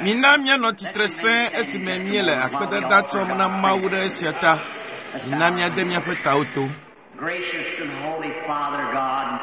Mina míanɔ tsitre sẽe esime míele akpedada tsɔm na Mawu ɖe esia ta. Mina míade míaƒe tawo to. Gracious and holy Father God,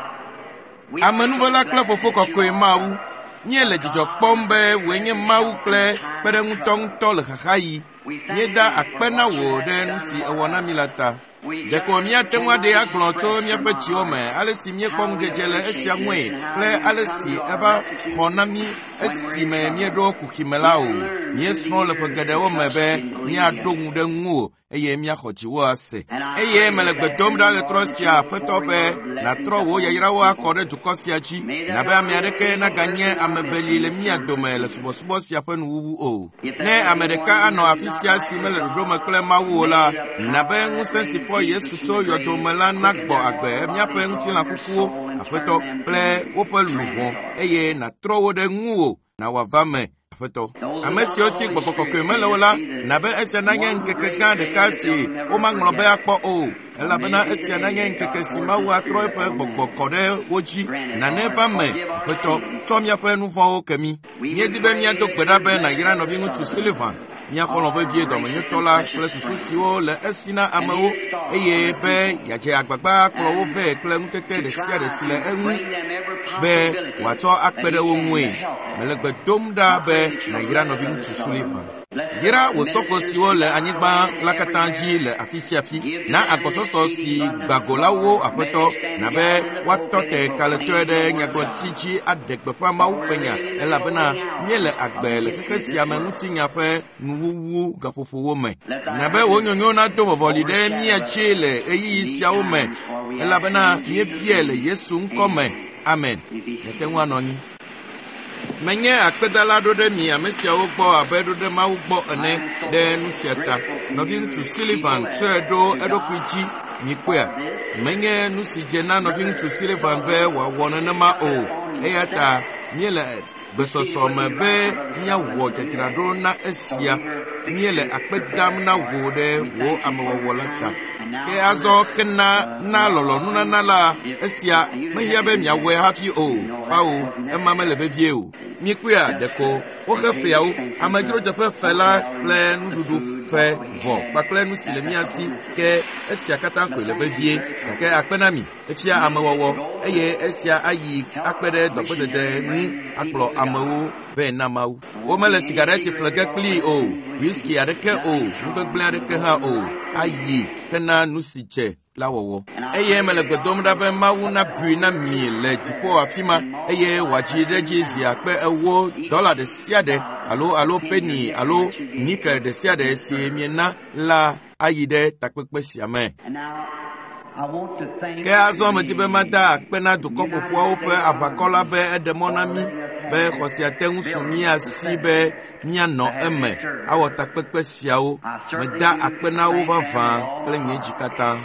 we Amenuvela kple fofo kɔkɔe Mawu, míele dzidzɔ kpɔm be wòe nye Mawu kple kpeɖeŋutɔŋutɔ le xaxaɣi. Míeda akpe na wò ɖe nu si èwɔ na mí la ta. Ɖeko míate ŋu aɖee agblɔ tso míaƒe dziwo me ale si míekpɔ ŋudzedze le esia ŋue kple ale si eva xɔ na mí esime míeɖo kuxi me la o. Míesrɔ̃ le ƒe geɖewo me be míaɖo ŋu ɖe ŋuwò eye míaxɔ dziwò ase. Eye mele gbe dom ɖa ɣetrɔ sia Aƒetɔ be nàtrɔ wò yayrawo akɔ ɖe dukɔ sia dzi, nabe ame aɖeke naganye ame beli le mía dome le subɔsubɔ sia ƒe nuwuwu o. Ne ame ɖeka anɔ afi sia si mele ɖoɖo me kple Mawu o la, nabe ŋusẽ si fɔ Yesu tso yɔdo me la nagbɔ agbe míaƒe ŋutilã kukuwo, Aƒetɔ, kple woƒe luʋɔ eye nàtrɔ wo ɖe ŋuwò na wòava me, Aƒetɔ. Ame siwo si gbɔgbɔ kɔkɔe mele o la, nabe esia nanye ŋkeke gã ɖeka si womaŋlɔ be akpɔ o, elabena esia nanye ŋkeke si Mawu atrɔ eƒe gbɔgbɔ kɔ ɖe wo dzi. Nane va me, Aƒetɔ, tsɔ míaƒe nu vɔ̃wo ke mí. Míedi be míado gbe ɖa be nàyra nɔviŋutsu Sullivan, mía xɔlɔ̃ vevie dɔmenyotɔ la kple susu siwo le esi na amewo eye be yeadze agbagba akplɔ wo vɛ kple ŋutete ɖe sia ɖe si le eŋu be wòatsɔ akpe ɖe wo ŋue. Mele gbe dom ɖa be nàyra nɔviŋutsu Sullivan. Yra wò sɔfo siwo le anyigba la katã dzi le afi sia afi. Na agbɔsɔsɔ si gba go la wo Aƒetɔ, nabe woatɔ te kalẽtɔe ɖe nyagblɔɖi dzi aɖe gbeƒã Mawu ƒe nya elabena míele agbe le xexe sia me ŋutinya ƒe nuwuwu gaƒoƒowo me. Nabe wò nyonyo nado vɔvɔli ɖe mía dzi le ɣeyiɣi siawo me elabena míebiae le Yesu ŋkɔ me. Amen. Miate ŋu anɔ anyi. Menye akpedala ɖo ɖe mi ame siawo gbɔ abe ɖo ɖe Mawu gbɔ ene ɖe nu sia ta. Nɔviŋutsu Sullivan tsɔe ɖo eɖokui dzi. Mikpɔea? Menye nu si dze na nɔviŋutsu Sullivan be wòawɔ nenema o. Eya ta míele gbesɔsɔ me be míawɔ dzadzraɖo na esia. Míele akpe dam na wò ɖe wò amewɔwɔ la ta. Ke azɔ xena na lɔlɔ̃nunana la, esia mehiã be miawɔe hafi o. Kpao, ema mele vevie o. Mikpɔea, ɖeko woxe feawo, amedzrodzeƒe fe la kple nuɖuɖu fe vɔ kpakple nu si le mía si ke esia katã koe le vevie. Gake akpe na mi, efia amewɔwɔ eye esia ayi akpe ɖe dɔgbedede ŋu akplɔ amewo vɛ na Mawu. Womele sigareti ƒle ge kplii o, whisky aɖeke o, nugbegblẽ aɖeke hã o. Ayi hena nu si dze la wɔwɔ. Eye mele gbe dom ɖa be Mawu nabui na mi le dziƒo afi ma eye wòadzi ɖe edzi zi akpe ewo dɔla ɖe sia ɖe alo alo peni alo nikel ɖe sia ɖe si miena la ayi ɖe takpekpe sia me. Ke azɔ medi be mada akpe na dukɔ ƒoƒuawo ƒe aʋakɔ la be eɖe mɔ na mí be xɔ sia te ŋu su mía si be míanɔ eme awɔ takpekpe siawo. Meda akpe na wo vavã kple nye dzi katã.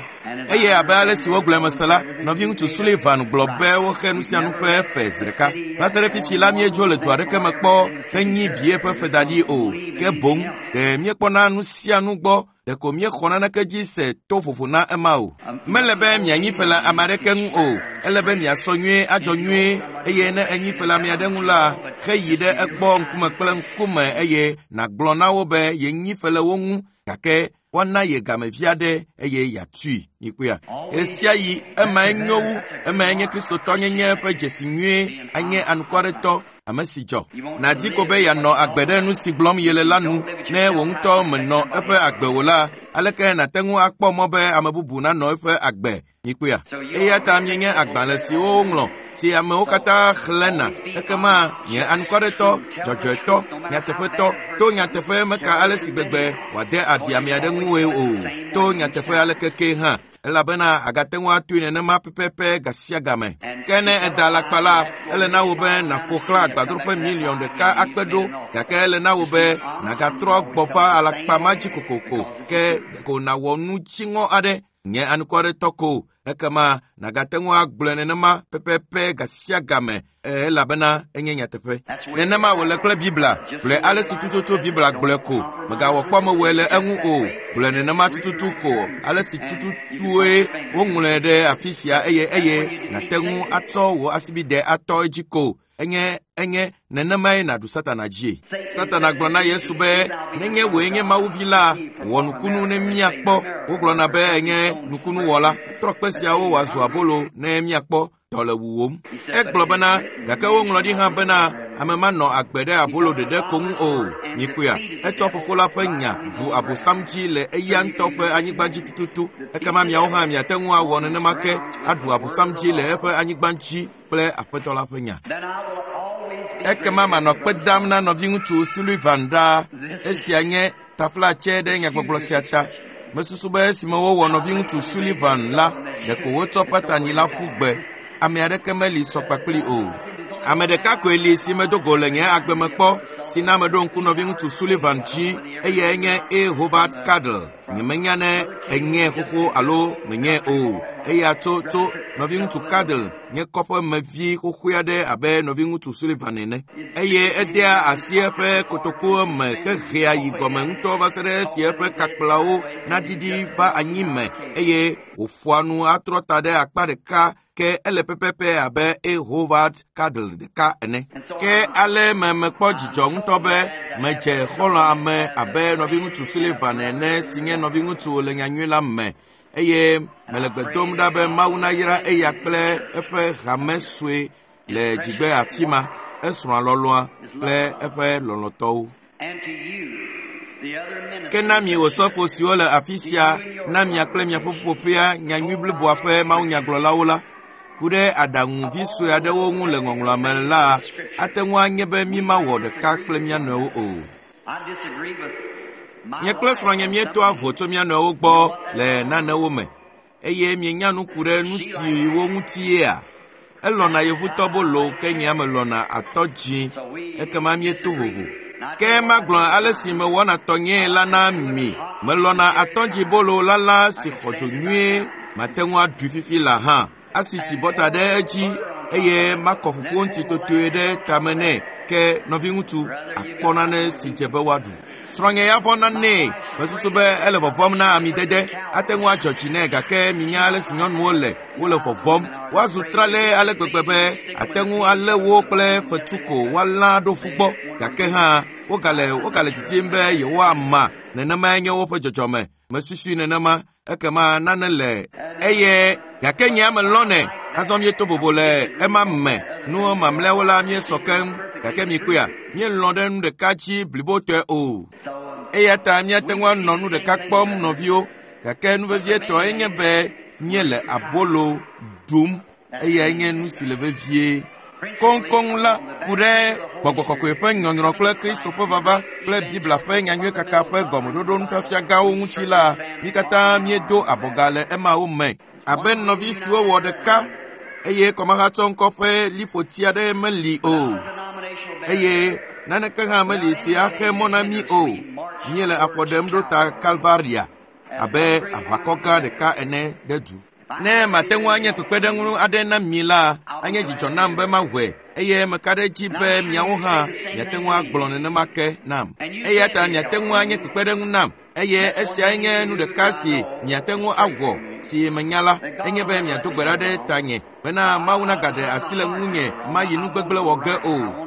Eye abe ale si wogblɔe mese la, nɔviŋutsu Sullivan gblɔ be woxe nu sia nu ƒe fe zi ɖeka. Va se ɖe fifi la míedzo le du aɖeke me kpɔ henyi bie ƒe fe da ɖi o. Ke boŋ ɖe míekpɔna nu sia nu gbɔ ɖeko míexɔ naneke dzi se to vovo na ema o. Mele be mianyi fe le ame aɖeke ŋu o. Ele be miasɔ nyuie adzɔ nyuie eye ne enyi fe le ame aɖe ŋu la, heyi ɖe egbɔ ŋkume kple ŋkume eye nàgblɔ na wo be yenyi fe le wo ŋu gake woana ye gamevi aɖe eye yeatui. Mikpɔea? Ɣesiaɣi emae nyo wu, emae nye Kristotɔnyenye ƒe dzesi nyuie, anye anukwaretɔ, ame si dzɔ. Nàdi ko be yeanɔ agbe ɖe nu si gblɔm yele la nu. Ne wò ŋutɔ mènɔ eƒe agbe o la, aleke nàte ŋu akpɔ mɔ be ame bubu nanɔ eƒe agbe? Mikpɔea? Eya ta mienye agbalẽ siwo woŋlɔ, si amewo katã xlẽna. Ekema nye anukwaretɔ, dzɔdzɔetɔ, nyateƒetɔ, to nyateƒe meka ale si gbegbe wòade abi ame aɖe ŋue o. To nyateƒe aleke ke hã, elabena agate ŋu atoe nenema pɛpɛpɛ ga sia game. Ke ne èda alakpa la, ele na wò be nàƒo xlã agbadroƒe miliɔn ɖeka akpe ɖo, gake ele na wò be nàgatrɔ gbɔ va alakpa ma dzi kokoko, ke ɖeko nàwɔ nu dziŋɔ aɖe nye anukwaretɔ ko ekema nàgate ŋu agblɔe nenema pɛpɛpɛ ga sia game elabena enye nyateƒe. Nenema wòle kple Biblia. Gblɔe ale si tututu Biblia gblɔe ko. Mègawɔ kpɔ mewɔe le eŋu o. Gblɔe nenema tututu ko ale si tututue woŋlɔe ɖe afi sia eye eye nàte ŋu atsɔ wò asibidɛ atɔ edzi ko. Enye nenemae nàɖu Satana dzie. Satana gblɔ na Yesu be, nenye wòe nye Mawu vi la, wɔ nukunu ne míakpɔ. Wogblɔna be enye nukunuwɔla. Trɔ kpe siawo wòazu abolo ne míakpɔ. Dɔ le wuwòm. Egblɔ bena, gake woŋlɔ ɖi hã bena, ame manɔ agbe ɖe abolo ɖeɖe ko ŋu o. Mikpɔea, etsɔ fofo la ƒe nya ɖu abosam dzi le eya ŋutɔ ƒe anyigba dzi tututu. Ekema miawo hã miate ŋu awɔ nenema ke aɖu abosam dzi le eƒe anyigba dzi kple aƒetɔ la ƒe nya. Ekema manɔ kpe dam na nɔviŋutsu Sullivan ɖaa. Esia nye taflatse ɖe nyagbɔgblɔ sia ta. Mesusu be esime wowɔ nɔviŋutsu Sullivan la, ɖeko wotsɔ patani la ƒu gbe. Ame aɖeke meli sɔ kpakpli o. Ame ɖeka koe li si medo go le nye agbe me kpɔ si na meɖo ŋku nɔviŋutsu Sullivan dzi, eyae nye A. Howard Cadle. Nyemenya ne enye xoxo alo menye o. Eya tso nɔviŋutsu Cadle nye kɔƒemevi xoxoe aɖe abe nɔviŋutsu Sullivan ene. Eye edea asi eƒe kotokuwo me hehea yi gɔme ŋutɔ va se ɖe esi eƒe kakplawo naɖiɖi va anyi me eye wòƒoa nu atrɔ ta ɖe akpa ɖeka ke ele pɛpɛpɛ abe A. Howard Cadle ɖeka ene. Ke ale me mekpɔ dzidzɔ ŋutɔ be medze xɔlɔ̃ ame abe nɔviŋutsu Sullivan ene si nye nɔviŋutsu le nyanyui la me. Eye mele gbe dom ɖa be Mawu nayra eya kple eƒe hame sue le dzigbe afi ma, esrɔ̃a lɔlɔ̃a kple eƒe lɔlɔ̃tɔwo. Ke na mi osɔfo siwo le afi sia na mia kple miaƒe ƒuƒoƒea nyanyui bliboa ƒe mawunyagblɔlawo la, ku ɖe aɖaŋuvi sue aɖewo ŋu le ŋɔŋlɔa me la, ate ŋu anye be mímawɔ ɖeka kple mía nɔewo o. Nye kple srɔ̃nye míetoa vo tso mía nɔewo gbɔ le nanewo me, eye mienya nu ku ɖe nu siwo ŋutiea. Elɔ̃na yevutɔbolo ke nye melɔ̃na atɔ dzĩ, ekema míeto vovo. Ke magblɔ ale si mewɔna tɔnyee la na mi. Melɔ̃na atɔdzibolo lala si xɔ dzo nyuie, mate ŋu aɖui fifi la hã. Asisi bɔta ɖe edzi eye makɔ fufuwo ŋuti totoe ɖe tame nɛ. Ke nɔviŋutsu akpɔ nane si dze be woaɖu. Srɔ̃nye ya vɔ̃na nɛ. Mesusu be ele vɔvɔ̃m na amidede. Ate ŋu adzɔ dzi nɛ gake minya ale si nyɔnuwo le, wole vɔvɔ̃m. Woazu tralɛ ale gbegbe be ate ŋu alé wo kple fetu ko woalã ɖo ƒu gbɔ. Gake hã wogale didim be yewoama. Nenemae nye woƒe dzɔdzɔme. Mesusui nenema. Ekema nane le eye gake nye ame lɔ̃nɛ. Azɔ míeto vovo le ema me. Nuwo mamlɛawo la míesɔ keŋ. Gake mikpɔea, míelɔ̃ ɖe nu ɖeka dzi blibotɔe o. Eya ta míate ŋu anɔ nu ɖeka kpɔm nɔviwo. Gake nu vevietɔe nye be míele abolo ɖum. Eyae nye nu si le vevie. Koŋkoŋ la ku ɖe gbɔgbɔ kɔkɔe ƒe nyɔnyrɔ kple Kristo ƒe vava kple Biblia ƒe nyanyui kaka ƒe gɔmeɖoɖo nufiafia gãwo ŋuti la, mí katã míedo abɔga le emawo me. Abe nɔvi siwo wɔ ɖeka eye kɔmahatsɔŋkɔ ƒe liƒoti aɖe meli o. Eye naneke hã meli si axe mɔ na mí o. Míele afɔ ɖem ɖo ta Kalvaria abe aʋakɔ gã ɖeka ene ɖe du. Ne mate ŋu anye kpekpeɖeŋu aɖe na mi la, anye dzidzɔ nam be mawɔe, eye meka ɖe edzi be miawo hã miate ŋu agblɔ nenema ke nam. Eya ta miate ŋu anye kpekpeɖeŋu nam, eye esiae nye nu ɖeka si miate ŋu awɔ si menya la, enye be miado gbe ɖa ɖe tanye bena Mawu nagaɖe asi le ŋunye mayi nu gbegblẽ wɔ ge o.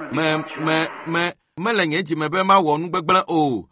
Mele nye dzime be mawɔ nu gbegblẽ o.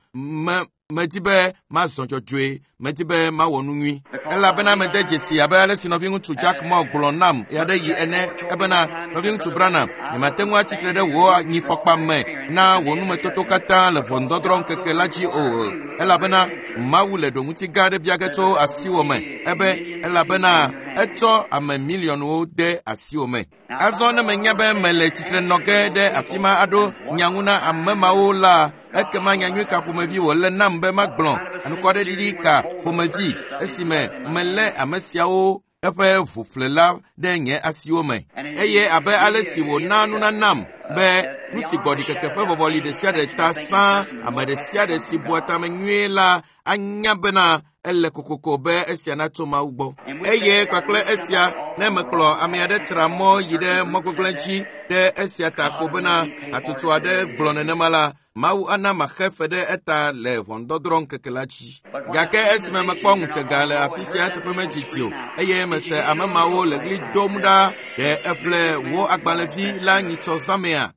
Medi be mazɔ dzɔdzɔe, medi be mawɔ nu nyui. Elabena mede dzesi abe ale si nɔviŋutsu Jack Moore gblɔ nam ɣeaɖeɣi ene ebena, nɔviŋutsu Branham, nyemate ŋu atsitre ɖe wò anyifɔkpa me na wò numetoto katã le ʋɔnudɔdrɔ̃ ŋkeke la dzi o. Elabena Mawu le ɖoŋuti gã aɖe bia ge tso asiwò me ebe elabena etsɔ ame miliɔnwo de asiwò me. Azɔ ne menya be mele tsitre nɔ ge ɖe afi ma aɖo nya ŋu na ame mawo la, ekema nyanyui ka ƒomevi wòle nam be magblɔ? Anukwaɖeɖiɖi ka ƒomevi esime melé ame siawo eƒe ʋuƒlela ɖe nye asiwo me? Eye abe ale si wòna nunanam be nu si gbɔ ɖikeke ƒe vɔvɔli ɖe sia ɖe ta sã, ame ɖe sia ɖe si bua tame nyuie la anya bena ele kokoko be esia natso Mawu gbɔ. Eye kpakple esia Ne mekplɔ ame aɖe tra mɔ yi ɖe mɔ gbegblẽ dzi ɖe esia ta ko bena hatsotso aɖe gblɔ nenema la, Mawu ana maxe fe ɖe eta le ʋɔnudɔdrɔ̃ ŋkeke la dzi. Gake esime mekpɔ ŋutega le afi sia teƒe medidi o, eye mese ame mawo le ɣli dom ɖa ɖe eƒle wò agbalẽvi la nyitsɔ zãmea,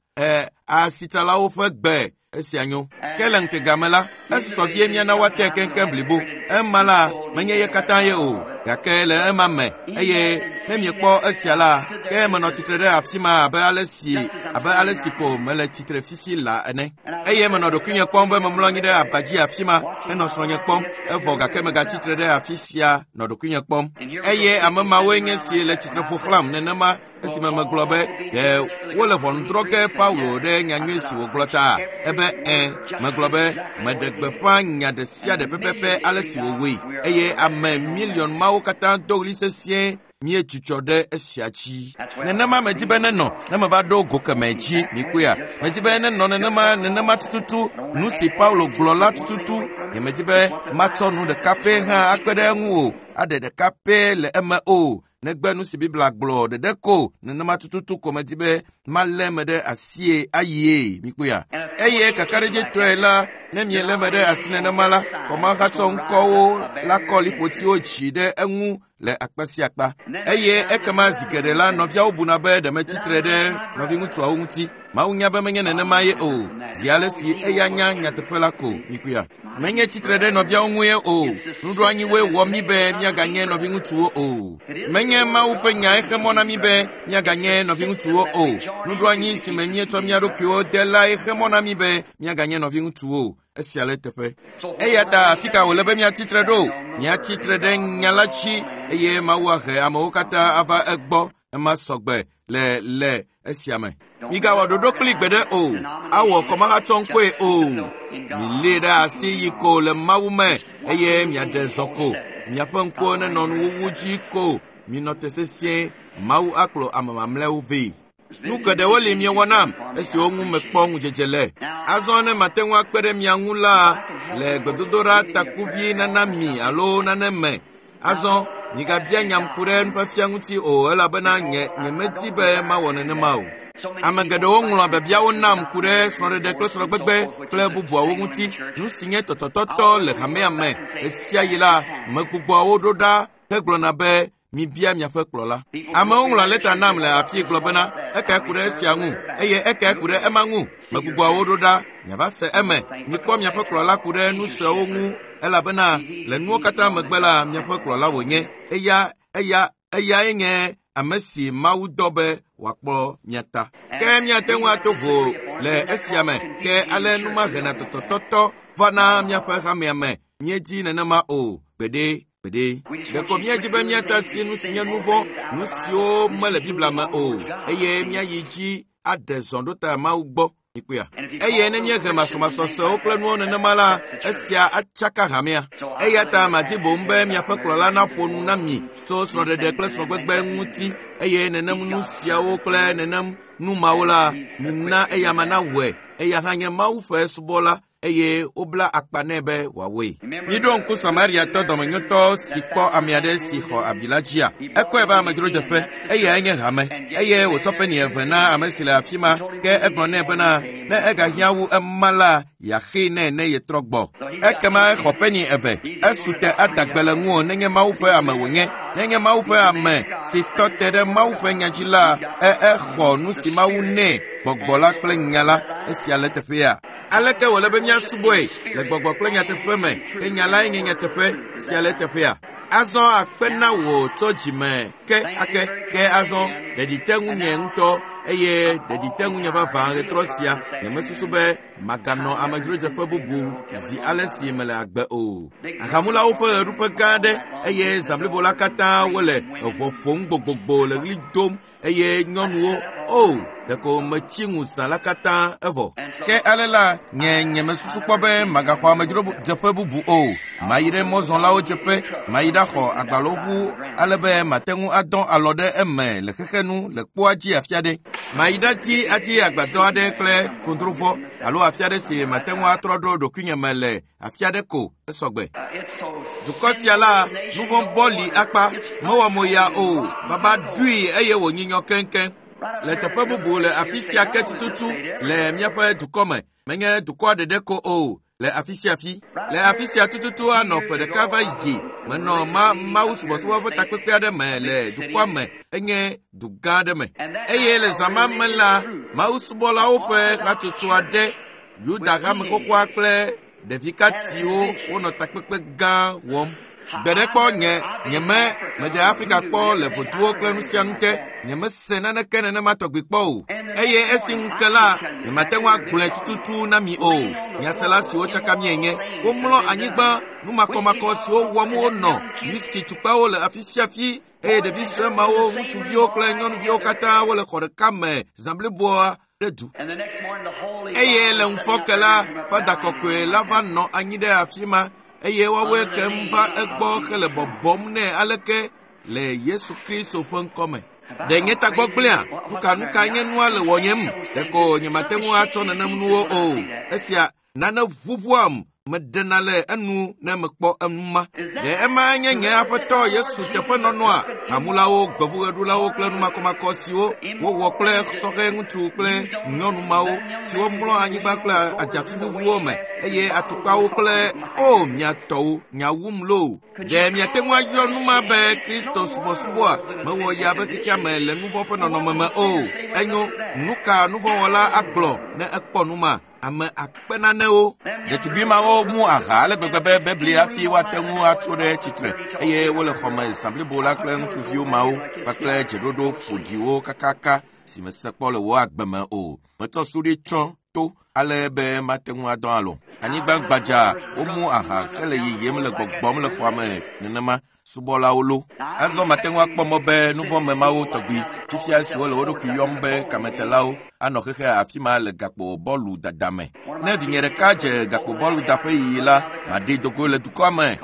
asitsalawo ƒe gbe esia nyo. Ke le ŋutega me la, esusɔ vie míana woate keŋkeŋ blibo. Ema la, menye ye katã ye o, gake le ema me, eye ne miekpɔ esia la, ke menɔ tsitre ɖe afi ma abe ale si ko mele tsitre fifi la ene. Eye menɔ ɖokuinye kpɔm be memlɔ anyi ɖe aba dzi afi ma henɔ srɔ̃nye kpɔm, evɔ gake megatsitre ɖe afi sia nɔ ɖokuinye kpɔm. Eye ame mawoe nye si le tsitre ƒo xlãm nenema esime megblɔ be ɖe wole ʋɔnu drɔ̃ ge Paulo ɖe nyanyui si wògblɔ ta. Ebe ẽ, megblɔ be meɖe gbeƒã nya ɖe sia ɖe pɛpɛpɛ ale si wòwɔe, eye ame miliɔn mawo katã do ɣli sesĩe míedzudzɔ ɖe esia dzi. Nenema medzi be nenɔ ne meva ɖo go kemɛ dzi, mikpɔea. Medzi be nenɔ nenema tututu, nu si Paulo gblɔ la tututu. Nyemedi be matsɔ nu ɖeka pɛ hã akpe ɖe eŋu o, aɖe ɖeka pɛ le eme o, negbe nu si Biblia gblɔ ɖeɖe ko, nenema tututu ko medzi be malé me ɖe asie ayie, mikpɔea. Eye kakaɖedzitɔe la, ne mielé me ɖe asi nenema la, kɔmahatsɔ ŋkɔwo la kɔ liƒotiwo dzi ɖe eŋu le akpa sia akpa. Eye ekema zi geɖe la, nɔviawo buna be ɖe metsitre ɖe nɔviŋutsuawo ŋuti. Mawu nya be menye nenema ye o, zi ale si eya nya nyateƒe la ko, mikpɔea. Menye tsitre ɖe nɔviawo ŋue o, nuɖoanyiwoe wɔ mí be míaganye nɔviŋutsuwo o. Menye Mawu ƒe nyae xe mɔ na mí be míaganye nɔviŋutsuwo o. Nuɖoanyi si me míetsɔ mía ɖokuiwo de lae xe mɔ na mí be míaganye nɔviŋutsuwo. Esia le teƒe. Eya ta afi ka wòle be míatsitre ɖo? Míatsitre ɖe nya la dzi, eye Mawu ahe amewo katã ava egbɔ. Ema sɔgbe le esia me. Migawɔ ɖoɖo kpli gbeɖe o, awɔ kɔmahatsɔŋkɔe o. Milée ɖe asi yi ko le Mawu me, eye miaɖe zɔ ko. Miaƒe ŋkuwo nenɔ nuwuwu dzi ko. Minɔ te sesĩe, Mawu akplɔ ame mamlɛawo vɛ. Nu geɖewo li miewɔ nam, esiwo ŋu mekpɔ ŋudzedze le. Azɔ ne mate ŋu akpe ɖe mia ŋu la, le gbedodoɖa takuvi nana mi alo nane me. Azɔ migabia nyam ku ɖe nufiafia ŋuti o, elabena nye nyemedi be mawɔ nenema o. Ame geɖewo ŋlɔa biabiawo nam ku ɖe srɔ̃ɖeɖe kple srɔ̃gbegbe kple bubuawo ŋuti. Nu si nye tɔtɔtɔtɔ le hamea me ɣesiaɣi la, megbugbɔa wo ɖo ɖa hegblɔna be mibia miaƒe kplɔla. Amewo ŋlɔa lɛta nam le afii gblɔ bena ekae ku ɖe esia ŋu, eye ekae ku ɖe ema ŋu. Megbugbɔa wo ɖo ɖa, miava se eme. Mikpɔ miaƒe kplɔla ku ɖe nu siawo ŋu, elabena le nuwo katã megbe la, miaƒe kplɔla wònye. Eyae nye ame si Mawu dɔ be wòakplɔ mia ta. Ke míate ŋu ato vo le esia me, ke ale numahena tɔtɔtɔtɔ va na míaƒe hamea me. Míedzi nenema o, gbeɖe. Ɖeko míedzi be míate asi nu si nye nu vɔ̃, nu siwo mele Biblia me o, eye míayi dzi aɖe zɔ ɖo ta Mawu gbɔ. Mikpɔea? Eye ne míehe masɔmasɔsewo kple nuwo nenema la, esia atsaka hamea. Eya ta madi boŋ be miaƒe kplɔla naƒo nu na mi tso srɔ̃ɖeɖe kple srɔ̃gbegbe ŋuti, eye nenem nu siawo kple nenem nu mawo la, mina eyama nawɔe. Eya hã nye Mawu ƒe subɔla, eye wobla akpa nɛ be wòawɔe. Miɖo ŋku Samariatɔ dɔmenyotɔ si kpɔ ame aɖe si xɔ abi la dzia. Ekɔe va amedzrodzeƒe, eyae nye hame, eye wòtsɔ peni eve na ame si le afi ma, ke egblɔ nɛ bena ne egahiã wu ema la, yeaxee nɛ ne yetrɔ gbɔ. Ekema exɔ peni eve, esu te ada gbe le ŋuwò nenye Mawu ƒe ame wònye. Nenye Mawu ƒe ame si tɔ te ɖe Mawu ƒe nya dzi la, exɔ nu si Mawu nɛ, gbɔgbɔ la kple nya la. Esia le teƒea. Aleke wòle be míasubɔe le gbɔgbɔ kple nyateƒe me, ke nya lae nye nyateƒe sia le teƒea. Azɔ akpe na wò tso dzime ke ake, ke azɔ ɖeɖi te ŋunye ŋutɔ, eye ɖeɖi te ŋunye vavã ɣetrɔ sia. Nyemesusu be maganɔ amedzrodzeƒe bubu zi ale si mele agbe o. Ahamulawo ƒe ɣeɖuƒe gã aɖe, eye zã blibo la katã wole eʋɔ ƒom gbogbogbo le ɣli dom, eye nyɔnuwo, o, ɖeko metsi ŋu zã la katã evɔ. Ke ale la, nye mesusu kpɔ be magaxɔ amedzrodzeƒe bubu o. Mayi ɖe mɔzɔlawo dzeƒe, mayi ɖaxɔ agbalẽʋu ale be mate ŋu adɔ alɔ ɖe eme le xexenu le kpoa dzi afi aɖe. Mayi ɖati ati agbadɔ aɖe kple kondrovɔ alo afi aɖe si mate ŋu atrɔ ɖo ɖokuinye me le afi aɖe ko esɔgbe. Dukɔ sia la, nu vɔ̃ bɔ li akpa, mewɔ mo ya o, baba ɖui eye wònyinyɔ keŋkeŋ. Le teƒe bubu le afi sia ke tututu le míaƒe dukɔ me, menye dukɔa ɖeɖe ko o, le afi sia fi. Le afi sia tututu anɔ ƒe ɖeka va yi, menɔ Mawu subɔsubɔ ƒe takpekpe aɖe me le dukɔa me, enye du gã aɖe me. Eye le zã ma me la, Mawu subɔlawo ƒe hatsotso aɖe, Yuda hame xoxoa kple ɖevikatiwo wonɔ takpekpe gã wɔm. Gbe ɖe kpɔ nye nyeme mede Afrika kpɔ le voduwo kple nu sia nu te, nyemese naneke nenema tɔgbi kpɔ o. Eye esi ŋu ke la, nyemate ŋu agblɔe tututu na mi o. Nyasela siwo tsaka mienye, womlɔ anyigba numakɔmakɔ siwo wɔm wonɔ, whisky tukpawo le afi sia fi eye ɖevi sue mawo, ŋutsuviwo kple nyɔnuviwo katã wole xɔ ɖeka me zã bliboa ɖe du. Eye le ŋufɔke la, Fada kɔkɔe la va nɔ anyi ɖe afi ma eye woawoe kem va egbɔ hele bɔbɔm nɛ aleke le Yesu Kristo ƒe ŋkɔme. Ɖe nye tagbɔ gblẽa? Nuka nye nua le wɔnyem? Ɖeko nyemate ŋu atsɔ nenem nuwo o. Esia nane ʋuʋuam meɖena le enu ne mekpɔ enu ma. Ɖe ema nye nye aƒetɔ Yesu teƒenɔnɔa? Hamulawo, gbevuɣeɖulawo kple numakɔmakɔ siwo wowɔ kple sɔhɛ ŋutsu kple nyɔnu mawo siwo mlɔ anyigba kple adzafi vuvuwo me eye atukpawo kple o mia tɔwo nya wum loo. Ɖe miate ŋu ayɔ nu ma be Kristo subɔsubɔa mewɔ ya be xexea me le nu vɔ̃ ƒe nɔnɔme me o. Enyo, nu ka nu vɔ̃wɔla agblɔ ne ekpɔ nu ma? Ame akpe nanewo. Ɖetugbi mawo mu aha ale gbegbe be bebli hafi woate ŋu atso ɖe tsitre eye wole xɔme zã blibo la kple ŋutsuviwo mawo kpakple dzeɖoɖo ƒoɖiwo kakaka si mese kpɔ le wò agbe me o. Metsɔ suɖi tsɔ to ale be mate ŋu adɔ alɔ. Anyigba gbadza womu aha hele yiyim le gbɔgbɔm le xɔa me nenema subɔlawo lo. Azɔ mate ŋu akpɔ mɔ be nu vɔ̃ me mawo tɔgbi fifia siwo le wo ɖokui yɔm be kametelawo anɔ xexe afi ma le gakpo bɔlu dada me. Ne vinye ɖeka dze gakpo bɔlu daƒe yiyi la, maɖee dogo le dukɔa me.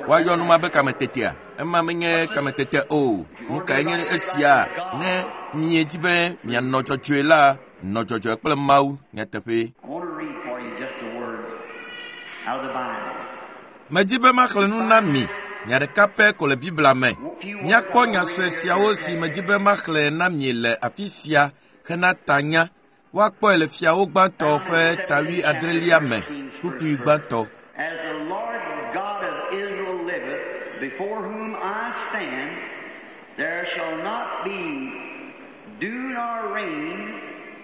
Woayɔ nu ma be kametetea? Ema menye kametete o. Nu kae nye esia? Ne miedi be mianɔ dzɔdzɔe la, nɔ dzɔdzɔe kple Mawu nyateƒe. Medi be maxlẽ nu na mi nya ɖeka pɛ ko le Biblia me. Míakpɔ nya sue siawo si medi be maxlẽ na mi le afi sia hena tanya. Woakpɔe le Fiawo gbãtɔ ƒe ta 70 me, kpukpui gbãtɔ. As the Lord God of Israel liveth, before whom I stand, there shall not be dew nor rain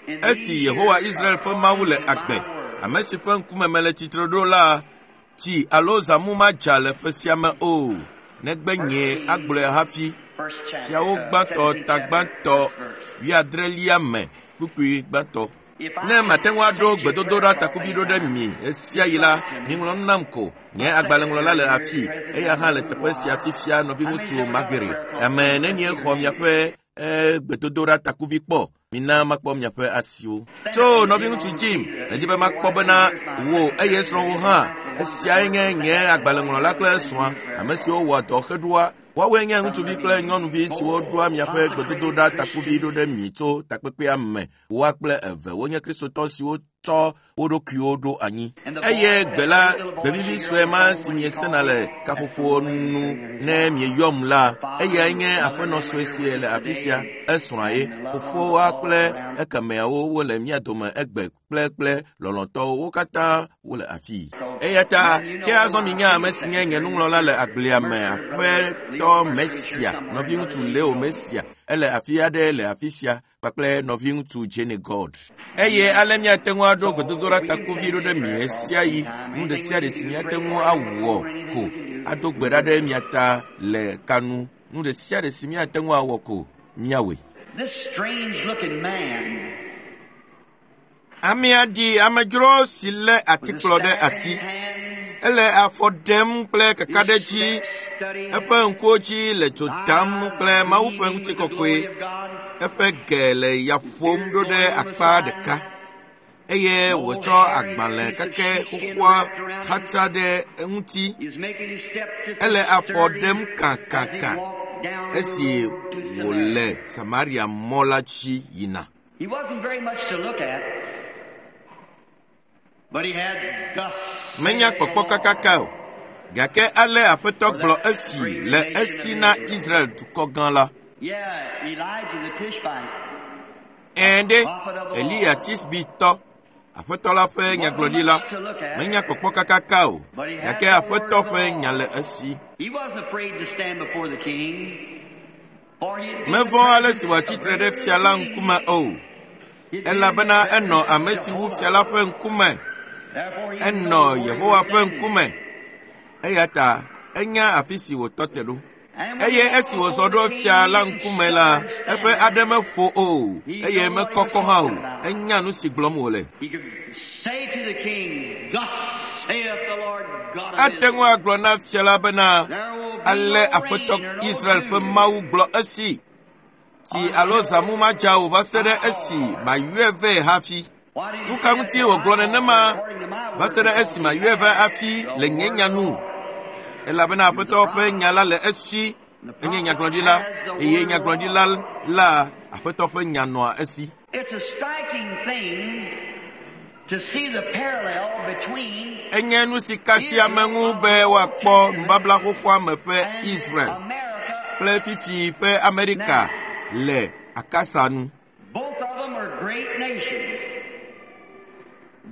in Esi these Yehowa years Israel ƒe Mawu le according to my agbe, word. ame si ƒe ŋkume mele tsitre ɖo la, tsi alo zãmu madza le ƒe sia me o, negbe nye agblɔe hafi. First chapter, Fiawo gbãtɔ ta gbãtɔ 70 me, kpukpui gbãtɔ. Ne mate ŋu aɖo gbedodoɖa takuvi ɖo ɖe mi ɣesia ɣi la, miŋlɔ nu nam ko. Nye agbalẽŋlɔla le afii, eya hã le teƒe sia fifia nɔviŋutsu Magere. Ame nenie xɔ miaƒe gbedodoɖa takuvi kpɔ? Mina makpɔ miaƒe asiwo. Tso nɔviŋutsu Jim, medi be makpɔ bena wò eye srɔ̃wò hã. Esiae nye nye agbalẽŋlɔla kple srɔ̃a, ame siwo wɔa dɔ heɖoa. Woawoe nye ŋutsuvi kple nyɔnuvi siwo ɖoa miaƒe gbedodoɖa takuvi ɖo ɖe mi tso takpekpea me. Woa kple eve wonye Kristotɔ siwo tsɔ wo ɖokuiwo ɖo anyi. Eye gbe la, gbevivi sue ma si miesena le kaƒoƒo nu ne mieyɔm la, eyae nye aƒenɔ sue si le afi sia, esrɔ̃a ye. Fofoa kple ekemeawo wole mía dome egbe kple lɔlɔ̃tɔwo, wo katã wole afii. Eya ta ke azɔ minya ame si nye nye nuŋlɔla le agblea me, aƒetɔ Mesia, nɔviŋutsu Leo Mesia, ele afi aɖe le afi sia kpakple nɔviŋutsu Jenny God. Eye ale míate ŋu aɖo gbedodoɖa takuvi ɖo ɖe mi ɣesiaɣi, nu ɖe sia ɖe si míate ŋu awɔ ko ado gbe ɖa ɖe mia ta le kanu. Nu ɖe sia ɖe si míate ŋu awɔ ko míawɔe. This strange looking man Amea ɖi amedzro si lé atikplɔ ɖe asi. Ele afɔ ɖem kple kakaɖedzi. Eƒe ŋkuwo dzi le dzo dam kple Mawu ƒe ŋutikɔkɔe. Eƒe ge le ya ƒom ɖo ɖe akpa ɖeka eye wòtsɔ agbalẽ kake xoxoa xatsa ɖe eŋuti. Ele afɔ ɖem kakaka esi wòle Samaria mɔ la dzi yina. He wasn't very much to look at, but he had thus Menya saith the kpɔkpɔ Lord. kakaka o. Gake ale Aƒetɔ gblɔ esi le esi na Israel dukɔ gã la. Yeah, Elijah the Tishbite. Ɛ̃ ɖe, Eliya Tisbitɔ, Aƒetɔ la ƒe nyagblɔɖila, menya kpɔkpɔ kakaka o, gake Aƒetɔ ƒe nya le esi. He wasn't afraid to stand before the king, for he had been Mevɔ̃ the ale si wòatsi tre ɖe fia la ŋkume o, He'd been elabena in the enɔ presence ame of si wu Jehovah. fia la ƒe ŋkume, Therefore he enɔ knew where he Yehowa was ƒe standing. ŋkume. Eya ta enya afi si wòtɔ te ɖo. And when Eye he esi walked wòzɔ over ɖo the fia king, la he ŋkume la, stuttered, eƒe stammered. aɖe meƒo o, eye mekɔkɔ hã o. Enya nu si gblɔm wòle. He could say to the king, Thus saith the Lord God of Ate ŋu Israel. agblɔ na fia la bena, There will be ale no rain Aƒetɔ nor no Israel ƒe dew Mawu gblɔ esi, tsi alo zãmu madza o va se ɖe esi mayɔe vɛ hafi. Why did he Nu say ka that? ŋutie wògblɔ nenema According to my va word, se ɖe because esi he mayɔe vɛ had hafi the le nye word nya of the nu? Lord. Elabena Aƒetɔ ƒe nya la le esi, enye nyagblɔɖila, eye nyagblɔɖila la Aƒetɔ ƒe nya nɔa esi. It's a striking thing to see the parallel between Enye nu si ka sia ame ŋu be woakpɔ nubabla xoxoa me ƒe and Israel America. kple fifi ƒe Amerika le akasa nu. Both of them are great nations.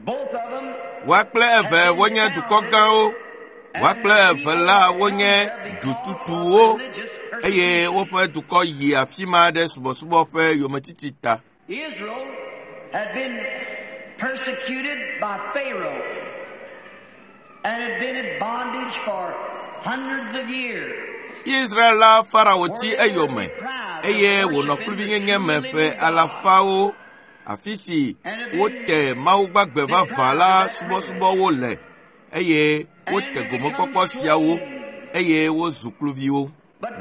Both of them Woa kple eve wonye dukɔ gãwo, woa kple eve la wonye dututuwo eye woƒe dukɔ yi afi ma ɖe subɔsubɔ ƒe yometiti ta. Israel had been persecuted by Pharaoh and had been in bondage for hundreds of years. Israel la Farao ti eyome eye wònɔ kluvinyenye me ƒe alafawo afi si wote Mawu gbagbe vavã la subɔsubɔwo le eye wote gomekpɔkpɔ siawo eye wozu kluviwo.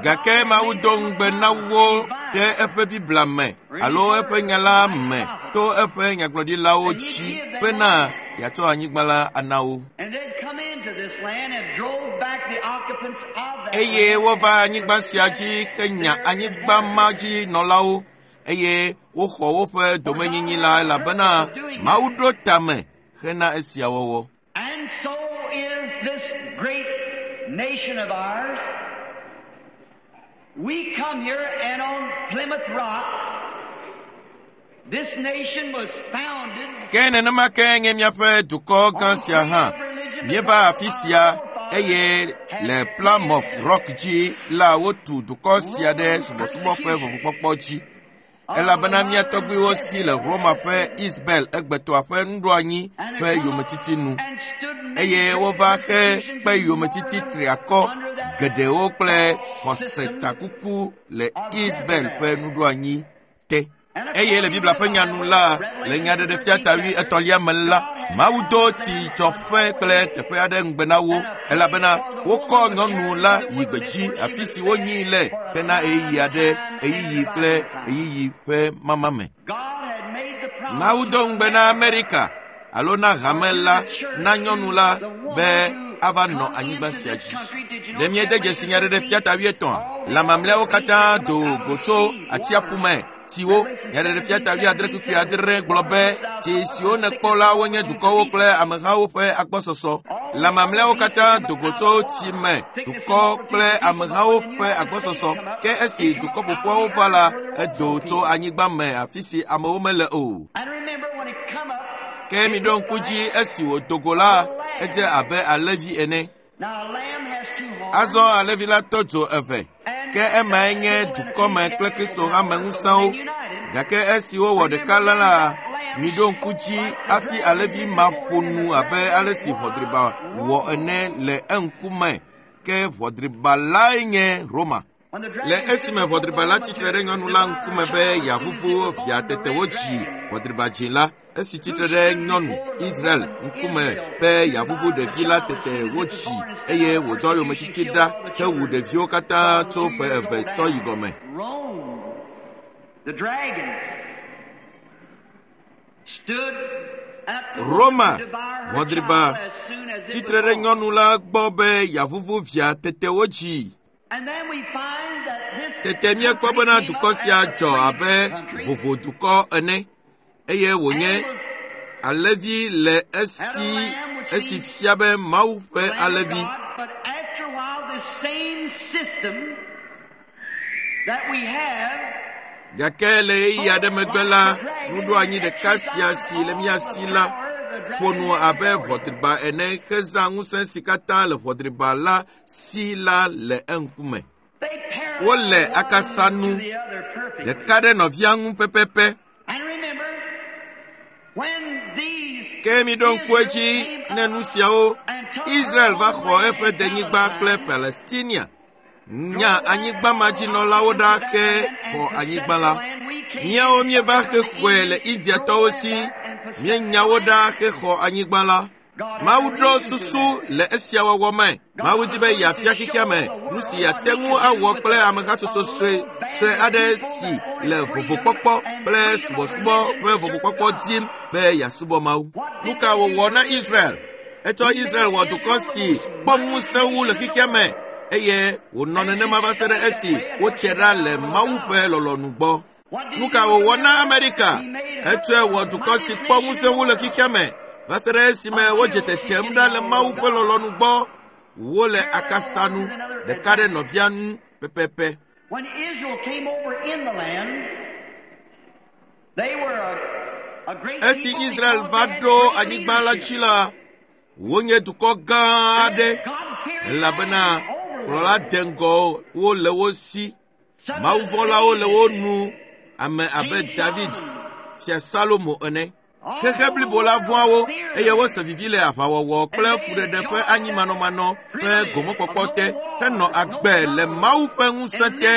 Gake Mawu do ŋugbe na wo ɖe eƒe Biblia me alo eƒe nya la me to eƒe nyagblɔɖilawo dzi bena yeatsɔ anyigba la ana wo. And they'd come into this land and drove back the occupants of that eye land. wova anyigba sia dzi henya anyigba ma dzi nɔlawo eye woxɔ woƒe domenyinyi la elabena Mawu ɖo tame hena esia wɔwɔ. And so is this great nation of ours. We come here and on Plymouth Rock, this nation was founded Ke nenema ke nye míaƒe dukɔ gã sia hã. Míeva afi sia eye le Plymouth Rock dzi la wotu dukɔ sia ɖe subɔsubɔ ƒe vovokpɔkpɔ dzi. Elabena mía tɔgbuiwo si le Roma ƒe Isabel egbetɔa ƒe nuɖoanyi ƒe yometiti nu. Eye wova xe kpe yometiti triakɔ geɖewo kple xɔsetakuku le Isabel ƒe nuɖoanyi te. Eye le Biblia ƒe nya nu la, le nyaɖeɖefia ta wuietɔ̃lia me la, Mawu do tsidzɔƒe kple teƒe aɖe ŋugbe na wo elabena wokɔ nyɔnu la yi gbedzi afi si wonyii le hena ɣeyiɣi aɖe, ɣeyiɣi kple ɣeyiɣi ƒe mama me. God had made the promise Mawu do ŋugbe na Amerika alo na hame la, na nyɔnu la be ava nɔ anyigba sia dzi. Ɖe míede dzesi nyaɖeɖefia ta wuietɔ̃a? Lã mamlɛawo katã do go tso atsiaƒu me tsiwo. Nyaɖeɖefia ta wuiadre kpukpui adre gblɔ be tsi siwo nèkpɔ la wonye dukɔwo kple amehawo ƒe agbɔsɔsɔ. Lã mamlɛawo katã do go tso tsi me, dukɔ kple amehawo ƒe agbɔsɔsɔ. Ke esi dukɔ ƒoƒuawo va la, edo tso anyigba me afi si amewo mele o. And remember when it come up, Ke miɖo ŋku dzi esi wòdo go la, edze abe alẽvi ene. now a lamb has two horns. Azɔ alẽvi la tɔ dzo eve, ke emae nye dukɔme kple Kristo hame ŋusẽwo. Gake esi wowɔ ɖeka la la, miɖo ŋku dzi hafi alẽvi ma ƒo nu abe ale si ʋɔdriba wɔ ene le eŋkume. Ke ʋɔdriba lae nye Roma. When the Le dragon esime ʋɔdriba la tsitre ɖe nyɔnu la ŋkume be yeavuvu via tete wodzi ʋɔdriba dzi la, esi tsitre ɖe nyɔnu Israel ŋkume be yeavuvu ɖevi la tete wodzi eye wòdɔ yometiti ɖa hewu ɖeviwo katã tso ƒe eve tsɔ yi gɔme. Rome, the dragon, stood at the Roma, woman to devour her ʋɔdriba child as soon as it tsitre was ɖe born. nyɔnu la gbɔ be yeavuvu via tete wodzi. Tete míekpɔ bena dukɔ sia dzɔ abe vovodukɔ ene eye wònye alẽvi le esi esi fia be Mawu ƒe alẽvi. Gake le ɣeyiɣi aɖe megbe la, nuɖoanyi ɖeka sia si le mía si la ƒo nu abe ʋɔdriba ene hezã ŋusẽ si katã le ʋɔdriba la si la le eŋkume. Wole akasa nu ɖeka ɖe nɔvia ŋu pɛpɛpɛ. Ke miɖo ŋku edzi ne nu siawo Israel va xɔ eƒe denyigba kple Palestinia. Nya anyigbamadzinɔlawo ɖa xe xɔ anyigba la. Míawo míeva xexɔe le Indiatɔwo si. Míenya wo ɖa xexɔ anyigba la. Mawu ɖo susu le esia wɔwɔ me. Mawu di be yeafia xexea me nu si yeate ŋu awɔ kple amehatsotso sue sue aɖe si le vovokpɔkpɔ kple subɔsubɔ ƒe vovokpɔkpɔ dim be yeasubɔ Mawu. Nu ka wòwɔ na Israel? Etsɔ Israel wɔ dukɔ si kpɔ ŋusẽ wu le xexea me eye wònɔ nenema va se ɖe esi wote ɖa le Mawu ƒe lɔlɔ̃nu gbɔ. Nu ka wòwɔ na Amerika? Etsɔe wɔ dukɔ si kpɔ ŋusẽ wu le xexea me va se ɖe esime wodze tetem ɖa le Mawu ƒe lɔlɔ̃nu gbɔ. Wole akasa nu ɖeka ɖe nɔvia ŋu pɛpɛpɛ. Esi Israel va ɖo anyigba la dzi la, wonye dukɔ gã aɖe elabena kplɔla deŋgɔwo le wo si. Mawuvɔ̃lawo le wo nu ame abe David, Fia Salomo ene. Xexe blibo la vɔ̃a wo eye wose vivi le aʋawɔwɔ kple fuɖeɖe ƒe anyimanɔmanɔ ƒe gomekpɔkpɔ te henɔ agbe le Mawu ƒe ŋusẽ te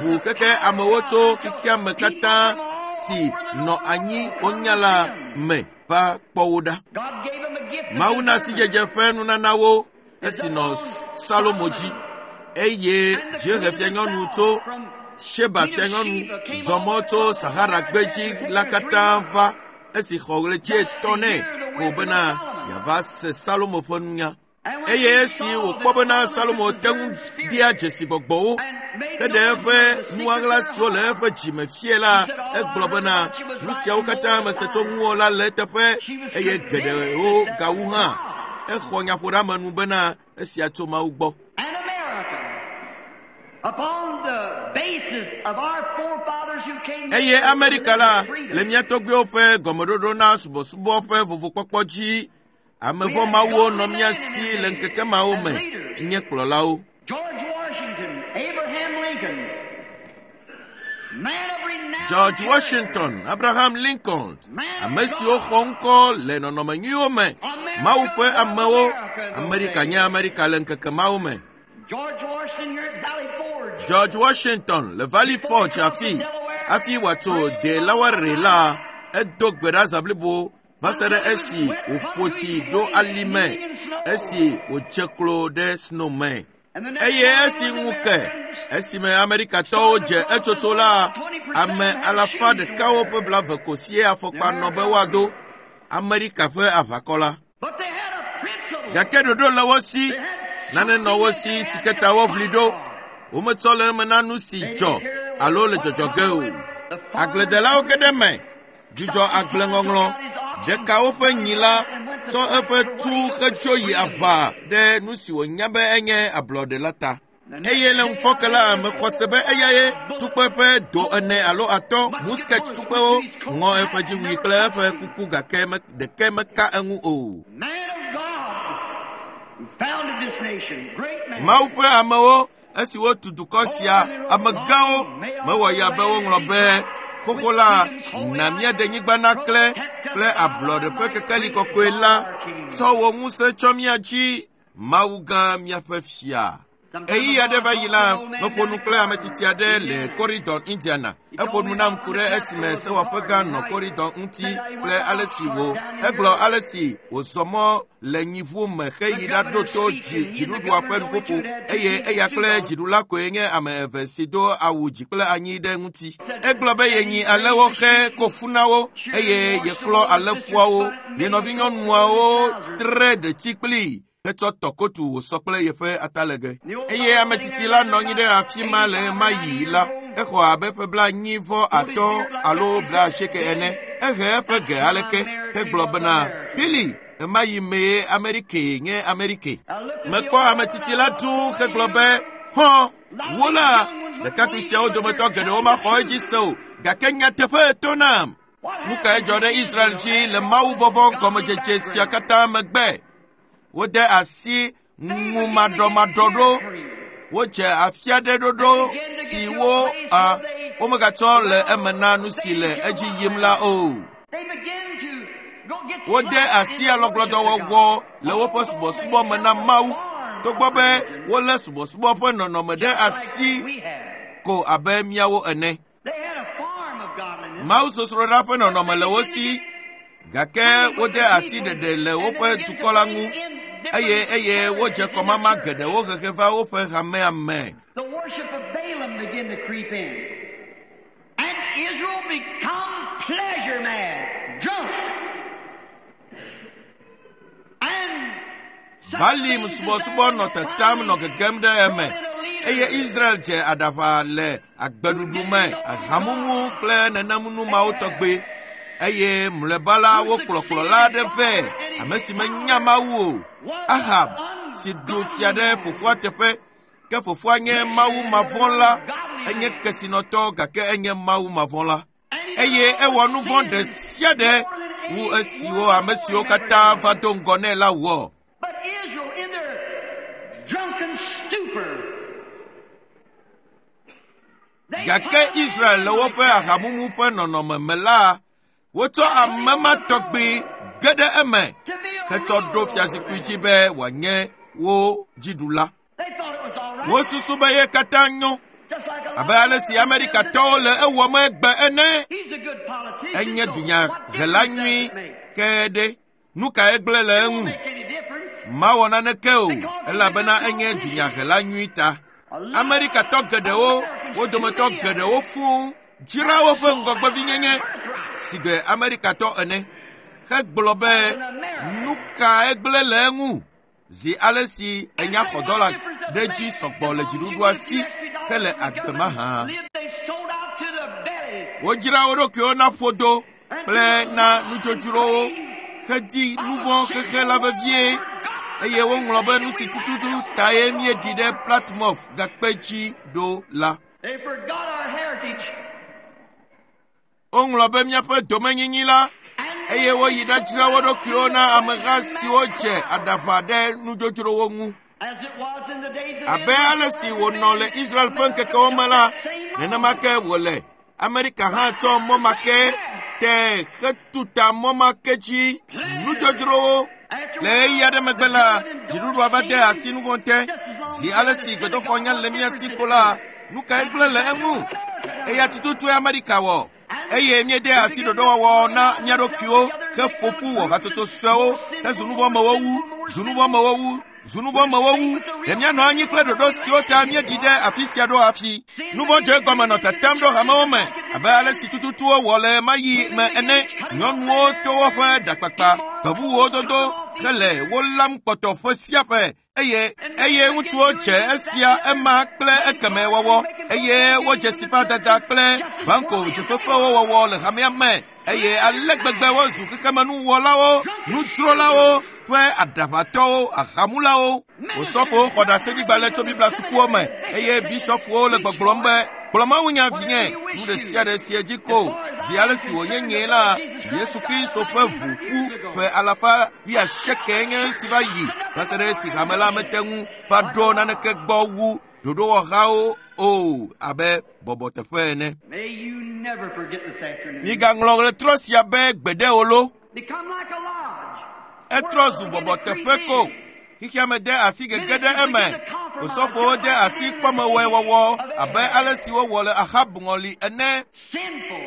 ʋu keke amewo tso xexea me katã si nɔ anyi wonya la me va kpɔ wo ɖa. Mawu na sidzedze ƒe nunanawo esi nɔ Salomo dzi eye dziehe fianyɔnu tso Sheba fianyɔnu zɔ mɔ tso Sahara gbedzi la katã va esi xɔ ɣleti etɔ̃ nɛ ko bena yeava se Salomo ƒe nunya. Eye esi wòkpɔ bena Salomo te ŋu dea dzesi gbɔgbɔwo heɖe eƒe nuɣaɣla siwo le eƒe dzime fia la, egblɔ bena nu siawo katã mese tso ŋuwò la le eteƒe eye geɖewo gawu hã. Exɔ nyaƒoɖeamenu bena esia tso Mawu gbɔ. Eye Amerika la le mía tɔgbuiwo ƒe gɔmeɖoɖo na subɔsubɔ ƒe vovokpɔkpɔ dzi. Ame vɔ̃ mawuwo nɔ mía si le ŋkeke mawo me nye kplɔlawo. George Washington, Abraham Lincoln, ame siwo xɔ ŋkɔ le nɔnɔme nyuiwo me, Mawu ƒe amewo, Amerika nye Amerika le ŋkeke mawo me. George Washington le Valley Forge afi hafi wòatso Delaware la, edo gbe ɖa zã blibo va se ɖe esi wòƒo tsi ɖo ali me esi wòdze klo ɖe snow me. Eye esi ŋu ke esime Amerikatɔwo dze etsotso la, ame alafa ɖekawo ƒe blave ko sie afɔkpa nɔ be woado Amerika ƒe aʋakɔ la. Gake ɖoɖo le wo si, nane nɔ wo si si ke ta woʋli ɖo. Wometsɔ le eme na nu si dzɔ alo le dzɔdzɔ ge o. Agbledelawo ge ɖe eme, dzudzɔ agbleŋɔŋlɔ, ɖeka woƒe nyi la tsɔ eƒe tu hedzo yi aʋa ɖe nu si wònya be enye ablɔɖe la ta. Eye le ŋufɔke la, mexɔ se be eyae tukpe ƒe do ene alo atɔ̃ musket tukpewo ŋɔ eƒe dziwui kple eƒe kuku gake ɖeke meka eŋu o. Mawu ƒe amewo esi wotu dukɔ sia amegãwo mewɔ ya be woŋlɔ be xoxo la na mía denyigba naklẽ kple ablɔɖe ƒe kekeli kɔkɔe la tsɔ wò ŋusẽ tsɔ mía dzi Mawu gã míaƒe fia. Ɣeyiɣi aɖe va yi la, meƒo nu kple ame tsitsi aɖe le Corydon, Indiana. Eƒo nu nam ku ɖe esime sewɔƒe gã nɔ Corydon ŋuti kple ale si wò egblɔ ale si wòzɔ mɔ le nyiʋu me heyi ɖaɖo to dzi dziɖuɖua ƒe nuƒoƒo eye eya kple dziɖula koe nye ame eve si do awu dzi kple anyi ɖe ŋuti. Egblɔ be yenyi alẽwo xe kofu na wo eye yeklɔ alẽfuawo. Ye nɔvinyɔnuawo tre ɖetsi kplii. Hetsɔ tɔ kotu wòsɔ kple yeƒe atalege. Eye ame tsitsi la nɔ anyi ɖe afi ma le ɣemaɣi la, exɔ abe ƒe 75 alo 80 ene. Ehe eƒe ge aleke hegblɔ bena, Billy, ɣemaɣi mee Amerike nye Amerike. Mekpɔ ame tsitsi la dũu hegblɔ be, Hɔ, wo la, ɖekakpui siawo dometɔ geɖewo maxɔ edzi se o, gake nyateƒe to nam. Nu kae dzɔ ɖe Israel dzi le Mawu vɔvɔ̃ gɔmedzedze sia katã megbe? Wode asi ŋumaɖɔmaɖɔ ɖo. Wodze afia ɖe ɖoɖo siwo womegatsɔ le eme na nu si le edzi yim la o. Wode asi alɔgblɔdɔwɔwɔ le woƒe subɔsubɔ me na Mawu, togbɔ be wolé subɔsubɔ ƒe nɔnɔme ɖe asi ko abe míawo ene. Mawu sosroɖa ƒe nɔnɔme le wo si, gake wode asi ɖeɖe le woƒe dukɔ la ŋu, eye wodze kɔmama geɖewo hehe va woƒe hamea me. The worship of Balaam began to creep in. And Israel become pleasure mad, drunk. And Balaam subɔsubɔ nɔ tetem nɔ gegem ɖe eme, eye Israel dze aɖaʋa le agbeɖuɖu me, ahamumu kple nenemnu mawo tɔgbe. Eye mlɔeba la wokplɔ kplɔla aɖe vɛ, ame si menya Mawu o, Ahab, si ɖu fia ɖe fofoa teƒe. Ke fofoa nye Mawu mavɔ̃la, enye kesinɔtɔ gake enye Mawu mavɔ̃la. Eye ewɔ nu vɔ̃ ɖe sia ɖe wu esiwo ame siwo katã va do ŋgɔ nɛ la wɔ. But Israel in their drunken stupor. they Gake Israel le woƒe ahamumu ƒe nɔnɔme me la, wotsɔ ame ma tɔgbi ge ɖe eme to be a hetsɔ ɖo ruler fiazikpui over dzi be wòanye wo dziɖula. them. They thought it was all right. Wosusu be ye katã nyo Just like a lot abe of ale si Amerikatɔwo le ewɔm egbe ene. He's a good politician. Enye so what dunyahela difference does nyui it make? ke ɖe nu kae gblẽ le It eŋu? won't make any difference. Mawɔ naneke o, elabena enye dunyahela nyui ta. Amerikatɔ geɖewo, wo dometɔ geɖewo fũu dzra woƒe ŋgɔgbevinyenye si gbe Amerikatɔ ene hegblɔ be nu kae gblẽ le eŋu zi ale si enya xɔ dɔla ɖe dzi sɔgbɔ le dziɖuɖua si hele agbe mahã. They sold out to the belly. Wodzra wo ɖokuiwo na ƒodo kple na nudzodzrowo hedi nu vɔ̃ xexe la vevie eye woŋlɔ be nu si tututu tae míeɖi ɖe Platmɔf gakpe dzi ɖo la. They forgot our heritage. Woŋlɔ be míaƒe domenyinyi la And eye woyi ɖadzra wo ɖokuiwo na ameha siwo dze aɖaʋa ɖe nudzodzrowo ŋu. As it was in the days of Abe ale si wònɔ le Israel ƒe ŋkekewo me la, nenema ke wòle. Amerika hã tsɔ mɔ ma ke te hetuta mɔ ma ke dzi nudzodzrowo. Le ɣeyiɣi aɖe megbe la, dziɖuɖua va de asi nu vɔ̃ te. Zi ale si gbedoxɔ nya le mía si ko la, nu kae gblẽ le eŋu? Eya tututue Amerika wɔ. Eye míede asi ɖoɖowɔwɔ na mía ɖokuiwo heƒo ƒu wɔ hatsotso suewo hezu nuvɔ̃mewo wu, zu nuvɔ̃mewo wu, zu nuvɔ̃mewo wu. Ɖe míanɔ anyi kple ɖoɖo siwo ta míeɖi ɖe afi sia ɖo hafi. Nu vɔ̃ dze egɔme nɔ tetem ɖo hamewo me abe ale si tututu wowɔ le ɣemaɣi me ene. Nyɔnuwo to woƒe ɖakpakpa, gbevuwo dodo hele wo lam kpɔtɔ ƒe sia ƒe eye ŋutsuwo dze esia ema kple ekeme wɔwɔ eye wodze sipadada kple banko dzefefewo wɔwɔ le hamea me eye ale gbegbe wozu xexemenuwɔlawo, nudzrolawo ƒe aɖaʋatɔwo, ahamulawo. Osɔfowo xɔ ɖaseɖigbalẽ tso Biblia sukuwo me eye bisɔfowo le gbɔgblɔm be gblɔ mawunya vinye nu ɖe sia ɖe si edzi ko zi ale si wònye nyee la Yesu Kristo ƒe ʋu ƒu ƒe 180 nye esi va yi va se ɖe esi hame la mete ŋu va ɖo naneke gbɔ wu ɖoɖowɔhawo o abe bɔbɔteƒe ene. May you never forget this afternoon. Migaŋlɔ ɣletrɔ sia be gbeɖe o lo. Become like a lodge. Etrɔ zu bɔbɔteƒe ko. Xexeame de asi gege ɖe eme. Osɔfowo de asi kpɔmewɔe wɔwɔ abe ale si wowɔ le Ahab ŋɔli ene. Sinful.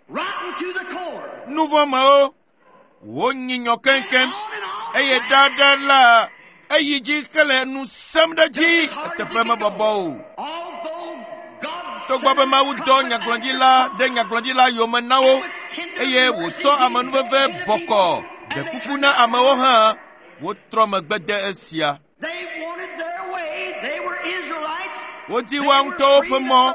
Rotten to the core. Nuvɔ̃mewo wonyi nyɔ keŋkeŋ On and on. eye ɖaɖa la eyi dzi hele nu sem ɖe dzi eteƒe mebɔbɔ o. Although God Togbɔ be Mawu dɔ nyagblɔɖila ɖe nyagblɔɖila yome na wo eye wòtsɔ amenuveve bɔkɔ ɖe kuku na amewo hã. Wotrɔ megbe de esia. Wodi woa ŋutɔwo ƒe mɔ.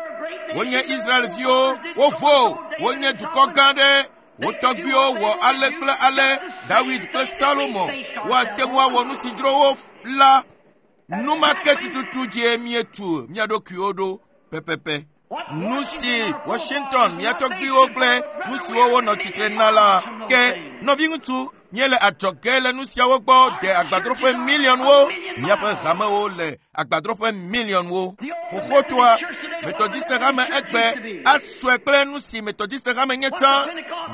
Wonye Israelviwo, wovo, wonye dukɔ gã aɖe. Wo tɔgbuiwo wɔ ale kple ale, Dawid kple Salomo. Woate ŋu awɔ nu si dzro wo la. Nu ma ke tututu dzie míetu mía ɖokuiwo ɖo pɛpɛpɛ. Nu si Washington, mía tɔgbuiwo kple nu siwo wonɔ tsitre na la ke. Nɔviŋutsu, míele adzɔge le nu siawo gbɔ de agbadroƒe miliɔnwo. Míaƒe hamewo le agbadroƒe miliɔnwo. Xoxotoa, Methodiste hame egbe asɔe kple nu si Methodiste hame nye tsã,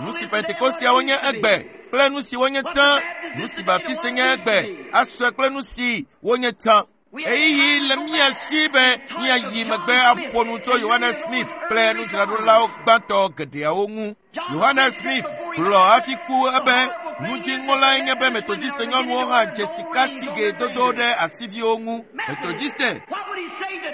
nu si Pentekosteawo nye egbe kple nu si wonye tsã, nu si Baptiste nye egbe asɔe kple nu si wonye tsã. Ɣeyiɣi le mía si be míayi megbe aƒo nu tso Yohanes Smith kple nudzraɖolawo gbãtɔ geɖeawo ŋu. Yohanes Smith gblɔ hafi ku ebe nudziŋɔlae nye be Methodiste nyɔnuwo hã dze sikasigɛ dodo ɖe asiviwo ŋu. Methodiste,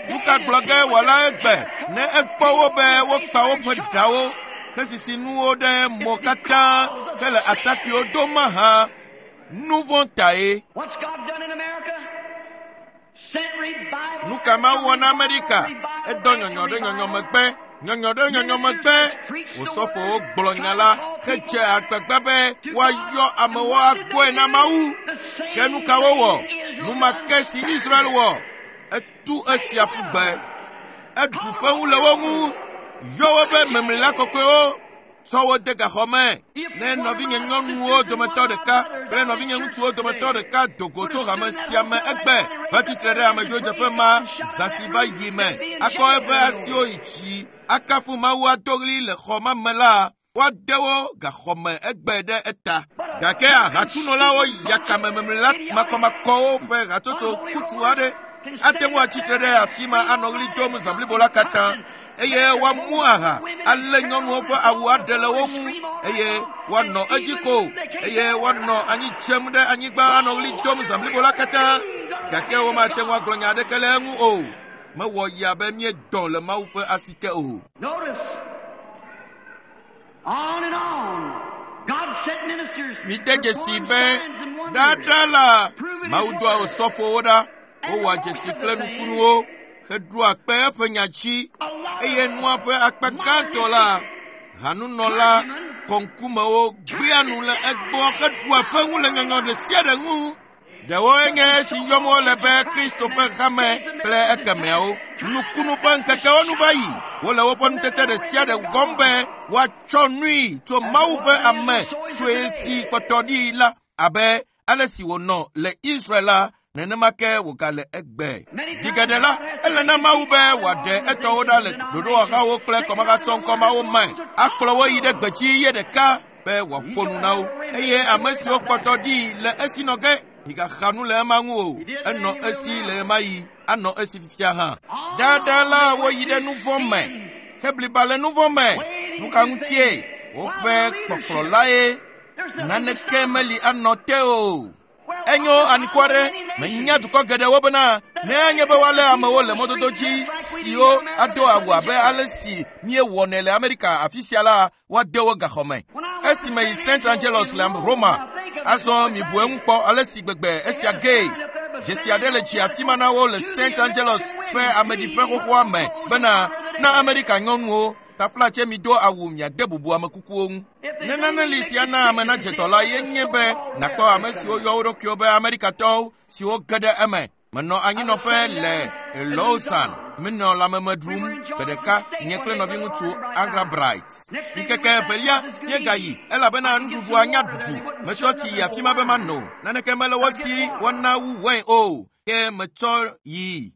nu ka gblɔ ge wòala egbe ne ekpɔ wo be wokpa woƒe ɖawo hesisi nuwo ɖe mo katã hele atakpuiwo dom mahã? Nu vɔ̃ tae. Nu ka Mawu wɔ na Amerika? Edɔ nyɔnyɔ ɖe nyɔnyɔ megbe, nyɔnyɔ ɖe nyɔnyɔ megbe. Osɔfowo gblɔ nya la hedze agbagba be woayɔ amewo agbɔe na Mawu. Ke nu ka wowɔ? Nu ma ke si Israel wɔ. Etu esia ƒu gbe. Eɖu fewu le wo ŋu. Yɔ wo be memlila kɔkɔewo. Tsɔ wo de gaxɔ me. Ne nɔvinye nyɔnuwo dometɔ ɖeka kple nɔvinye ŋutsuwo dometɔ ɖeka do go tso hame sia me egbe va tsitre ɖe amedzrodzeƒe ma zã si va yi me, akɔ eƒe asiwo yi dzi, akafu Mawu ado ɣli le xɔ ma me la, woade wo gaxɔ me egbe ɖe eta. Gake ahatsunɔlawo yakame memlila makɔmakɔwo ƒe hatsotso kutsu aɖe ate ŋu atsitre ɖe afi ma anɔ ɣli dom zã blibo la katã, eye woamu aha alé nyɔnuwo ƒe awu aɖe le wo ŋu, eye woanɔ edzi ko, eye woanɔ anyi dzem ɖe anyigba anɔ ɣli dom zã blibo la katã. Gake womate ŋu agblɔ nya aɖeke le eŋu o. Mewɔ ya be míedɔ le Mawu ƒe asi te o. Mide dzesi be ɖaɖa la, Mawu doa osɔfowo ɖa, wowɔa dzesi kple nukunuwo heɖoa kpe eƒe nya dzi, eye nua ƒe akpa gãtɔ la, hanunɔla kɔŋkumewo gbea nu le egbɔ heɖua fewu le nyɔnyɔ ɖe sia ɖe ŋu. Ɖewoe nye esi yɔm wole be Kristo ƒe hame kple ekemeawo. Nukunu ƒe ŋkekewo nu va yi. Wole woƒe nutete ɖe sia ɖe gɔm be woatsɔ nui tso Mawu ƒe ame sue si kpɔtɔ ɖi la abe ale si wònɔ le Israel la, nenema ke wògale egbe. Zi geɖe la, ele na Mawu be wòaɖe etɔwo ɖa le ɖoɖowɔhawo kple kɔmahatsɔŋkɔmawo me, akplɔ wo yi ɖe gbedzi ye ɖeka be wòaƒo nu na wo. Eye ame siwo kpɔtɔ ɖi le esi nɔ ge, migaxa nu le ema ŋu o. Enɔ esi le ɣemaɣi, anɔ esi fifia hã. Ɖaɖa la woyi ɖe nu vɔ̃ me, hebliba le nu vɔ̃ me. Nu ka ŋutie? Woƒe kpɔkplɔlae. Naneke meli anɔ te o. Enyo anukware, menya dukɔ geɖewo bena ne anye be woalé amewo le mɔdodo dzi siwo ado awu abe ale si míewɔnɛ le Amerika afi sia la, woade wo gaxɔ me. Esime yi St. Angelos le Roma, azɔ mibu eŋu kpɔ ale si gbegbe esia gee. Dzesi aɖe le dzi afi ma na wo le St. Angelos ƒe ameɖiƒe xoxoa me bena na Amerika nyɔnuwo taflatse mido awu miade bubu amekukuwo ŋu. Ne nane li si ana ame nadze dɔ la ye nye be nàkpɔ ame siwo yɔ wo ɖokuiwo be Amerikatɔwo siwo ge ɖe eme. Menɔ anyinɔƒe le Lausanne, menɔ lãmeme ɖum gbe ɖeka nye kple nɔviŋutsu Angra Bright. Ŋkeke evelia míegayi elabena nuɖuɖua nya ɖuɖu. Metsɔ tsi yi afi ma be mano. Naneke mele wo si woana wu wain o, ke metsɔ yi.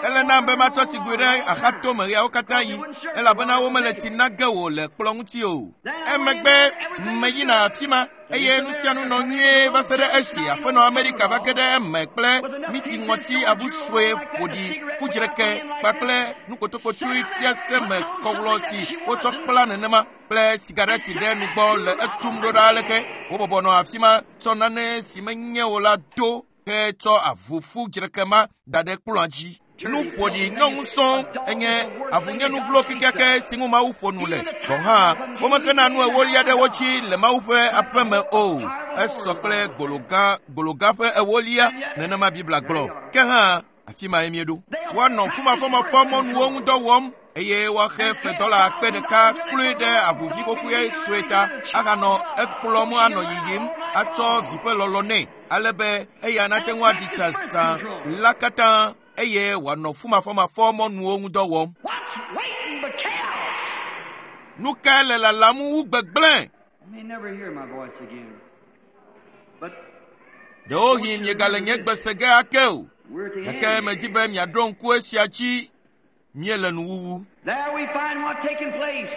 Ele nam be matsɔ tsigoe ɖe axatome ɣeawo katã yi, elabena womele tsi na ge wò le kplɔ̃ ŋuti o. Emegbe meyina afi ma eye nu sia nu nɔ nyuie va se ɖe esi aƒenɔ Amerika va ge ɖe eme kple miti ŋɔti avu sue ƒoɖi fudzreke kpakple nukpotokpotoe fiase me kɔwlɔ si wotsɔ kpla nenema kple sigareti ɖe nugbɔ le etum ɖo ɖa aleke. Wobɔbɔ nɔ afi ma tsɔ nane si menye o la do hetsɔ avu fudzreke ma da ɖe kplɔ̃a dzi. Nu ƒoɖi nyɔnu sɔŋ enye avunyenu vlo kekeake si ŋu Mawu ƒo nu le. Gɔ̃ hã womexena nu ewolia ɖe wo dzi le Mawu ƒe aƒeme o. Esɔ kple gbologã gbologã ƒe ewolia nenema Biblia gblɔ. Ke hã afi mae míeɖo. Woanɔ fumafɔmafɔ mɔnuwo ŋu dɔ wɔm eye woaxe fe dɔla akpe ɖeka kloe ɖe avuvi xoxoe sue ta ahanɔ ekplɔm anɔ yiyim atsɔ vi ƒe lɔlɔ nɛ ale be eya nate ŋu aɖi tsa zã la katã eye wòanɔ fumafɔmafɔ mɔnuwo ŋu dɔ wɔm. What's waiting but chaos? Nu kae le lalam wu gbegblẽ? You may never hear my voice again. But Ɖewohĩ miegale nye gbe se ge ake o. we're at the Gake end. medi be miaɖo ŋku esia dzi míele nuwuwu. There we find what taken place.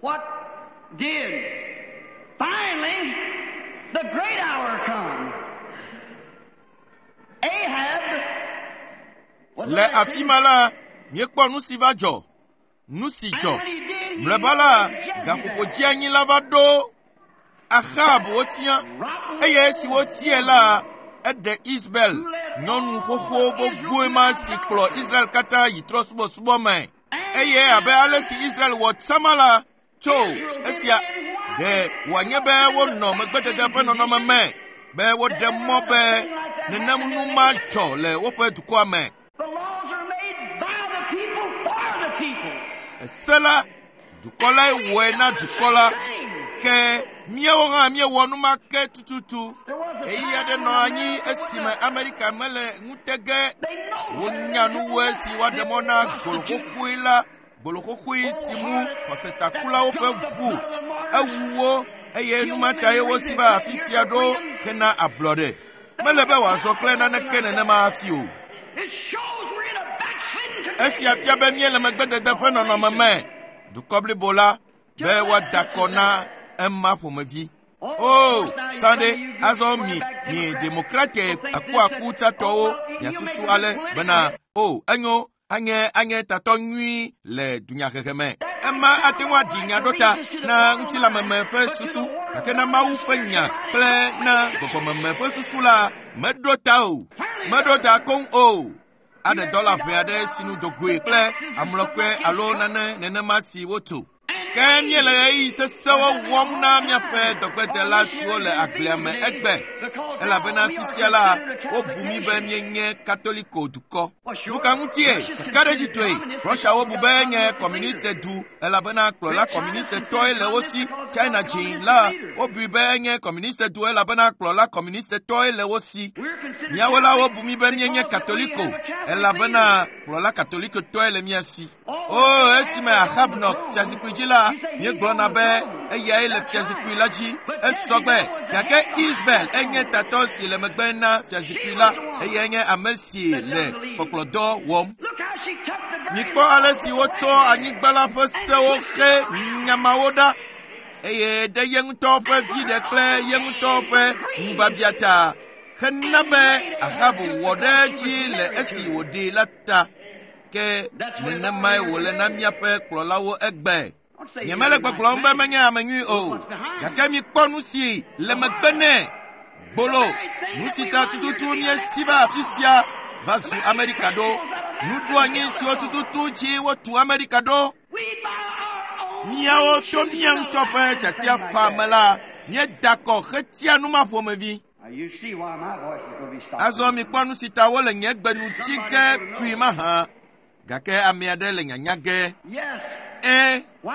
What did? Finally, the great hour come. Ahab was Le afi ma la, míekpɔ nu si va dzɔ. Nu si dzɔ. And when he did, he Mlɔeba la, married gaƒoƒo Jezebel. dzianyi la va ɖo Ahab wotia Rotten eye esi wotiae la, eɖe Isabel, nyɔnu xoxo vovoe ma si kplɔ Israel katã yi trɔ̃subɔsubɔ me. Eye abe ale si Israel wɔ tsama la, tso esia ɖe wòanye be wonɔ megbedede ƒe nɔnɔme me be woɖe mɔ be nenem nu ma dzɔ le woƒe dukɔa me. The laws are made by the people for the people. Ese la, dukɔ lae wɔe na dukɔ la. Ke míawo hã míewɔ nu ma ke tututu. There was a Ɣeyiɣi aɖe time nɔ when anyi America esime was a- Amerika mele ŋutege They know wonya nuwoe si woaɖe mɔ na gboloxoxoe la gboloxoxoe si ŋu xɔsetakulawo ƒe ʋu ewu wo eye numatae wosi va afi sia ɖo hena ablɔɖe. Mele be wòazɔ kple naneke nenema hafi o. It shows we're in a backslidden condition. Esia fia be míele megbedede ƒe nɔnɔme me. Dukɔ blibo la be woada kɔ na ema ƒomevi. O, Sande, azɔ mi, mi demokrate akuaku tsatɔwo miasusu ale bena, o, enyo, anye anye tatɔ nyui le dunyahehe me. Ema ate ŋu aɖi nya ɖo ta na ŋutilãmeme ƒe susu, gake na Mawu ƒe nya kple na gbɔgbɔmeme ƒe susu la, meɖo ta o. Meɖo ta koŋ o. Aɖe dɔla ʋɛ aɖe si nu dogoe kple amlɔkɔe alo nane nenema si wotu. Ke míele ɣeyiɣi sesẽwo wɔm na míaƒe dɔgbedela siwo le agblea me egbe elabena fifia la wobu mí be míenye katoliko dukɔ. Nu ka ŋutie? Kakaɖedzitɔe, Rusiawo bu be enye kɔmuniste du elabena kplɔla kɔmunistetɔe le wo si. China dzi la wobui be enye kɔmuniste du elabena kplɔla kɔmunistetɔe le wo si. We're considered Míawo la wobu mí be míenye because katoliko we have a Catholic elabena kplɔla katolikotɔe le mía si. O esime Ahab nɔ fiazikpui dzi la, míegblɔna be eyae le fiazikpui la dzi. Esɔ gbe gake Isabel enye tatɔ si le megbe na fiazikpui la eyae nye ame si le kpɔkplɔdɔ wɔm. Look how she took the very Mikpɔ ale si wotsɔ anyigba la ƒe sewo xe nyamawo ɖa eye ɖe ye ŋutɔ ƒe viɖe kple ye ŋutɔ ƒe ŋubiabia ta hena be Ahab wɔ ɖe edzi le esi wòɖee la ta. Ke nenemae wòle na míaƒe kplɔlawo egbe. Don't say Nyemele you're a nice gbɔgblɔm be man. menye ame nyui o, gake mikpɔ nu si le megbe nɛ. Gbolo, nu si ta tututu míesi va afi sia va zu Amerika ɖo. Nuɖoanyi siwo tututu dzi wotu Amerika ɖo. We by our own Míawo to choosing mía ŋutɔ ƒe allow tiatia things fa like me that. la, míeda kɔ hetia nu ma ƒomevi. Now you see why my voice is going to be stopped. Azɔ mikpɔ nu si ta wole nye gbe nu tsi ge kui mahã. Gake ame aɖe le nyanya ge. Yes. Ẽ, Why?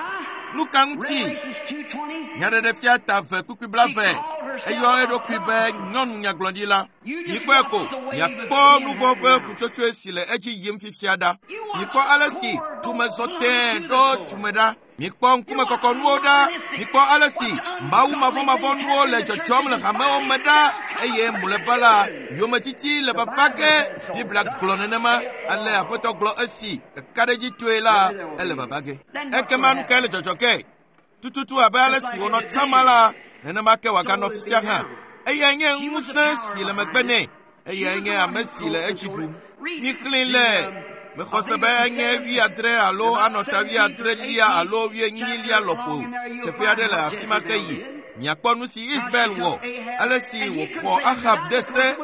nu ka ŋuti? Revelations 2:20. Nyaɖeɖefia ta eve kpukpui blaeve. Eyɔ eɖokui be nyɔnu nyagblɔɖila. Mikpɔe ko, miakpɔ nu vɔ̃ ƒe ƒutsotsoe si le edzi yim fifia ɖa. Mikpɔ ale si tumezɔ tẽe ɖo tume ɖa. Mikpɔ ŋkumekɔkɔnuwo ɖa. Mikpɔ ale si mawu mavɔmavɔnuwo le dzɔdzɔm le hamewo me ɖa. Eye mlɔeba la, yometiti le vava ge. Biblia gblɔ nenema. Ale Aƒetɔ gblɔ esi kakaɖedzitɔe la, ele vava ge. Ekema nu kae le dzɔdzɔ ge? Tututu abe ale si wònɔ tsama la, nenema ke wòaganɔ fifia hã. Eyae nye ŋusẽ si le megbe nɛ. Eyae nye ame si le edzi ɖum. Mixlẽ le mexɔ se be enye wuiadre alo anɔ ta wuiadrelia alo wuienyilia lɔƒo. Teƒe aɖe le afi ma ke yi. Miakpɔ nu si Isabel wɔ, ale si wòxɔ Ahab de se,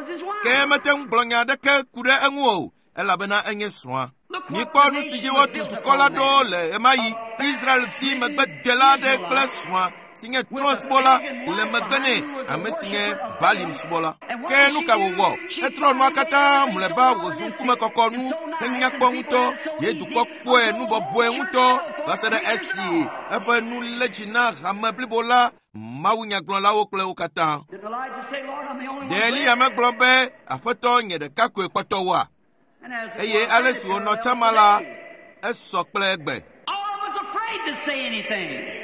ke mete ŋu gblɔ nya aɖeke ku ɖe eŋu o. elabena enye srɔ̃a. Mikpɔ nu si dzi wotu dukɔ la ɖo le ɣemaɣi. Israel vi megbedela aɖe kple srɔ̃a si nye trɔ̃subɔla le megbe nɛ, ame si nye Balim subɔla. Ke nu ka wòwɔ? Etrɔ nua katã mlɔeba wòzu ŋkumekɔkɔ nu henyakpɔ ŋutɔ. Ye dukɔ kpɔe nu bɔbɔe ŋutɔ va se ɖe esi eƒe nu lé dzi na hame blibo la, mawunyagblɔlawo kple wo katã. Did Elijah say, Lord, I'm the only Ɖe one Eliya left? megblɔ be aƒetɔ nye ɖeka koe kpɔtɔ woa? And as it Eye was ale then, si it wònɔ parallels tsama la, today. esɔ kple egbe. All of us afraid to say anything.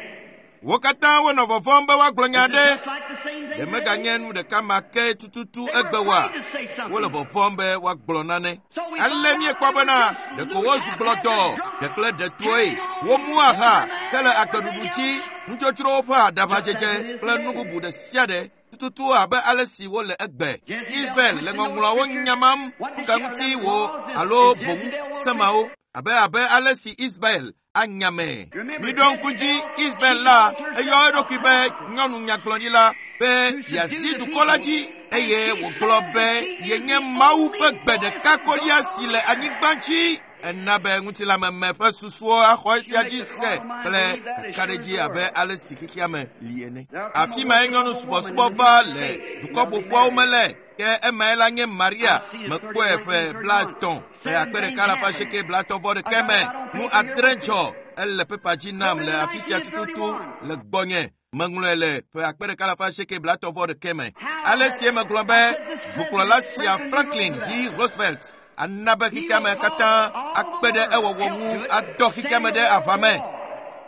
Wo katã wonɔ vɔvɔ̃m be woagblɔ nya Is it ɖe. just like the same thing Ɖe today? meganye nu ɖeka ma ke tututu They were egbe woa? afraid to say something. Wole vɔvɔ̃m be woagblɔ nane. So we Ale find míekpɔ out bena they ɖeko just wozu gblɔdɔ ɖe kple ɖetoe. Womu aha hele agbeɖuɖu dzi, nudzodzrowo ƒe aɖaʋadzedze kple nu bubu ɖe sia ɖe tututu abe ale si wole egbe. Isabel le ŋɔŋlɔawo nyamam nu ka ŋuti wo alo boŋ semawo abe abe ale si Isabel anyame. Miɖo ŋku dzi Isabel la eyɔ eɖokui be nyɔnu nyagblɔɖila be yeazi dukɔ la dzi eye wògblɔ be yenye Mawu ƒe gbe ɖeka kolia si le anyigba dzi. Ena be ŋutilãmeme ƒe susuwo axɔ esia dzi se kple kakaɖedzi abe ale si xexea me li ene. Afi mae nyɔnu subɔsubɔ va le dukɔ ƒoƒuawo me le. Ke emae la nye Maria mekpɔe ƒe 30 ƒe 1931 me. Nu 6 dzɔ ele pepa dzi nam le afi sia tututu le gbɔnye. Meŋlɔe le ƒe 1931 me. Ale si megblɔ be dukplɔla sia Franklin D. Roosevelt ana be xexea me katã akpe ɖe ewɔwɔ ŋu adɔ xexea me ɖe aʋa me.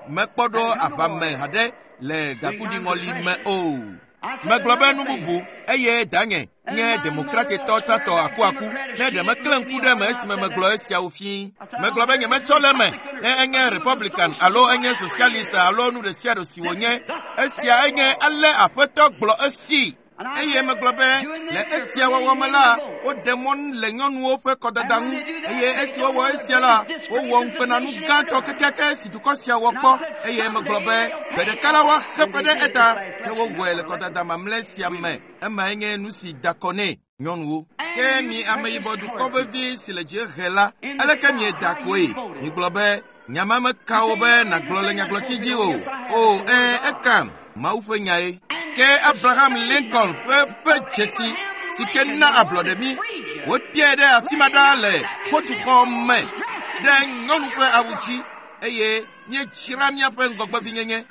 Mekpɔ ɖo aʋa me haɖe le gakuɖiŋɔli me o. Megblɔ be nu bubu eye danye nye demokratitɔ tsãtɔ akuaku ne ɖe meklẽ ŋku ɖe me esime megblɔ esiawo fii. Megblɔ be nyemetsɔ le eme ne enye Republican alo enye Socialist alo nu ɖe sia ɖe si wònye. Esia enye ale aƒetɔ gblɔ esi. Eye megblɔ be le esia wɔwɔ me la, woɖe mɔ le nyɔnuwo ƒe kɔdada ŋu eye esi wowɔ esia la, wowɔ ŋukpenanu gãtɔ kekeake si dukɔ sia wɔ kpɔ. Eye megblɔ be gbe ɖeka la woaxe fe ɖe eta ke wowɔe le kɔdada mamlɛ sia me. Emae nye nu si da kɔ nɛ nyɔnuwo. Ke mi ameyibɔ dukɔ vevi si le dziehe la, aleke mieda koe? Migblɔ be nya ma meka wo be nàgblɔ le nyagblɔti dzi o. O, ẽ, ekam Mawu ƒe nyae. Ke Abraham Lincoln ƒe dzesi si ke na ablɔɖe mi, woteɛ ɖe afi ma ɖaa le xotuxɔ me ɖe nyɔnu ƒe awu dzi eye míedzra míaƒe ŋgɔgbevinyenye.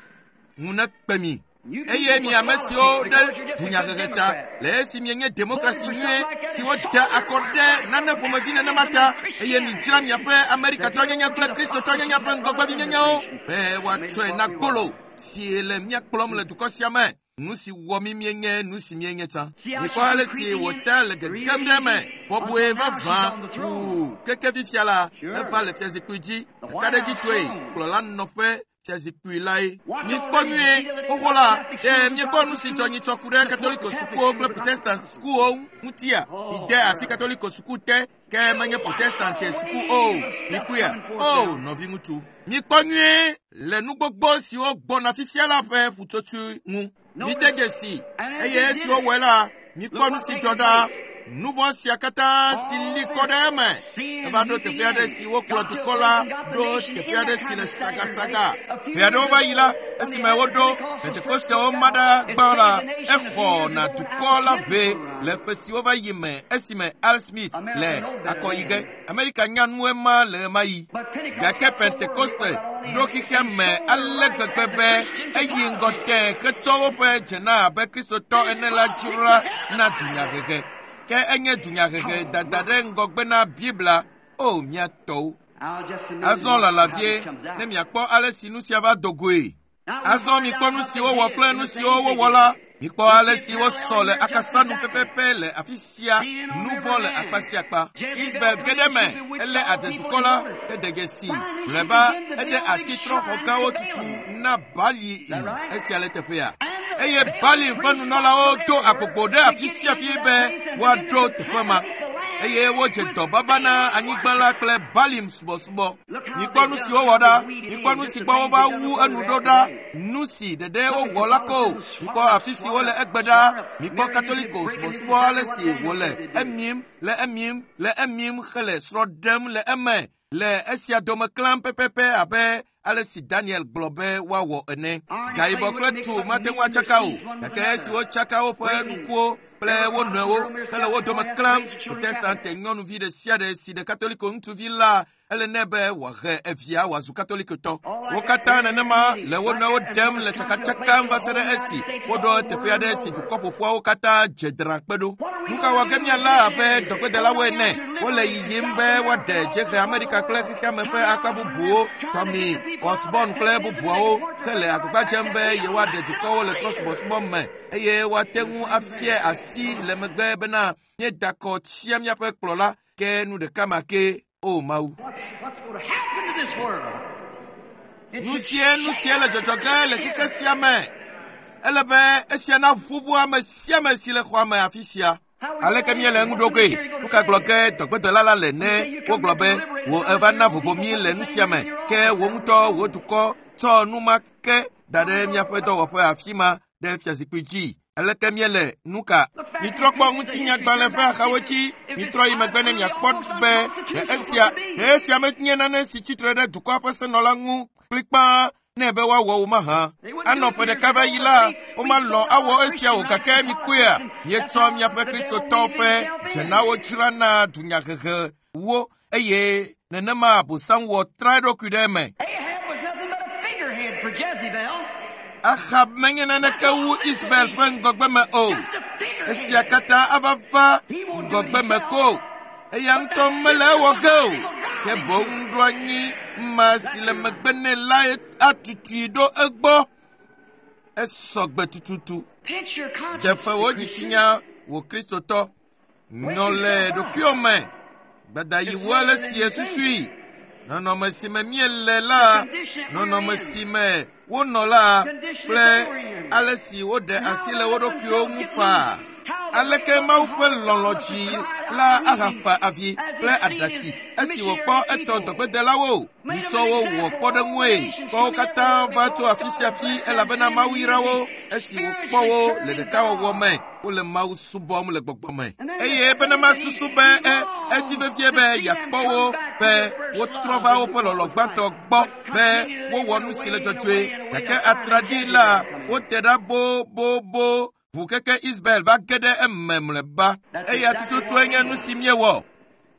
Ŋu nekpe mi. Eye mi ame siwo ɖe dunyahehe ta le esi mienye demokrasi nyuie si woda akɔ ɖe nane ƒomevi nenema ta eye midzra miaƒe Amerikatɔnyenye kple Kristotɔnyenye ƒe ŋgɔgbevinyenyewo be woatsɔe na gbolo si le mía kplɔm le dukɔ sia me. Nu si wɔ mí míenye nu si míenye tsã. Mikpɔ ale si wòte le gegem ɖe eme bɔbɔe vavã ʋuu keke fifia la eva le fiazikpui dzi kakaɖedzitɔe kplɔla nɔƒe fiazikpui lae. Mikpɔ nyuie xoxo la ɖe miekpɔ nu si dzɔ nyitsɔ ku ɖe Katoliko sukuwo kple Protestant sukuwo ŋutia? Mide asi Katoliko suku te ke menye Protestante suku o. Mikpɔea? O nɔviŋutsu. Mikpɔ nyuie le nu gbogbo siwo gbɔna fifia la ƒe ƒutsotsoe ŋu. Mide dzesi eye esi wowɔe la, mikpɔ nu si dzɔ ɖa. Nu vɔ̃ sia katã si li kɔ ɖe eme. Eva ɖo teƒe aɖe si wokplɔ dukɔ la ɖo teƒe aɖe si le sagasaga. Ƒe aɖewo va yi la, esime woɖo Pentekostewo ma ɖa gbã la, exɔ na dukɔ la ʋe le ƒe siwo va yi me esime Al Smith le akɔ yi ge. Amerika nya nu ema le ɣemaɣi. Gake Pentekoste ɖo xexea me ale gbegbe be eyi ŋgɔ tẽ hetsɔ woƒe dzena abe Kristotɔ ene la dzra na dunyahehe. Ke enye dunyahehe dada ɖe ŋgɔgbe na Biblia o mía tɔwo. Azɔ lala vie ne miakpɔ ale si nu sia va do goe. Azɔ mikpɔ nu si wowɔ kple nu siwo wowɔ la. Mikpɔ ale si wosɔ le akasanu pɛpɛpɛ le afi sia nu vɔ̃ le akpa sia akpa. Isabel ge ɖe eme elé adzedukɔ la hede dzesi. Mlɔeba ede asi trɔ̃xɔ gãwo tutu na Balim esia le teƒea. Eye Balim ƒe nunɔlawo do agbogbo ɖe afi sia afi be woaɖo teƒe ma. eye wodze dɔ baba na anyigba la kple Balim subɔsubɔ. Mikpɔ nu si wowɔ ɖa, mikpɔ nu si gbɔ wova wu enu ɖo ɖa, nu si ɖeɖe wowɔ la ko. Mikpɔ afi si wole egbe ɖa, mikpɔ Katoliko subɔsubɔ ale si wòle emim, le emim, le emim hele srɔ̃ ɖem le eme le esia dome klãm pɛpɛpɛ abe ale si Daniel gblɔ be woawɔ ene. Gayibɔ kple tu mate ŋu atsaka o, gake esi wotsaka woƒe nukuwo kple wo nɔewo hele wo dome klãm, Protestante nyɔnuvi ɖe sia ɖe si ɖe Katoliko ŋutsuvi la, ele nɛ be wòahe evia wòazu Katolikotɔ. Wo katã nenema le wo nɔewo ɖem le tsakatsakam va se ɖe esi woɖo teƒe aɖe si dukɔ ƒoƒuawo katã dze drã kpe ɖo. Nu ka wɔ ge míalé abe dɔgbedelawo ene? Wole yiyim be woaɖe Dziehe Amerika kple xexeame ƒe akpa bubuwo, Tommy Osborn kple bubuawo hele agbagba dzem be yewoaɖe dukɔwo le trɔ̃subɔsubɔ me eye woate ŋu afia asi le megbe bena míeda kɔ tsia míaƒe kplɔla ke nu ɖeka ma ke. O Mawu. What's going to happen to this world? It Nu should sie nu sie le dzɔdzɔ ge le xexe sia me. Ele be esia naʋuʋu ame sia ame si le xɔa me afi sia. Aleke míele eŋu ɖo goe? Nu ka gblɔ ge dɔgbedɔla la le ne wogblɔ be wò eva na vovo mí le nu sia me ke wò ŋutɔ wò dukɔ tsɔ nu ma ke da ɖe míaƒe dɔwɔƒe afi ma ɖe fiazikpui dzi. Aleke míele nu ka? Mitrɔ kpɔ ŋutinyagbalẽ ƒe axawo dzi. Mitrɔ yi megbe ne miakpɔ be ɖe esia ɖe esia menye nane si tsitre ɖe dukɔa ƒe senɔla ŋu kplikpaa nɛ be woawɔ wo mahã. Anɔ ƒe ɖeka va yi la, womalɔ̃ awɔ esia o gake mikpɔea, mietsɔ miaƒe Kristotɔwo ƒe dzenawo dzra na dunyahehewo eye nenema Abosam wɔ tra eɖokui ɖe eme. Ahab was nothing but a figurehead for Jezebel. Ahab menye naneke wu Isabel ƒe ŋgɔgbeme o. Just a figurehead. Esia katã ava va ŋgɔgbeme ko. Eya ŋutɔ mele ewɔ ge o. Ke boŋ nuɖoanyi ma si le megbe nɛ la atutui ɖo egbɔ. Esɔ gbe tututu. Pinch your conscience. Ɖe fe wò dzitsinya wò Kristotɔ. Nyɔ le ɖokuiwò me. Gbadayi wu ale si esusui. Nɔnɔme si me míele la, nɔnɔme si me wonɔ la kple ale si woɖe asi le wo ɖokuiwo ŋu faa. Aleke Mawu ƒe lɔlɔ̃ dzi la ahafa avi kple aɖatsi esi wòkpɔ etɔ dɔgbedelawo. Mitsɔ wo wɔ kpɔɖeŋue. Kɔ wo katã va tso afi sia afi elabena Mawu yra wo esi wòkpɔ wo le ɖekawɔwɔ me. Wole Mawu subɔm le gbɔgbɔ me. Eye bene masusu be e edi vevie be yeakpɔ wo be wotrɔ va woƒe lɔlɔ̃ gbãtɔ gbɔ be wowɔ nu si le dzɔdzɔe. Gake atraɖii la, wote ɖa bobobo ʋu keke Isabel va ge ɖe eme mlɔeba. Eya tututue nye nu si míewɔ.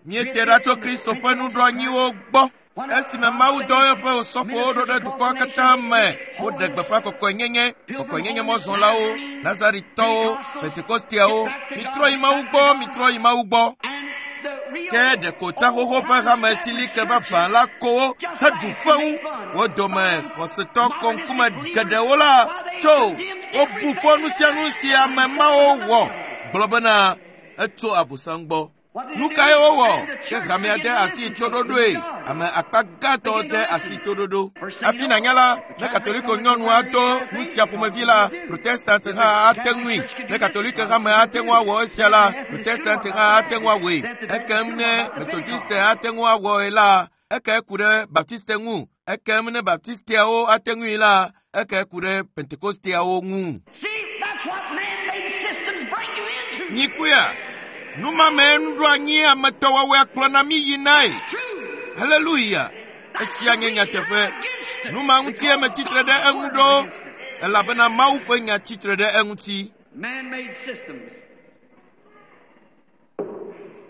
Míete ɖa tso Kristo ƒe nuɖoanyiwo gbɔ. Esime Mawu dɔ eƒe osɔfowo ɖo ɖe dukɔa katã me, woɖe gbeƒã kɔkɔenyenye, kɔkɔenyenye mɔzɔlawo, Nazaritɔwo, Pentekosteawo. Mitrɔ yi Mawu gbɔ, mitrɔ yi Mawu gbɔ. And the real Ke ɖeko tsaxoxo ƒe hame si li ke vavã la ko wo heɖu fewu. Wo dome xɔsetɔ kɔŋkume geɖewo la tso wobu fɔ nu sia nu si ame mawo wɔ gblɔ bena etso Abosam gbɔ. Nu kae wowɔ? Ke hamea de asi toɖoɖoe. Ame akpa gãtɔ de asi toɖoɖo. Hafi nànya la, ne Katoliko nyɔnu do nu sia ƒomevi la, Protestant hã ate ŋui. Ne Katoliko hame ate ŋu awɔ esia la, Protestant hã ate ŋu awɔe. Ekem ne Methodiste ate ŋu awɔe la, eke ku ɖe Baptiste ŋu. Ekem ne Baptisteawo ate ŋui la, eke ku ɖe Pentekosteawo ŋu. See, that's what man-made systems bring you into. Mikpɔea, nu ma mee nuɖoanyi ametɔwɔwɔe kplɔna mí yinae. True. Haleluya! Esia nye nyateƒe. Nu ma ŋutie metsitre ɖe eŋu ɖo elabena Mawu ƒe nya tsitre ɖe eŋuti. Man-made systems.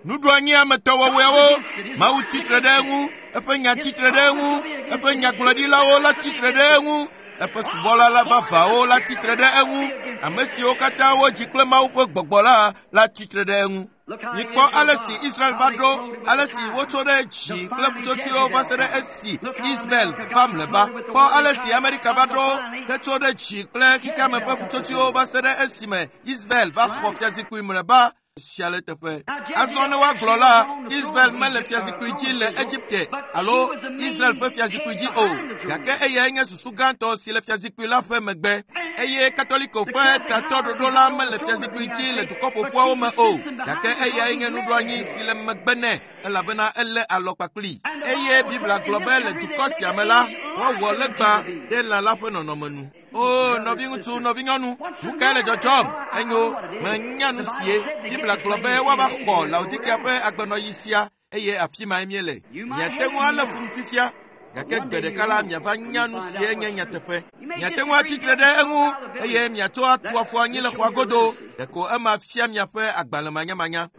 Nuɖoanyi ametɔwɔwɔewo, Mawu tsitre ɖe eŋu, eƒe nya tsitre ɖe eŋu, eƒe nyagblɔɖilawo la tsitre ɖe eŋu, eƒe subɔla la vavãwo la tsitre ɖe eŋu, ame siwo katã wodzi kple Mawu ƒe gbɔgbɔ la la tsitre ɖe eŋu. Mikpɔ ale si Israel va ɖo, ale si wotso ɖe dzi kple ƒutsotsoewo va se ɖe esi Ismael va mlɔeba. Kpɔ ale si Amerika va ɖo hetso ɖe dzi kple xexeame ƒe ƒutsotsoewo va se ɖe esime Ismael va xɔ fiazikpui mlɔeba. Esia le teƒe. Azɔ ne woagblɔ la, Israel mele fiazikpui dzi le Egipte alo Israel ƒe fiazikpui dzi o, gake eyae nye susu gãtɔ si le fiazikpui la ƒe megbe. Eye Katoliko ƒe tatɔɖoɖo la mele fiazikpui dzi le dukɔ ƒoƒuawo me o, gake eyae nye nuɖoanyi si le megbe nɛ elabena elé alɔ kpakpli. Eye Biblia gblɔ be le dukɔ sia me la, woawɔ legba ɖe lã la ƒe nɔnɔme nu. O, nɔviŋutsu, nɔvinyɔnu, nu kae le dzɔdzɔm? Enyo, menya nu sie. Biblia gblɔ be woava xɔ Laodikea ƒe agbenɔɣi sia eye afi mae míele. Miate ŋu alé fum fifia, gake gbe ɖeka la miava nya nu sie nye nyateƒe. Miate ŋu atsitre ɖe eŋu eye miatsɔ atu afɔ anyi le xɔa godo. Ɖeko ema fia miaƒe agbalẽmanyamanya.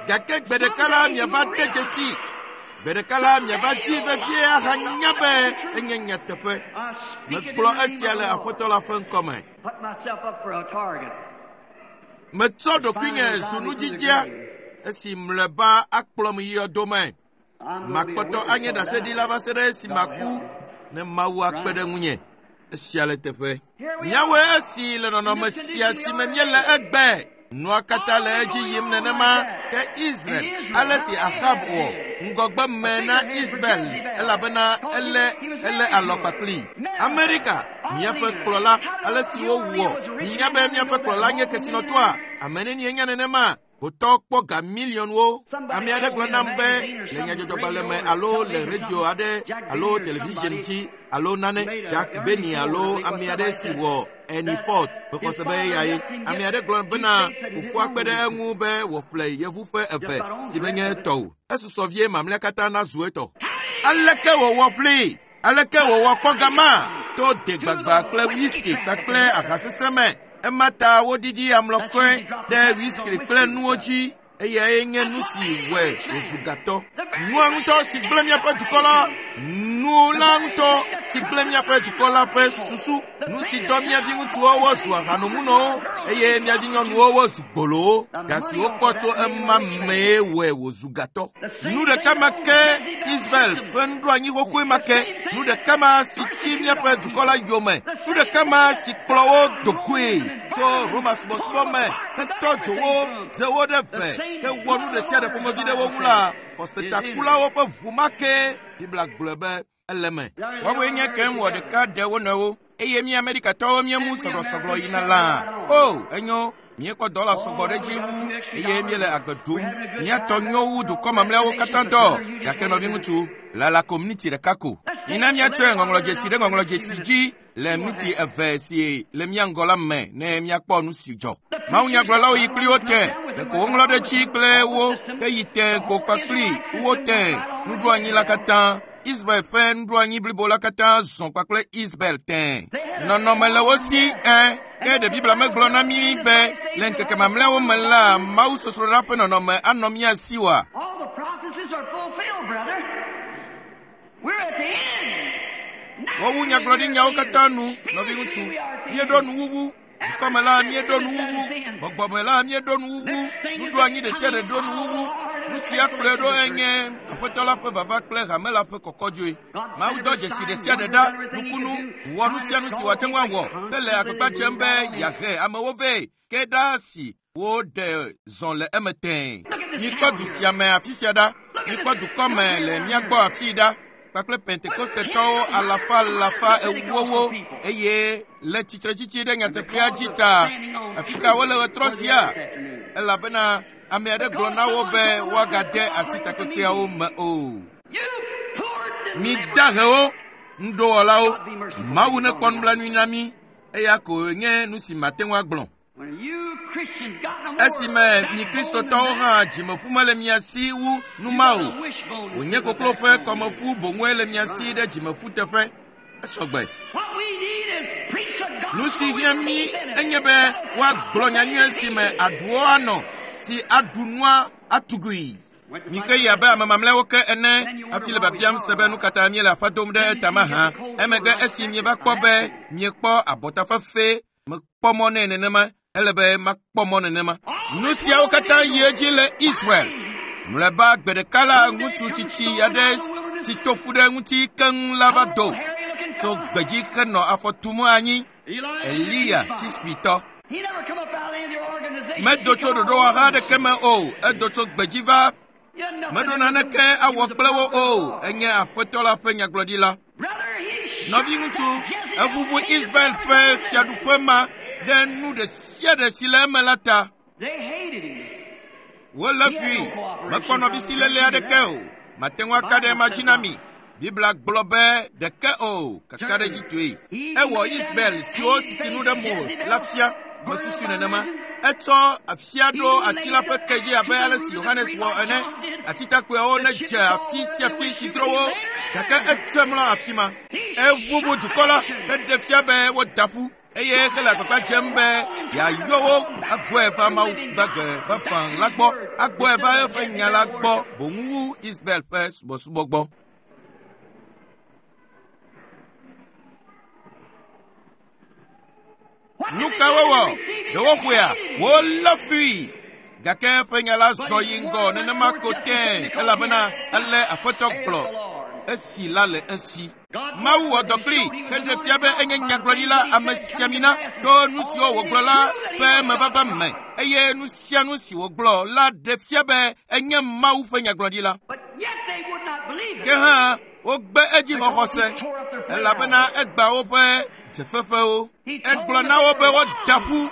Gake gbe ɖeka la miava de dzesi. Gbe ɖeka la miava di vevie ahanya be enye nyateƒe. Megblɔ esia le Aƒetɔ la ƒe ŋkɔme. Put myself up for a target. Metsɔ ɖokuinye zu nudzidzea esi mlɔeba akplɔm yi yɔdome. I'm gonna be a Makpɔtɔ witness anye till I die. ɖaseɖila va se ɖe esi maku ne Mawu akpe ɖe ŋunye. Esia le teƒe. Míawoe esi le nɔnɔme sia si me míele egbe. Nua katã le edzi yim nenema ke Israel ale si Ahab wɔ ŋgɔgbe me na Israel elabena elé elé alɔ kpakpli. Amerika, míaƒe kplɔla, ale si wowɔ. Minya be míaƒe kplɔla nye kesinɔtɔa? Ame nenie nya nenema? Hotɔ kpɔ ga miliɔnwo. Ame aɖe gblɔ nam be le nyadzɔdzɔgbalẽ me alo le radio aɖe alo television dzi alo nane Jack Benny alo ame aɖe si wɔ Ernie Ford mexɔ se be eyae. Ame aɖe gblɔ bena fofoa kpe ɖe eŋu be wòƒle yevu ƒe eve si menye etɔ o. Esusɔ vie mamlɛa katã nazu etɔ. Aleke wòwɔ ƒlee? Aleke wòwɔ kpɔ gama? To degbagba kple whisky kpakple aha sesẽ me. Ema ta woɖiɖi amlɔkɔe ɖe whisky kple nuwo dzi eyae nye nu si wɔe wòzu gatɔ. Nua ŋutɔ si gblẽ míaƒe dukɔ la, nu la ŋutɔ si gblẽ míaƒe dukɔ la ƒe susu, nu si dɔ mía viŋutsuwo wozu ahanomunɔwo eye mía vinyɔnuwo wozu gbolowo. Ga si wokpɔ tso ema mee wɔe wòzu gatɔ. Nu ɖeka ma ke Israel ƒe nuɖoanyi xoxoe ma ke, nu ɖeka ma si tsi míaƒe dukɔ la yome, nu ɖeka ma si kplɔ wo dogoe tso Roma subɔsubɔ me hetɔ dzo wo, ze wo ɖe ve, hewɔ nu ɖe sia ɖe ƒomevi ɖe wo ŋu la, xɔsetakulawo ƒe ʋu ma ke Biblia gblɔe be ele me. Woawoe nye kem wɔ ɖeka ɖe wo nɔewo eye mí Amerikatɔwo míemu sɔglɔsɔglɔ yina lã. O, enyo, míekpɔ dɔla sɔgbɔ ɖe edzi wu eye míele agbe ɖum. Míatɔ nyo wu dukɔ mamlɛawo katã tɔ. Gake nɔviŋutsu, lala ko miniti ɖeka ko. Mina míatsɔe ŋɔŋlɔdzesi ɖe ŋɔŋlɔdzesi dzi le miniti eve si le mía ŋgɔ la me ne míakpɔ nu si dzɔ. Mawunyagblɔlawo yi kpli wo te, ɖeko woŋlɔ ɖe edzi kple wo heyi te ko kpakpli wo te nuɖoanyi la katã. Israel ƒe nuɖoanyi blibo la katã zɔ kpakple Israel tẽ. Nɔnɔme le wo si ẽ, ke ɖe Biblia megblɔ na mí be le ŋkeke mamlɛawo me la, mawusosroɖa ƒe nɔnɔme anɔ mía si oa? All the prophecies are fulfilled, brother. We're at the end. Wowu nyagblɔɖinyawo katã nu, nɔviŋutsu. Míeɖo nuwuwu. Dukɔme la míeɖo nuwuwu. Gbɔgbɔme la míeɖo nuwuwu. Nuɖoanyi ɖe sia ɖe ɖo nuwuwu. Nu sia kplɔe ɖo enye Aƒetɔ la ƒe vava kple hame la ƒe kɔkɔdzoe. Mawu dɔ dzesi ɖe sia ɖe ɖa, nukunu, wɔ nu sia nu si wòate ŋu awɔ hele agbagba dzem be yeahe amewo vɛ ke ɖa si woɖe zɔ le eme tẽe. Mikpɔ du sia me afi sia ɖa. Mikpɔ dukɔ me le mía gbɔ afii ɖa kpakple Pentekostetɔwo alafa alafa ewowo eye le tsitretsitsi ɖe nyateƒea dzi ta. Afi ka wole ɣetrɔ sia? Elabena ame aɖe gblɔ na wo be woagade asi takpekpeawo me o. You poor Mi dahewo, nuɖowɔlawo, Mawu nekpɔ nublanui na mí eya ko nye nu si mate ŋu agblɔ. When you Christians got no more Esime mi Kristotɔwo hã dzimeƒu mele mia si wu nu ma o. Wònye koklo ƒe kɔmeƒu boŋue le mia si ɖe dzimeƒu teƒe. Esɔgbe. What we need is preach the gospel. Nu si hiã mí enye be woagblɔ nyanyui si me aɖuwo anɔ si aɖu nua atugui. Mixe yi abe ame mamlɛawo ke ene hafi le biabiam se be nu katã míele aƒe dom ɖe eta mahã. Emegbe esi mieva kpɔ be miekpɔ abɔtafefe mekpɔ mɔ nɛ nenema ele be makpɔ mɔ nenema. Nu siawo katã yi edzi le Israel. Mlɔeba gbe ɖeka la ŋutsu tsitsi aɖe si to fu ɖe ŋuti keŋ la va do tso gbedzi henɔ afɔ tum anyi. Eliya Tisbitɔ. Medo tso ɖoɖowɔha aɖeke me o, edo tso gbedzi va. Meɖo naneke awɔ kple wo o, enye Aƒetɔ la ƒe nyagblɔɖila. Nɔviŋutsu, eʋuʋu Israel ƒe fiaɖuƒe ma ɖe nu ɖe sia ɖe si le eme la ta. Wolé fui, mekpɔ nɔvisiléle aɖeke o. Mate ŋu aka ɖe ema dzi na mi. Biblia gblɔ be ɖeke o, kakaɖedzitɔe. Ewɔ Israel siwo sisi nu ɖe mo la fia, mesusui nenema. Etsɔ afia ɖo ati la ƒe ke dzi abe ale si Yohanes wɔ ene. Atitakpoeawo nedze afi sia afi si dzro wo, gake etse mlɔ afi ma. Eʋuʋu dukɔ la heɖe fia be woda ƒu eye hele agbagba dzem be yeayɔ wo agbɔe va Mawu gbagbe vavã la gbɔ, agbɔe va eƒe nya la gbɔ boŋ wu Israel ƒe subɔsubɔ gbɔ. Nu ka wowɔ? Ɖe woxɔea? Wolé fui. Gake eƒe nya la zɔ yi ŋgɔ nenema ko tẽe elabena ele Aƒetɔ gblɔ esi la le esi. Mawu wɔ dɔ kplii heɖe fia be enye nyagblɔɖila amesiamina to nu siwo wògblɔ la ƒe mevava me eye nu sia nu si wògblɔ la ɖe fia be enye Mawu ƒe nyagblɔɖila. Ke hã wogbe edzi xɔxɔse elabena egbã woƒe dzefeƒewo. Egblɔ na wo be woda ƒu.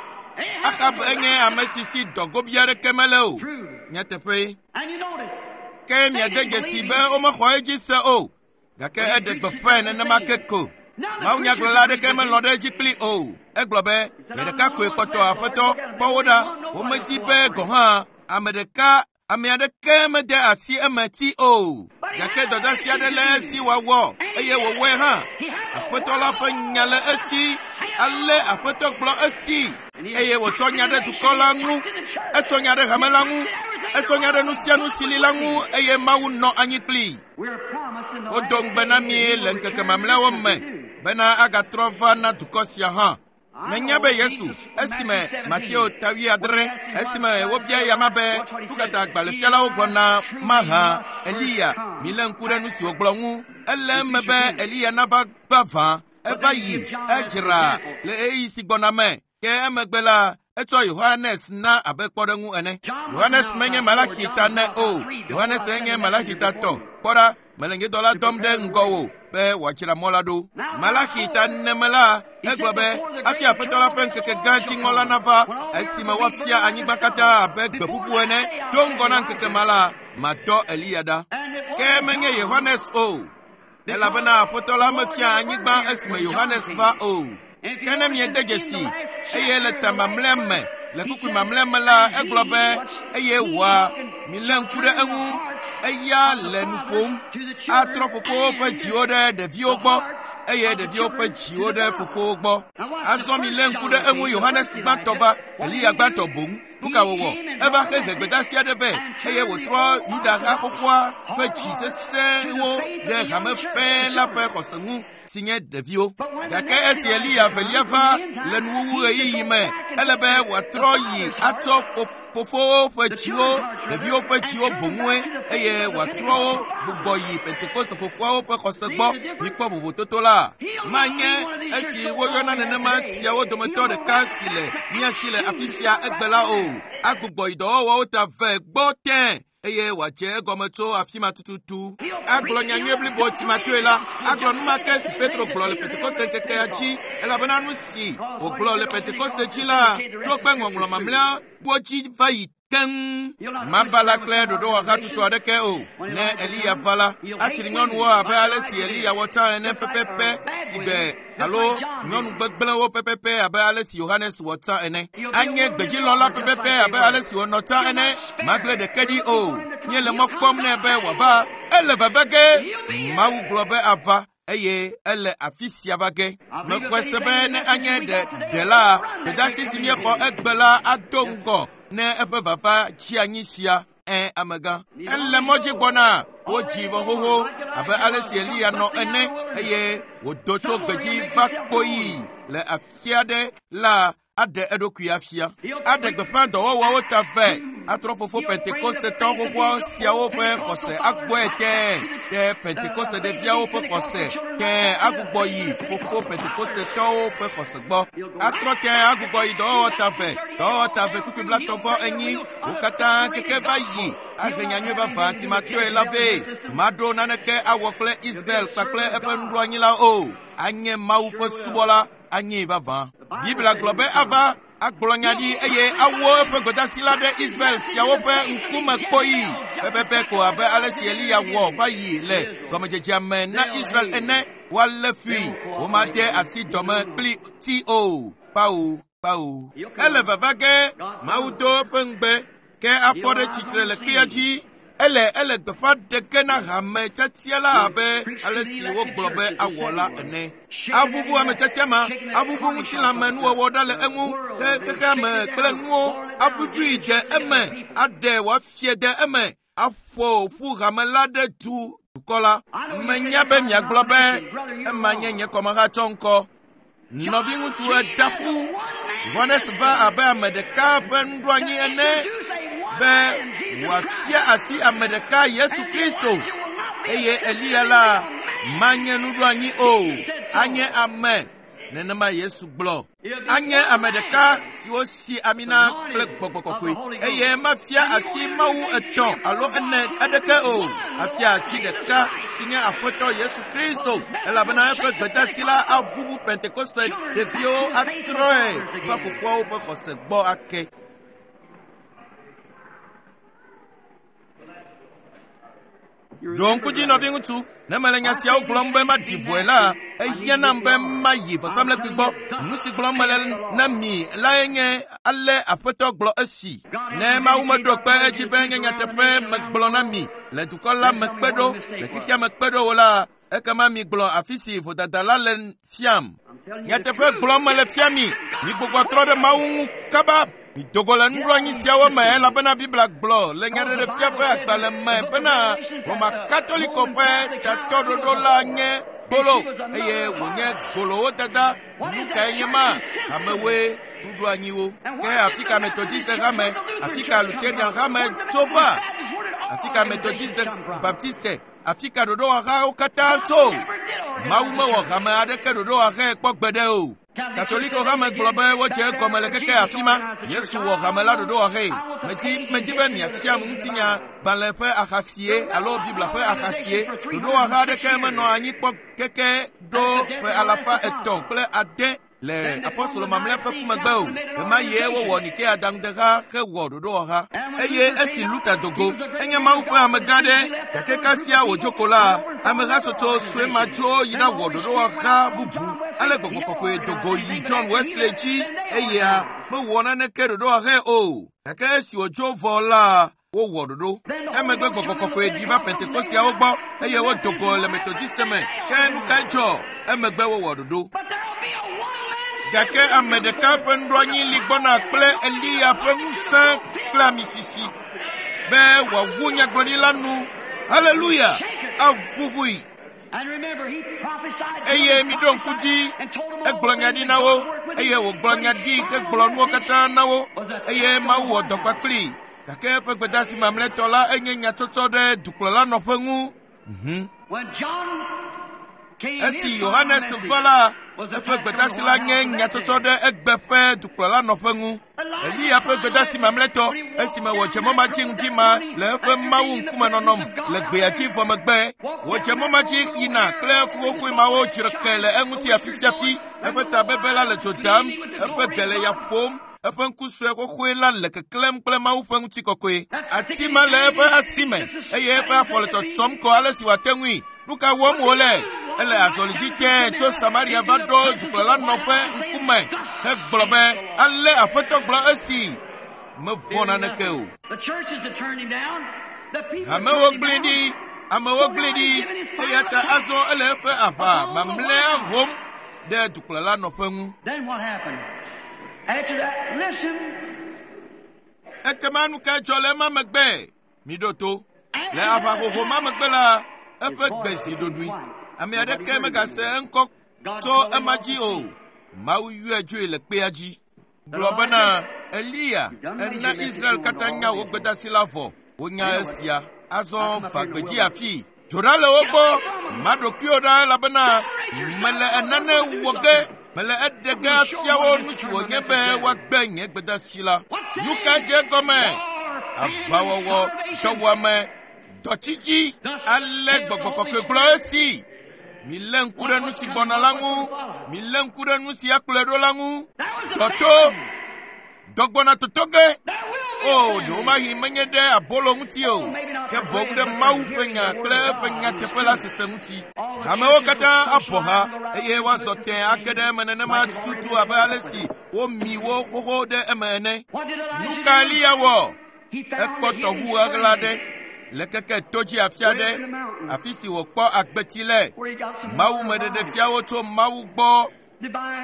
Ahab enye ame si si dɔgobi aɖeke mele o. Nyateƒee. Ke miade dzesi be womexɔ edzi se o. Gake eɖe gbeƒãe nenema ke ko. Mawunyagblɔla aɖeke melɔ̃ ɖe edzi kpli o. Egblɔ be, nye ɖeka koe kpɔtɔ Aƒetɔ, kpɔ wo ɖa. Womedi be gɔ̃ hã ame ɖeka ame aɖeke mede asi eme ti o. Gake dɔdeasi aɖe le esi wòawɔ eye wòwɔe hã. Aƒetɔ la ƒe nya le esi. Ale Aƒetɔ gblɔ esi eye wòtsɔ nya ɖe dukɔ la ŋu. Etsɔ nya ɖe hame la ŋu. Etsɔ nya ɖe nu sia nu si li la ŋu eye Mawu nɔ anyi kplii. Wodo ŋugbe na mi le ŋkeke mamlɛawo me bena agatrɔ va na dukɔ sia hã. Menya be Yesu, esime Mateo ta 7, esime wobia eyama be nu ka ta agbalẽfialawo gblɔna mahã Eliya, milé ŋku ɖe nu si wògblɔ ŋu. Ele eme be Eliya nava vavã, eva yi, edzra le ɣeyiɣi si gbɔna me. Ke emegbe la, etsɔ Yohanes na abe kpɔɖeŋu ene. Yohanes menye Malaxi ta ne o. Yohanes enye Malaxi ta tɔ. Kpɔ ɖa, mele nye dɔla dɔm ɖe ŋgɔwò be wòadzra mɔ la ɖo. Malaxi ta nene me la, egblɔ be hafi Aƒetɔ la ƒe ŋkeke gã dziŋɔ la nava, esime woafia anyigba katã abe gbeƒuƒu ene. Do ŋgɔ na ŋkeke ma la, madɔ Eliya ɖa. Ke menye Yohanes o, elabena Aƒetɔ la mefia anyigba esime Yohanes va o. Ke ne miede dzesi eye le ta mamlɛa me, le kpukpui mamlɛa me la, egblɔ be eye wòa, milé ŋku ɖe eŋu, eya le nu ƒom, atrɔ fofowo ƒe dziwo ɖe ɖeviwo gbɔ eye ɖeviwo ƒe dziwo ɖe fofowo gbɔ. Azɔ milé ŋku ɖe eŋu Yohanes gbãtɔ va, Eliya gbãtɔ boŋ. Nu ka wòwɔ? Eva hehe gbedeasi aɖe vɛ eye wòtrɔ Yuda ha xoxoa ƒe dzi sesẽwo ɖe hame fɛ̃ la ƒe xɔse ŋu si nye ɖeviwo. Gake esi Eliya velia va le nuwuwu ɣeyiɣi me, ele be wòatrɔ yi atsɔ fofowo ƒe dziwo, ɖeviwo ƒe dziwo boŋue eye wòatrɔ wo gbugbɔ yi Pentekoste fofoawo ƒe xɔse gbɔ. Mikpɔ vovototo la. Manye esi woyɔna nenema siawo dometɔ ɖeka si le mía si le afi sia egbe la o. Agbugbɔ yi dɔwɔwɔwo ta vɛ gbɔ tẽ eye wòadze egɔme tso afi ma tututu. Agblɔ nyanyui blibo timatoe la, agblɔ nu ma ke si Petro gblɔ le Pentekoste ŋkekea dzi, elabena nu si wògblɔ le Pentekoste dzi la ɖo kpe ŋɔŋlɔ mamlɛawo dzi va yi keŋ. Mabala kple ɖoɖowɔha tutu aɖeke o. Ne Eliya va la, atsri nyɔnuwo abe ale si Eliya wɔ tsã ene pɛpɛpɛ si gbe alo nyɔnu gbegblẽwo pɛpɛpɛ abe ale si Yohanes wɔ tsã ene. Anye gbedzilɔla pɛpɛpɛ abe ale si wònɔ tsã ene. Magblẽ ɖeke ɖi o. Míele mɔ kpɔm nɛ be wòava. Ele veve ge. Mawu gblɔ be ava eye ele afi sia va ge. Mexɔe se be ne anye ɖela, gbedeasi si míexɔ egbe la ado ŋgɔ ne eƒe vava tsi anyi sia. Amegã. Ele mɔ dzi gbɔna, wodzi vɔ xoxo abe ale si Eliya nɔ ene eye wòdo tso gbedzi va kpoyi le afi aɖe la aɖe eɖokui afia. Aɖe gbeƒã dɔwɔwɔwo ta vɛ. Atrɔ fofo Pentekostetɔ xoxoa siawo ƒe xɔse agbɔe tẽe ɖe Pentekoste ɖeviawo ƒe xɔse tẽe agbugbɔ yi fofo Pentekostetɔwo ƒe xɔse gbɔ. Atrɔ tẽe agbugbɔ yi dɔwɔwɔ tave, dɔwɔwɔ tave kpukpui 34, wo katã keke va yi ahe nyanyui vavã timatɔe la vɛ. Maɖo naneke awɔ kple Isabel kpakple eƒe nuɖoanyilawo o. Anye Mawu ƒe subɔla, anyi vavã. Biblia gblɔ be ava agblɔ nya ɖi eye awɔ eƒe gbedasi la ɖe Israel siawo ƒe ŋkume kpɔyi pɛpɛpɛ ko abe ale si Eliya wɔ va yi le gɔmedzedzea me na Israel ene. Woalé fui, womade asi dɔme kpli ti o. Kpao, kpao. Ele vava ge, Mawu do eƒe ŋugbe, ke afɔ ɖe tsitre le kpea dzi. Ele ele gbeƒã ɖe ge na hame tiatia la abe ale si wogblɔ be awɔ la ene. Aʋuʋu ame tiatia ma, aʋuʋu ŋutilãme nuwɔwɔ ɖa le eŋu, ke xexea me kple nuwo aƒuƒui ɖe eme, aɖe wòafie ɖe eme, aƒo ƒu hame la ɖe du dukɔ la. Menya be miagblɔ be ema nye nye kɔmehatsɔ ŋkɔ. Nɔviŋutsu eda ƒu. Yohanes va abe ame ɖeka ƒe nuɖoanyi ene be wòafia asi ame ɖeka Yesu Kristo eye Eliya la manye nuɖoanyi o, anye ame. Nenema Yesu gblɔ. Anye ame ɖeka si wosi ami na kple gbɔgbɔ kɔkɔe eye mafia asi Mawu etɔ̃ alo ene aɖeke o. Afia asi ɖeka si nye Aƒetɔ Yesu Kristo elabena eƒe gbedasi la aʋuʋu Pentekoste ɖeviwo atrɔe va fofoawo ƒe xɔse gbɔ ake. Ɖo ŋku dzi nɔviŋutsu, ne mele nya siawo gblɔm be maɖi vɔe la, ehiã nam be mayi vɔsamlekpui gbɔ. Nu si gblɔm mele na mi lae nye ale Aƒetɔ gblɔ esi. Ne Mawu meɖo kpe edzi be nye nyateƒe megblɔ na mi le dukɔ la me kpe ɖo, le xexea me kpe ɖo o la, ekema migblɔ afi si vodada la le fiam. Nyateƒe gblɔm mele fia mi, migbugbɔ trɔ ɖe Mawu ŋu kaba. Midogo le nuɖoanyi siawo me elabena Biblia gblɔ le Nyaɖeɖefia ƒe agbalẽ me bena Roma Katoliko ƒe tatɔɖoɖo la nye gbolo eye wònye gbolowo dada. Nu kae nye ma? Amewoe nuɖoanyiwo. Ke afi ka Methodiste hame, afi ka Lutheran hame tso va? Afi ka Methodiste, Baptiste, afi ka ɖoɖowɔhawo katã tso? Mawu mewɔ hame aɖeke ɖoɖowɔhae kpɔ gbeɖe o. Katoliko hame gblɔ be wodze egɔme le keke afi ma. Yesu wɔ hame la ɖoɖowɔhae. Medi medi be miafiam ŋutinya gbalẽ ƒe axasie alo Biblia ƒe axasie. Ɖoɖowɔha aɖeke menɔ anyi kpɔ keke ɖo ƒe 306 le apostolo mamlɛ ƒe ku megbe o. Ɣemaɣie wowɔ Nikea adaŋudeha hewɔ ɖoɖowɔha. Eye esi Luther do go, enye Mawu ƒe amegã ɖe, gake kasia wòdzo ko la, amehatsotso sue ma dzo yi ɖawɔ ɖoɖowɔha bubu. Ale gbɔgbɔ kɔkɔe do go yi John Wesley dzi eya mewɔ naneke ɖoɖowɔhae o. Gake esi wòdzo vɔ la, wowɔ ɖoɖo. Emegbe gbɔgbɔ kɔkɔe ɖi va Pentekosteawo gbɔ eye wodo go le Methodiste me. Ke nu kae dzɔ? Emegbe wowɔ ɖoɖo. Gake ame ɖeka ƒe nuɖoanyi li gbɔna kple Eliya ƒe ŋusẽ kple amisisi be wòawu nyagblɔɖila nu. Haleluya! Aʋuʋui. Eye miɖo ŋku dzi, egblɔ nya ɖi na wo eye wògblɔ nya ɖi hegblɔ nuwo katã na wo eye Mawu wɔ dɔ kpakplii. Gake eƒe gbedasi mamlɛtɔ la enye nyatsɔtsɔ ɖe dukplɔla nɔƒe ŋu. Esi Yohanes va la, eƒe gbedasi la nye nyatsɔtsɔ ɖe egbe ƒe dukplɔla nɔƒe ŋu. Eliya ƒe gbedasi mamlɛtɔ esime wòdze mɔ ma dzi ŋdi ma le eƒe Mawu ŋkume nɔnɔm le gbea dzi vɔ megbe. Wòdze mɔ ma dzi yina kple fuxoxoe mawo dzreke le eŋuti afi sia afi. Eƒe tabebe la le dzo dam, eƒe ge le ya ƒom, eƒe ŋku sue xoxoe la le keklẽm kple Mawu ƒe ŋutikɔkɔe. Ati ma le eƒe asi me eye eƒe afɔ le tsɔtsɔm ko ale si wòate ŋui. Nu ka wɔm wòle? Ele azɔli dzi tẽe tso Samaria va ɖo dukplɔla nɔƒe ŋkume hegblɔ be ale Aƒetɔ gblɔ esi. Mevɔ̃ naneke o. Hamewo gblẽ ɖi, amewo gblẽ ɖi eya ta azɔ ele eƒe aʋa mamlɛa hom ɖe dukplɔla nɔƒe ŋu. After that, listen. Ekema nu kae dzɔ le ema megbe? Miɖo to. Le aʋahoho ma megbe la, eƒe gbe zi ɖoɖoe. Ame aɖeke megase eŋkɔ tso ema dzi o. Mawu yɔe dzoe le kpea dzi. Gblɔ bena, Eliya, ena Israel katã nya wò gbedasi la vɔ. Wonya esia. Azɔ va gbedzi afii. Dzo ɖa le wo gbɔ. Ma ɖokuiwò ɖa elabena mele enane wɔ ge. Mele eɖe ge afia wo nu si wònye be woagbe nye gbedasi la. Nu ka dze egɔme? Aʋawɔwɔ, dɔwuame, dɔtsitsi. Ale gbɔgbɔ kɔkɔe gblɔ esi. Milé ŋku ɖe nu si gbɔna la ŋu. Milé ŋku ɖe nu si akplɔe ɖo la ŋu. Dɔto, dɔ gbɔna toto ge. O, ɖewomahi menye ɖe abolo ŋuti o, ke boŋ ɖe Mawu ƒe nya kple eƒe nyateƒe la sese ŋuti. Hamewo katã abɔ ha eye woazɔ tẽ ake ɖe eme nenema tututu abe ale si womi wo xoxo ɖe eme ene. Nu ka Eliya wɔ? Ekpɔ tɔʋu ɣaɣla ɖe le keke to dzi afi aɖe, afi si wòkpɔ agbeti le. Mawu meɖeɖefiawo tso Mawu gbɔ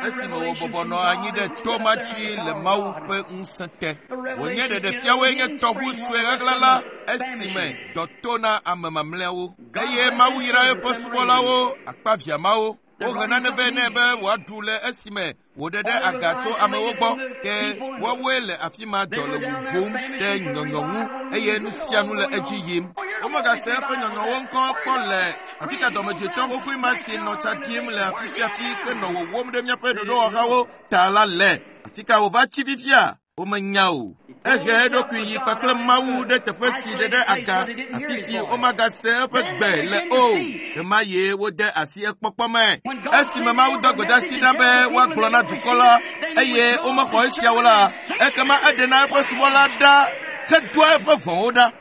esime wòbɔbɔ nɔ anyi ɖe to ma dzi le Mawu ƒe ŋusẽ te. Wònye ɖeɖefiawoe nye tɔʋu sue ɣaɣla la esime dɔ to na ame mamlɛawo. Eye Mawu yra eƒe subɔlawo, akpaviãmawo. Wohe nane vɛ nɛ be wòaɖu le esime wòɖe ɖe aga tso amewo gbɔ. Ke woawoe le afi ma dɔ le wuwum ɖe nyɔnyɔ ŋu eye nu sia nu le edzi yim. Womegase eƒe nyɔnyɔwo ŋkɔ kpɔ le afi ka dɔmedzoetɔ xoxoe ma si nɔ tsa ɖim le afi sia afi henɔ wòwom ɖe míaƒe ɖoɖowɔhawo ta la le. Afi ka wòva tsi fifia? Womenya o. Ehe eɖokui yi kpakple Mawu ɖe teƒe si ɖe ɖe aga, afi si womagase eƒe gbe le o. Ɣemaɣie ye wode asi ekpɔkpɔ me. Esime Mawu dɔ gbedeasi ɖa be woagblɔ na dukɔ la eye womexɔ esiawo la, ekema eɖena eƒe subɔla ɖa hedoa eƒe vɔ̃wo ɖa.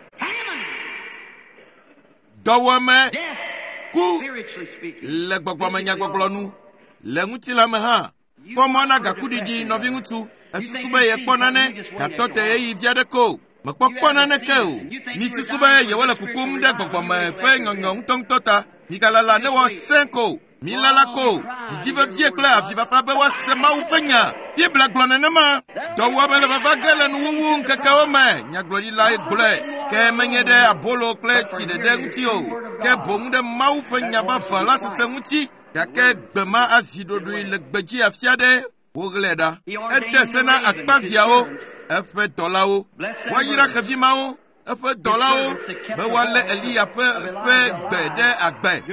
Dɔwɔame, ku le gbɔgbɔmenyagbɔgblɔ nu, le ŋutilã me hã. Kpɔ mɔ na gakuɖiɖi nɔviŋutsu. Esusu be yekpɔ nane, gatɔ te ɣeyiɣi vi aɖe ko. Mekpɔkpɔ naneke o. Misusu be yewole kukum ɖe gbɔgbɔme ƒe nyɔnyɔ ŋutɔŋutɔ ta. Migalala ne woasẽ ko. Milala ko. Didi vevie kple avifafa be woase Mawu ƒe nya. Biblia gblɔ nenema. Dɔwuame le vava ge le nuwuwu ŋkekewo me. Nyagblɔɖilae gblɔe. Ke menye ɖe abolo kple tsi ɖeɖe ŋuti o, ke boŋ ɖe Mawu ƒe nya vavã la sese ŋuti. Gake gbe ma azi ɖoɖoe le gbedzi afi aɖe woɣlae ɖa. Ede se na akpaviãwo, eƒe dɔlawo. Woayra xevi mawo, eƒe dɔlawo, be woalé Eliya ƒe ƒe gbe ɖe agbe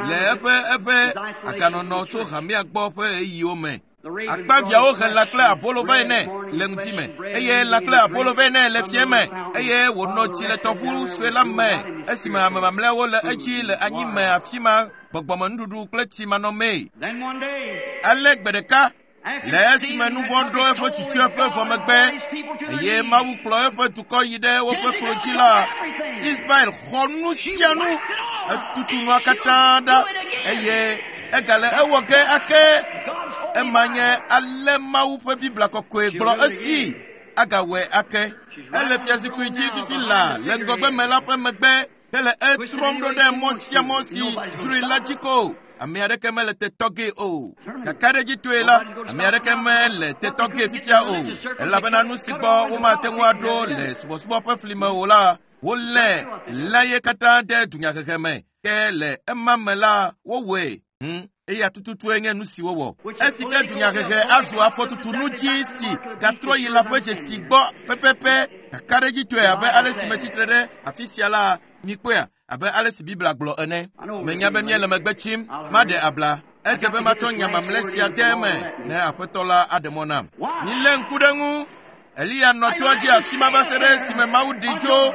le eƒe eƒe aganɔnɔ tso hamea gbɔ ƒe ɣeyiɣiwo me. Akpaviãwo he lã kple abolo vɛ nɛ le ŋdi me eye lã kple abolo vɛ nɛ le fiẽ me eye wònɔ tsi le tɔʋu sue la me esime ame mamlɛawo le edzi le anyi me afi ma gbɔgbɔmenuɖuɖu kple tsi manɔmee. Ale gbe ɖeka le esime nu vɔ̃ ɖo eƒe tsutsueƒe vɔ megbe eye Mawu kplɔ eƒe dukɔ yi ɖe woƒe klo dzi la, Israel xɔ nu sia nu, etutu nua katã ɖa eye egale ewɔ ge ake. Ema nye ale Mawu ƒe Biblia kɔkɔe gblɔ esi agawɔe ake. Ele fiazikpui dzi fifi laa le ŋgɔgbe me la ƒe megbe hele etrɔm ɖo ɖe mɔ sia mɔ si dzroe la dzi ko. Ame aɖeke mele te tɔ gee o. Kakaɖedzitɔe la, ame aɖeke mele te tɔ gee fifia o. Elabena nu si gbɔ womate ŋu aɖo le subɔsubɔ ƒe fli me o la, wolé lãye katã de dunyahehe me. Ke le ema me la, wowɔe. Eya tututue nye nu si wowɔ. Esi ke dunyahehe azu afɔtutunu dzi si gatrɔ yi la ƒe dzesi gbɔ pɛpɛpɛ kakaɖedzitɔe abe ale si metsitre ɖe afi sia la, mikpɔea, abe ale si Biblia gblɔ ene. Menya be míele megbe tsim, maɖe abla. Edze be matsɔ nya mamlɛ sia de eme ne Aƒetɔ la aɖe mɔ nam. Milé ŋku ɖe eŋu. Eliya nɔ toa dzi afi ma va se ɖe esime Mawu ɖi tso.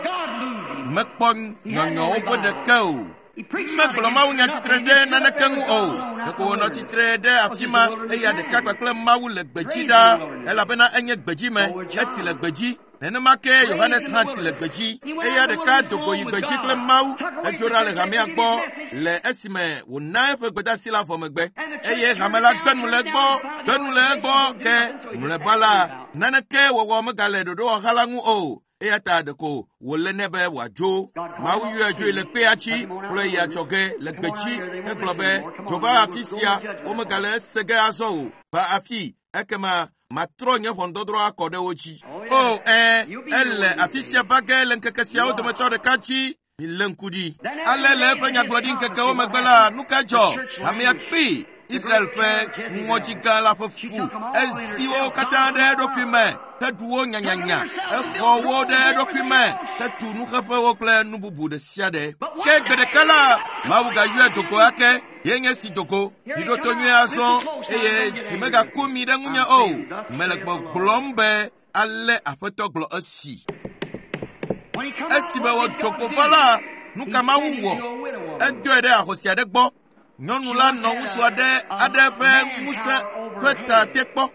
Mekpɔ nyɔnyɔwo ƒe ɖeke o. Megblɔ mawunya tsitre ɖe naneke ŋu o. Ɖeko wònɔ tsitre ɖe afi ma eya ɖeka kpakple Mawu le gbedzi ɖaa elabena enye gbedzi me, etsi le gbedzi. Nenema ke Yohanes hã tsi le gbedzi. Eya ɖeka do go yi gbedzi kple Mawu, edzo ɖa le hamea gbɔ le esime wòna eƒe gbedeasi la vɔ megbe. Eye hame la gbe nu le egbɔ, gbe nu le egbɔ ke mlɔeba la, naneke wɔwɔ megale ɖoɖowɔha la ŋu o. Eya ta ɖeko wòle nɛ be wòadzo. Mawu yɔe dzoe le kpea dzi kplɔe yi adzɔge le gbedzi hegblɔ be, Dzo va afi sia, womegale ese ge azɔ o. Va afi, ekema matrɔ nye ʋɔnudɔdrɔ̃ akɔ ɖe wo dzi. O, ẽ, ele afi sia va ge le ŋkeke siawo dometɔ ɖeka dzi. Milé ŋku ɖi. Ale le eƒe nyagblɔɖi ŋkekewo megbe la, nu ka dzɔ? Hamea kpee. Israel ƒe ŋɔdzi gã la ƒe fu. Ezi wo katã ɖe eɖokui me heɖu wo nyanyanya. Exɔ wo ɖe eɖokui me hetu nuxeƒewo kple nu bubu ɖe sia ɖe. Ke gbe ɖeka la, Mawu gayɔe do go ake. Ye nye si do go. Miɖo to nyuie azɔ eye dzi megaku mi ɖe ŋunye o. Mele gbɔgblɔm be ale Aƒetɔ gblɔ esi. Esime wòdo go va la, nu ka Mawu wɔ? Edoe ɖe ahosi aɖe gbɔ. Nyɔnu la nɔ ŋutsu aɖe aɖe ƒe ŋusẽ ƒe ta te kpɔ.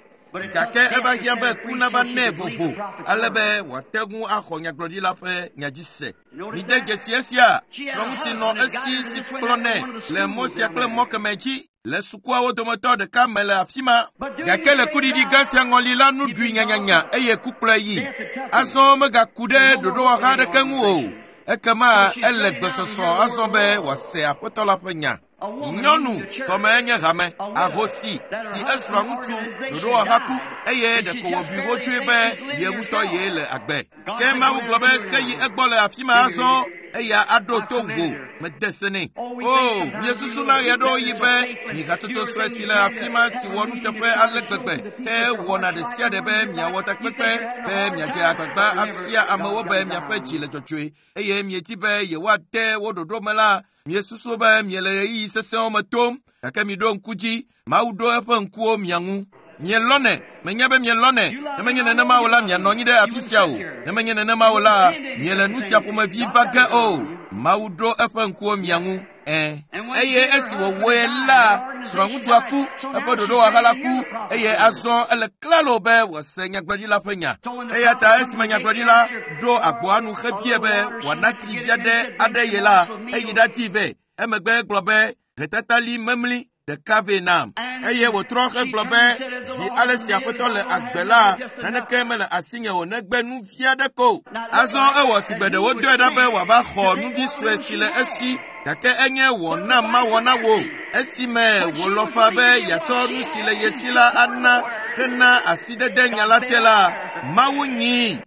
Gake eva hiã be ku nava nɛ vovo ale be wòate ŋu axɔ nyagblɔɖila ƒe nya dzi se. Mide dzesi esia, srɔ̃ŋutsi nɔ esi si kplɔnɛ le mɔ sia kple mɔ kemɛ dzi le sukuawo dometɔ ɖeka me le afi ma. Gake le kuɖiɖi gã sia ŋɔli la, nu ɖui nyanyanya eye ku kplɔe yi. Azɔ megaku ɖe ɖoɖowɔha aɖeke ŋu o. Ekema ele gbesɔsɔ azɔ be wòase Aƒetɔ la ƒe nya. Nyɔnu gɔme nye hame, ahosi si esrɔ̃ ŋutsu ɖoɖowɔha ku eye ɖeko wòbui wodzoe be ye ŋutɔ yee le agbe. Ke Mawu gblɔ be xeyi egbɔ le afi ma azɔ eya aɖo to wò mede se nɛ. O, míesusuna ɣeaɖewoɣi be mi hatsotso sue si le afi ma si wɔ nuteƒe ale gbegbe ke wɔna ɖe sia ɖe be miawɔ takpekpe be miadze agbagba afia amewo be miaƒe dzi le dzɔdzɔe eye miedi be yewoade wo ɖoɖo me la, miesusu be miele ɣeyiɣi sesẽwo me tom gake miɖo ŋku dzi Mawu ɖo eƒe ŋkuwo mia ŋu. Mielɔnɛ, menya be mielɔnɛ. Ne menye nenema o la, mianɔ anyi ɖe afi sia o. Ne menye nenema o la, miele nu sia ƒomevi va ge o. Mawu ɖo eƒe ŋkuwo mia ŋu. Ẽ. Eye esi wòwɔe la, srɔ̃ŋutsua ku, eƒe ɖoɖowɔha la ku, eye azɔ ele klalo be wòase nyagblɔɖila ƒe nya. Eya ta esime nyagblɔɖila ɖo agboa nu hebia be wòana tsi vi aɖe aɖe ye la, eyi ɖadii vɛ. Emegbe egblɔ be, "Hetatali memli ɖeka vɛ nam." Eye wòtrɔ hegblɔ be, "Zi ale si Aƒetɔ le agbe la, naneke mele asinye o negbe nu vi aɖe ko." Azɔ ewɔ si gbe ɖe wodɔe ɖa be wòava xɔ nuvi sue si le esi gake enye wɔ nam mawɔ na wò. Esime wòlɔ̃ faa be yeatsɔ nu si le ye si la ana hena asidede nya la te la, Mawu nyii.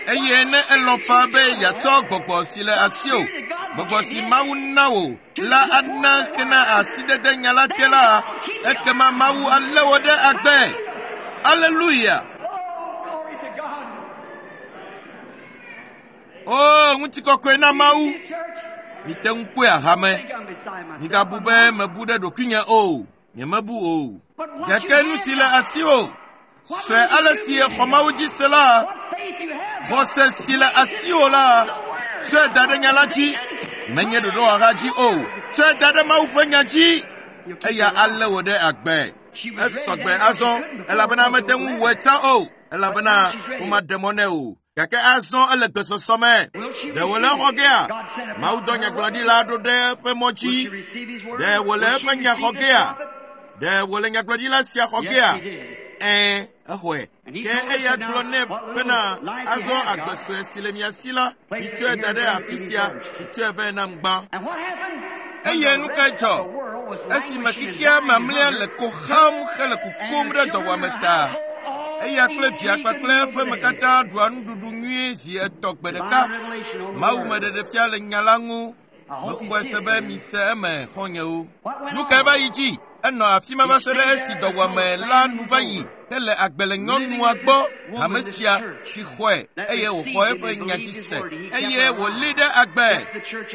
Eye ne elɔ̃ faa be yeatsɔ gbɔgbɔ si le asiwò, gbɔgbɔ si Mawu na wò la ana hena asidede nya la te la, ekema Mawu alé wò ɖe agbe. Aleluya! O, ŋutikɔkɔe na Mawu! Mite ŋu kpɔe ahame. Migabu be mebu ɖe ɖokuinye o. Nyemebu o. Gake nu si le asiwò, sue ale si exɔ Mawu dzi se la, xɔse si le asiwò la, tsɔe da ɖe nya la dzi. Menye ɖoɖowɔha dzi o. Tsɔe da ɖe Mawu ƒe nya dzi. Eya alé wò ɖe agbe. Esɔgbe azɔ elabena mete ŋu wɔe tsã o elabena womaɖe mɔ nɛ o. Gake azɔ ele gbesɔsɔ me. Ɖe wòle exɔ gea? Mawu dɔ nyagblɔɖila ɖo ɖe eƒe mɔ dzi. Ɖe wòle eƒe nya xɔ gea? Ɖe wòle nyagblɔɖila sia xɔ gea? Ɛ̃, exɔe. Ke eya gblɔ nɛ bena azɔ agbe sue si le mia si la, mitsɔe da ɖe afi sia, mitsɔe vɛ nam gbã. Eye nu kae dzɔ? Esime xexea mamlɛa le ko xam hele kukum ɖe dɔwuame ta. Eya kple via kpakple eƒe me katã ɖua nuɖuɖu nyuie zi etɔ̃ gbe ɖeka. Mawu me ɖeɖefia le nya la ŋu. Mexɔe se be mise eme xɔ̃nyewo. Nu kae va yi dzi? Enɔ afi ma va se ɖe esi dɔwuame la nu va yi hele agbe le nyɔnua gbɔ hame sia si xɔe eye wòxɔ eƒe nya dzi se eye wòlée ɖe agbe.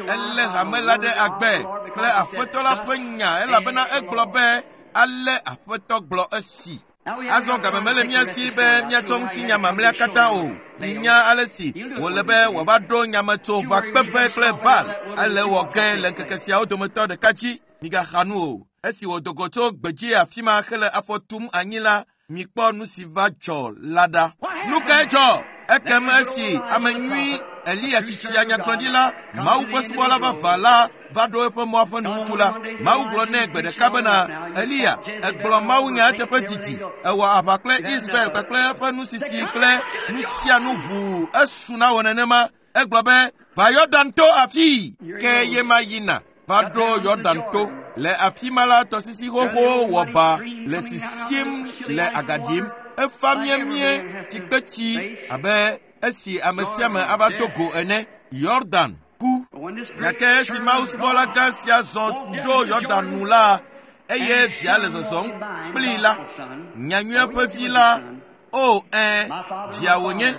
Elé hame la ɖe agbe kple Aƒetɔ la ƒe nya elabena egblɔ be ale Aƒetɔ gblɔ esi. Azɔ game mele mía si be míatsɔ ŋutinya mamlɛa katã o. Minya ale si wòle be wòava ɖo nyametsoʋakpeƒe kple Baal ale wɔ ge le ŋkeke siawo dometɔ ɖeka dzi. Migaxa nu o. Esi wòdo go tso gbedzi afi ma hele afɔ tum anyi la, mikpɔ nu si va dzɔ la ɖa. Nu kae dzɔ? Ekem esi ame nyui Eliya tsitsia nyagblɔɖila, Mawu ƒe subɔla vavã la va ɖo eƒe mɔa ƒe nuwuwu la, Mawu gblɔ nɛ gbe ɖeka bena, Eliya, egblɔ mawunya eteƒe didi. Ewɔ aʋa kple Israel kpakple eƒe nusisi kple nu sia nu ʋuu esu na wò nenema. Egblɔ be, va Yɔdan to afii. Ke ye ma yina va ɖo Yɔdan to. Le afi ma la, tɔsisi xoxo wɔ ba le sisim le aga ɖim. Efa miemie tsikpetsi abe esi ame sia ame ava do go ene. Yɔdan ku. Gake esi Mawu subɔla gã sia zɔ ɖo Yɔdan nu la, eye via le zɔzɔm kplii la, nyanyuie ƒe vi la, o ẽ, via wònye.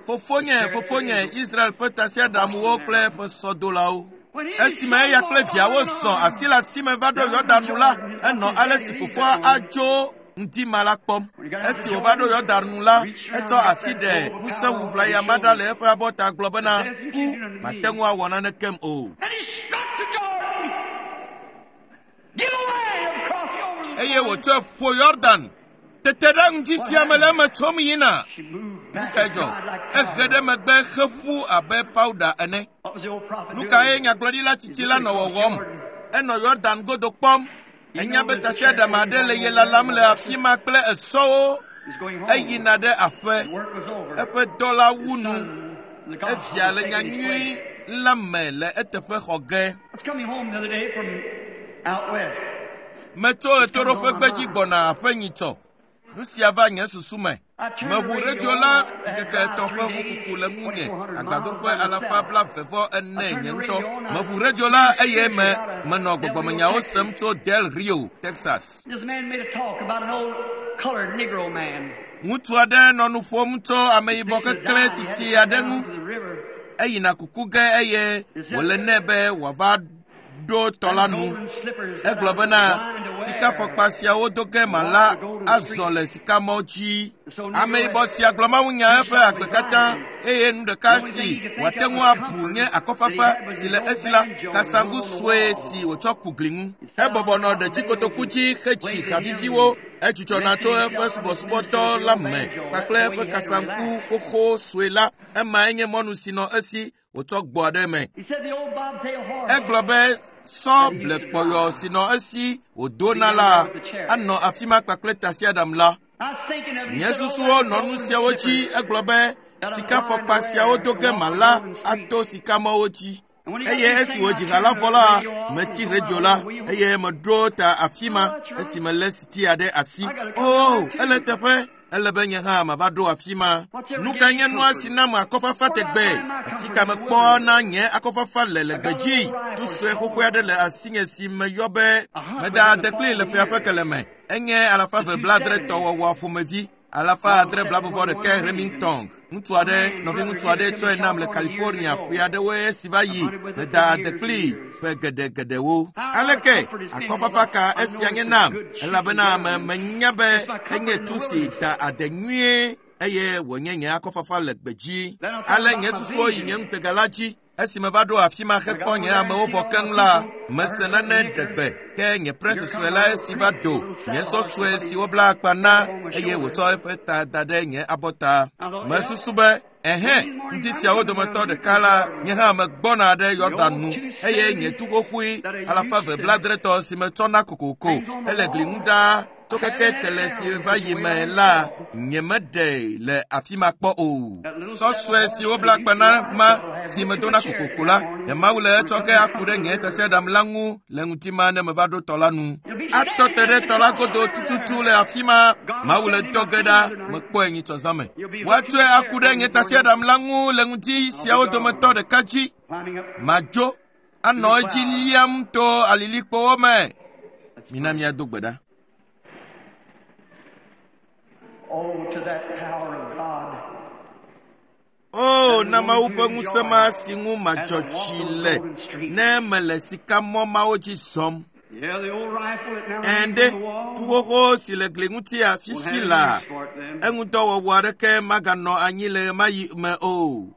Fofonye, fofonye, Israel ƒe tasiaɖamwo kple eƒe sɔdolawo. Esime eya kple viawo zɔ asi le asi me va ɖo Yɔdan nu la, enɔ ale si fofoa adzo ŋdi ma la kpɔm. Esi wòva ɖo Yɔdan nu la, etsɔ asi ɖe ŋusẽ ʋlaya ma ɖa le eƒe abɔta gblɔ bena, ku mate ŋu awɔ nanekem o. Eye wòtsɔe ƒo Yɔdan. Tete ɖe ŋdi sia me le eme tsom yina. Nu kae dzɔ? Ehe ɖe megbe heƒu abe pawuda ene. Nu kae nyagblɔɖila tsitsi la nɔ wɔwɔm? Enɔ Yɔdan godo kpɔm. Enya be tasiaɖam aɖe le ye lalam le afi ma kple esɔwo. Eyina ɖe aƒe. Eƒe dɔ la wu nu. Evia le nyanyui la me le eteƒe xɔ ge. Metso ɣetoɖoƒe gbedzi gbɔna aƒe nyitsɔ. Nu sia va nye susu me. Meʋu redio la ŋkeke etɔ̃ ƒe ʋukuku le ŋunye agbadoƒe alafa 44 nye ŋutɔ. Meʋu redio la eye me menɔ gbɔgbɔmenyawo sem tso Del Rio, Texas. Ŋutsu aɖe nɔ nu ƒom tso ameyibɔ keklẽ tsitsi aɖe ŋu. Eyina kuku ge eye wòle nɛ be wòava ɖo tɔ la nu. Egblɔ bena sikafɔkpa siawo do ge mala azɔ le sikamɔ dzi. Ameyibɔ sia gblɔ mawunya eƒe agbe katã eye nu ɖeka si wòate ŋu abu nye akɔfafa si le esi la, kasaŋgu sue si wòtsɔ ku gli ŋu. Ebɔbɔ nɔ ɖetsikotoku dzi hetsi haviviwo. Edzudzɔna tso eƒe subɔsubɔdɔ la me kpakple eƒe kasaŋku xoxo sue la. Emae nye mɔnu si nɔ esi wòtsɔ gbɔa ɖe eme. Egblɔ be sɔ blekpɔyɔ si nɔ esi wòdona la anɔ afi ma kpakple tasiaɖam la. Nye susuwo nɔ nu siawo dzi. Egblɔ be sikafɔkpa siawo do ge mala ato sikamɔwo dzi. Eye esi wòdzi ha la vɔ la, metsi redio la eye meɖo ta afi ma esi melé sitia ɖe asi. O, ele teƒe. Ele be nye hã mava ɖo afi ma. Nu kae nye nua si nam akɔfafa tegbee? Afi ka mekpɔ na nye akɔfafa le le gbedzi? Tu sue xoxoe aɖe le asinye si meyɔ be meda ade kplii le ƒea ƒe keleme. Enye 770 wɔwɔ ƒomevi, 671 Remington. Ŋutsu aɖe, nɔviŋutsu aɖe tsɔe nam le California ƒe aɖewoe esi va yi. Meda ade kplii ƒe geɖegeɖewo. Aleke akɔfafa ka esia nye nam? Elabena me menya be enye tu si da ade nyuie eye wònye nye akɔfafa le gbedzi. Ale nye susuwo yi nye ŋutega la dzi. Esi meva ɖo afi ma hekpɔ nye amewo vɔ keŋ la, mese nane ɖe gbe ke nye presi sue la esi va do nye sɔ sue si wobla akpa na eye wòtsɔ eƒe ta da ɖe nye abɔta. Mesusu be ɛhɛ, ŋdi siawo dometɔ ɖeka la, nye hã megbɔna ɖe Yɔdan nu eye nye tu xoxoe 270 si metsɔna kokoko ele gli ŋu ɖaa tso keke kele si va yi me la, nye meɖe le afi ma kpɔ o. Sɔ sue si wobla akpa na ma si medona kokoko la, nye Mawu le etsɔ ke aku ɖe nye tasiaɖam la ŋu le ŋuti ma ne meva ɖo tɔ la nu. Atɔ te ɖe tɔ la godo tututu le afi ma. Mawu le dɔ ge ɖa, mekpɔe nyitsɔ zã me. Woatsɔe aku ɖe nye tasiaɖam la ŋu le ŋuti siawo dometɔ ɖeka dzi. Madzo anɔ edzi liam to alilikpowo me. Mina míado gbe ɖa. O, na Mawu ƒe ŋusẽ ma si ŋu madzɔ tsi le ne mele sikamɔ mawo dzi zɔm. Ɛ̃ ɖe, tu xoxo si le gli ŋuti afifi la, eŋudɔwɔwɔ aɖeke maganɔ anyi le ɣemaɣi me o.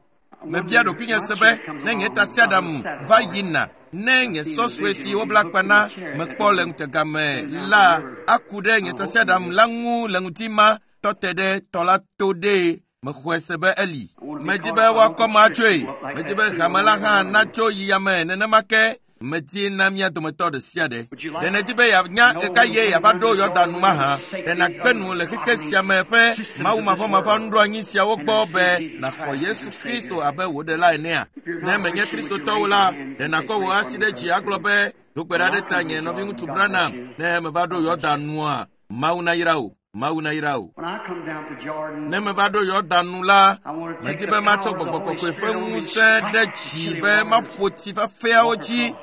Mebia ɖokuinye se be ne nye tasiaɖam va yina, ne nye sɔ sue si wobla akpa na mekpɔ le ŋutega me la aku ɖe nye tasiaɖam la ŋu le ŋuti ma tɔ te ɖe tɔ la to ɖee. Mexɔe se be eli. Medi be woakɔ ma atsoe. Medi be hame la hã natso yi yame nenema ke medi na mía dometɔ ɖe sia ɖe. Ɖe nèdi be yeanya ɣeka ye yeava ɖo Yɔdan nu mahã? Ɖe nàgbe nu le xexe sia me ƒe mawumavɔmavɔ nuɖoanyi siawo gbɔ be nàxɔ Yesu Kristo abe wò ɖela enea? Ne menye Kristotɔwo la, ɖe nàkɔ wò asi ɖe dzi agblɔ be, do gbe ɖa ɖe ta nye nɔviŋutsu Branham ne meva ɖo Yɔdan nua? Mawu nayra wò. Mawu nayra wò. Ne meva ɖo Yɔdan nu la, medi be matsɔ gbɔgbɔ kɔkɔe ƒe ŋusẽ ɖe dzi be maƒo tsi fafɛawo dzi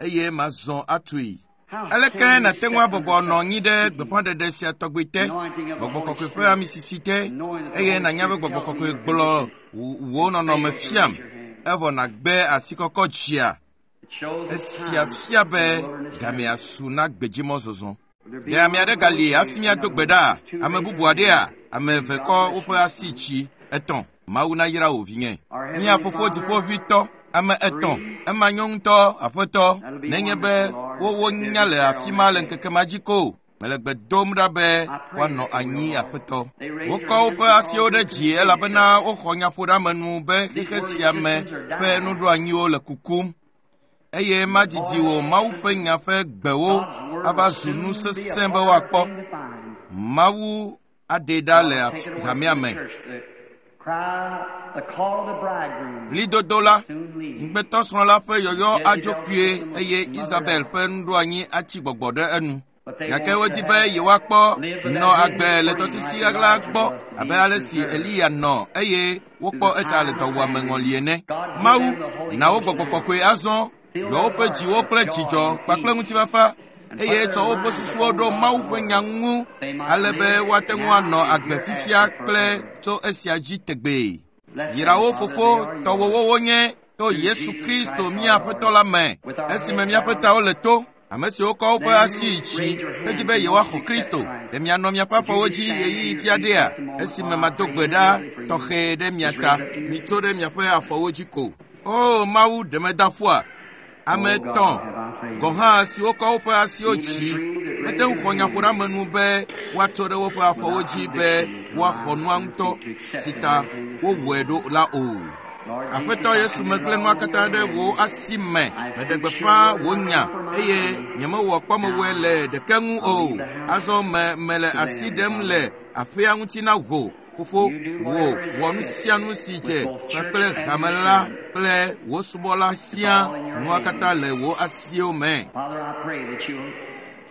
eye mazɔ atui. Aleke nàte ŋu abɔbɔ nɔ anyi ɖe gbeƒãɖeɖe sia tɔgbi te, Gbɔgbɔ Kɔkɔe ƒe amisisi te, eye nànya be Gbɔgbɔ Kɔkɔe gblɔ wò nɔnɔme fiam, evɔ nàgbe asikɔkɔ dzia? Esia fia be gamea su na gbedzimɔzɔzɔ. Ɖe ame aɖe gali hafi míado gbe ɖa? Ame bubu aɖea? Ame eve kɔ woƒe asi tsi etɔ̃. Mawu nayra wò vinye. Mía fofo dziƒoʋĩtɔ, ame etɔ̃. Ema nyo ŋutɔ, aƒetɔ, nenye be wowo nya le afi ma le ŋkeke ma dzi ko. Mele gbe dom ɖa be woanɔ anyi, aƒetɔ. Wokɔ woƒe asiwo ɖe dzi elabena woxɔ nyaƒoɖeamenu be xexe sia me ƒe nuɖoanyiwo le kukum. Eye madidi wò Mawu ƒe nya ƒe gbewo ava zu nu sesẽ be woakpɔ. Mawu aɖee ɖa le hamea me. Ɣlidodo la, ŋugbetɔsrɔ̃ la ƒe yɔyɔ adzo kpuie eye Isabel ƒe nuɖoanyi atsi gbɔgbɔ ɖe enu. Gake wodi be yewoakpɔ nɔ agbe le tɔsisi ɣaɣla gbɔ abe ale si Eliya nɔ eye wokpɔ eta le dɔwuame ŋɔli ene. Mawu, na wo Gbɔgbɔ Kɔkɔe azɔ, yɔ woƒe dziwo kple dzidzɔ kpakple ŋutifafa eye tsɔ woƒe susuwo ɖo Mawu ƒe nya ŋu ale be woate ŋu anɔ agbe fifia kple tso esia dzi tegbee. Yra wo fofo, tɔwòwo wonye to Yesu Kristo mía Aƒetɔ la me, esime míaƒe tawo le to. Ame siwo kɔ woƒe asi yi dzi hedi be yewoaxɔ Kristo, ɖe mianɔ miaƒe afɔwo dzi ɣeyiɣi fia ɖea, esime mado gbe ɖa tɔxɛ ɖe mia ta. Mitso ɖe miaƒe afɔwo dzi ko. O Mawu, ɖe meda ƒua? Ame etɔ̃ gɔ̃ hã siwo kɔ woƒe asiwo dzi mete ŋu xɔ nyaƒoɖeamenu be woatso ɖe woƒe afɔwo dzi be woaxɔ nua ŋutɔ si ta wowɔe ɖo la o. Aƒetɔ Yesu, megblẽ nua katã ɖe wò asi me. Meɖe gbeƒã wò nya eye nyemewɔ kpɔmewɔe le ɖeke ŋu o. Azɔ me mele asi ɖem le aƒea ŋuti na wò, fofo, wò wɔ nu sia nu si dze kpakple hame la kple wò subɔla sia. Nua katã le wò asiwo me.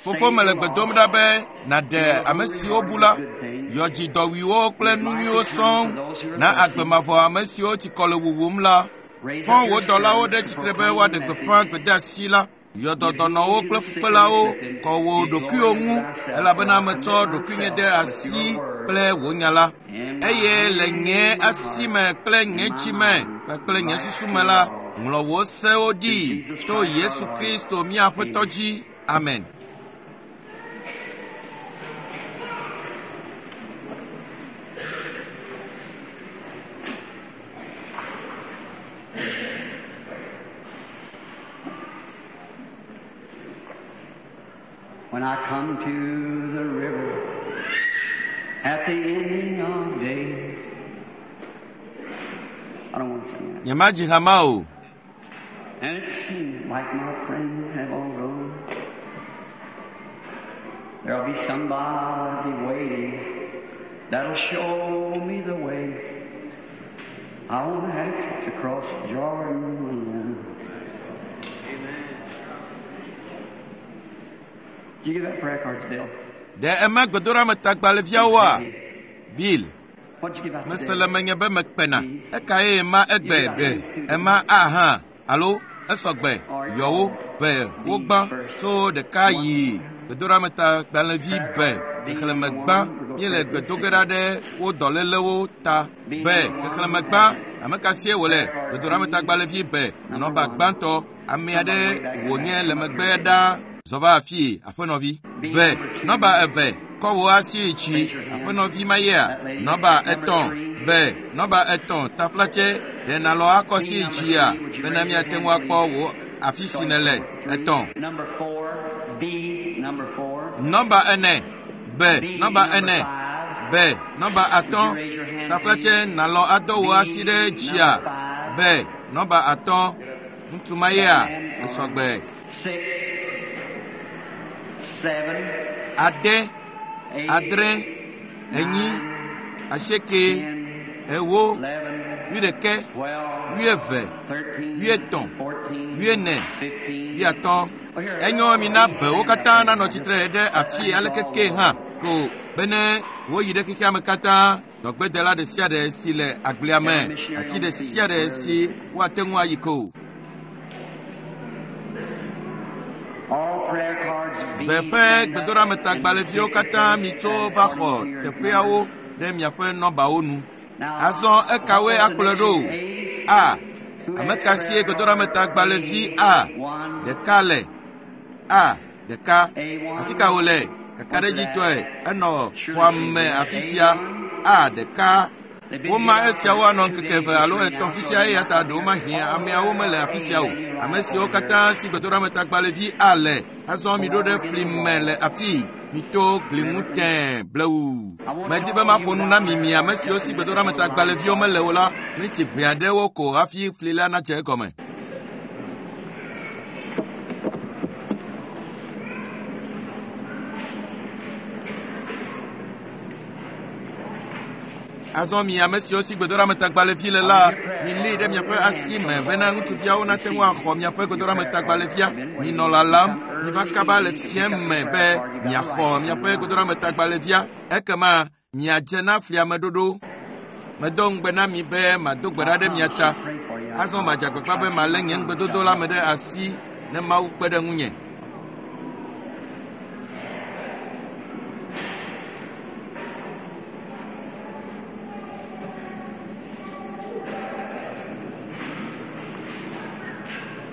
Fofo, mele gbe dom ɖa be nàɖe ame siwo bu la, yɔ dzi dɔwuiwo kple nu nyuiwo sɔŋ, na agbe mavɔ ame siwo tsikɔ le wuwum la. Fɔ wò dɔlawo ɖe tsitre be woaɖe gbeƒã gbedeasi la. Yɔ dɔ dɔnɔwo kple fukpelawo, kɔ wò ɖokuiwo ŋu, elabena metsɔ ɖokuinye de asi kple wò nya la. Eye le nye asi me kple nye dzi me kpakple nye susu me la, ŋlɔ wò sewo ɖi to Yesu Kristo mía Aƒetɔ dzi. Amen. When I come to the river at the ending of days, I don't want to sing that. Nyemadzi ha ma o. And it seems like my friends have all gone. There'll be somebody waiting that'll show me the way. I won't have to cross Jordan alone. Amen. Did you give that prayer cards, Bill? Ɖe ema gbedoɖametagbalẽviawoa? Bill, What'd you give out mese today? le menye be mekpena. Ekae ema egbe be ema a hã alo esɔgbe yɔwo be wogbã tso ɖeka yi gbedoɖametagbalẽvi be xexlẽme gbã míele gbe do ge ɖa ɖe wo dɔlélewo ta be xexlẽme gbã ame ka sie wòle gbedoɖametagbalẽvi be nɔba gbãtɔ ame aɖe wònye le megbe ɖa zɔ va afii aƒenɔvi be nɔba eve kɔ wò asi yi dzi aƒenɔvi ma yea nɔba etɔ̃ be nɔba etɔ̃ taflatse ɖe nàlɔ akɔ si yi dzia bena míate ŋu akpɔ wò afi si nèle etɔ̃. Number 4, B, number 4. Nɔba ene be nɔba ene be nɔba atɔ̃ taflatse nàlɔ adɔ wò asi ɖe dzia be nɔba atɔ̃ ŋutsu ma yea esɔgbe. 6, 7, Ade, 8, adre, enyi, asieke, ewo, 11, wuiɖeke, 12, wuieve, 13, wuietɔ̃, 14, wuiene, 15. wuiatɔ̃. Enyo mi na bewo katã nanɔ tsitre ɖe afi aleke ke hã ko bene woyi ɖe xexea me katã dɔgbedela ɖe sia ɖe si le agblea me afi ɖe sia ɖe si woate ŋu ayi ko. All prayer cards Ʋe ƒe gbedoɖametagbalẽviwo katã mitso va xɔ teƒeawo ɖe miaƒe nɔbawo nu. Azɔ ekawoe akplɔe ɖo? A. Ame ka sie gbedoɖametagbalẽvi A ɖeka le? A ɖeka. Afi ka wòle? Kakaɖedzitɔe enɔ xɔa me afi sia. A ɖeka. Woma esiawo anɔ ŋkeke eve alo etɔ̃ fisia eya ta ɖewo mahiã ameawo mele afi sia o. Ame siwo katã si gbedoɖametagbalẽvi A le, azɔ miɖo ɖe fli me le afii. Mito gli ŋu tẽe blewu. Medi be maƒo nu na mi mi ame siwo si gbedoɖametagbalẽviwo mele o la, miniti ʋɛ aɖewo ko hafi fli la nadze egɔme. Azɔ mi ame siwo si gbedoɖametagbalẽvi le la, milée ɖe miaƒe asi me bena ŋutsuviawo nate ŋu axɔ miaƒe gbedoɖametagbalẽvia. Minɔ lalam, miva kaba le fiẽ me be miaxɔ miaƒe gbedoɖametagbalẽvia. Ekema miadze na fliameɖoɖo. Medo ŋugbe na mi be mado gbe ɖa ɖe mia ta. Azɔ madze agbagba be malé nye ŋugbedodo la me ɖe asi ne Mawu kpe ɖe ŋunye.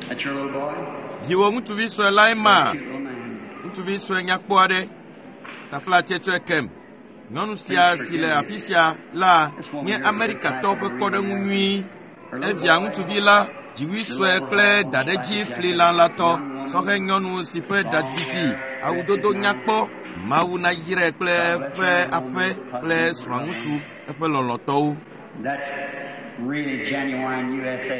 That's your little boy? Viwò ŋutsuvi sue lae ma. Cute little man. Ŋutsuvi sue nyakpɔ aɖe. Taflatse kem. Nyɔnu sia si le afi sia la nye Amerikatɔwo ƒe kpɔɖeŋu nyui. Evia ŋutsuvi la, dziwui sue kple daɖedzi fli lãlatɔ, sɔhɛ nyɔnu si ƒe ɖa didi, awudodo nyakpɔ. Mawu nayrae kple eƒe aƒe kple srɔ̃ŋutsu, eƒe lɔlɔ̃tɔwo. That's really genuine USA.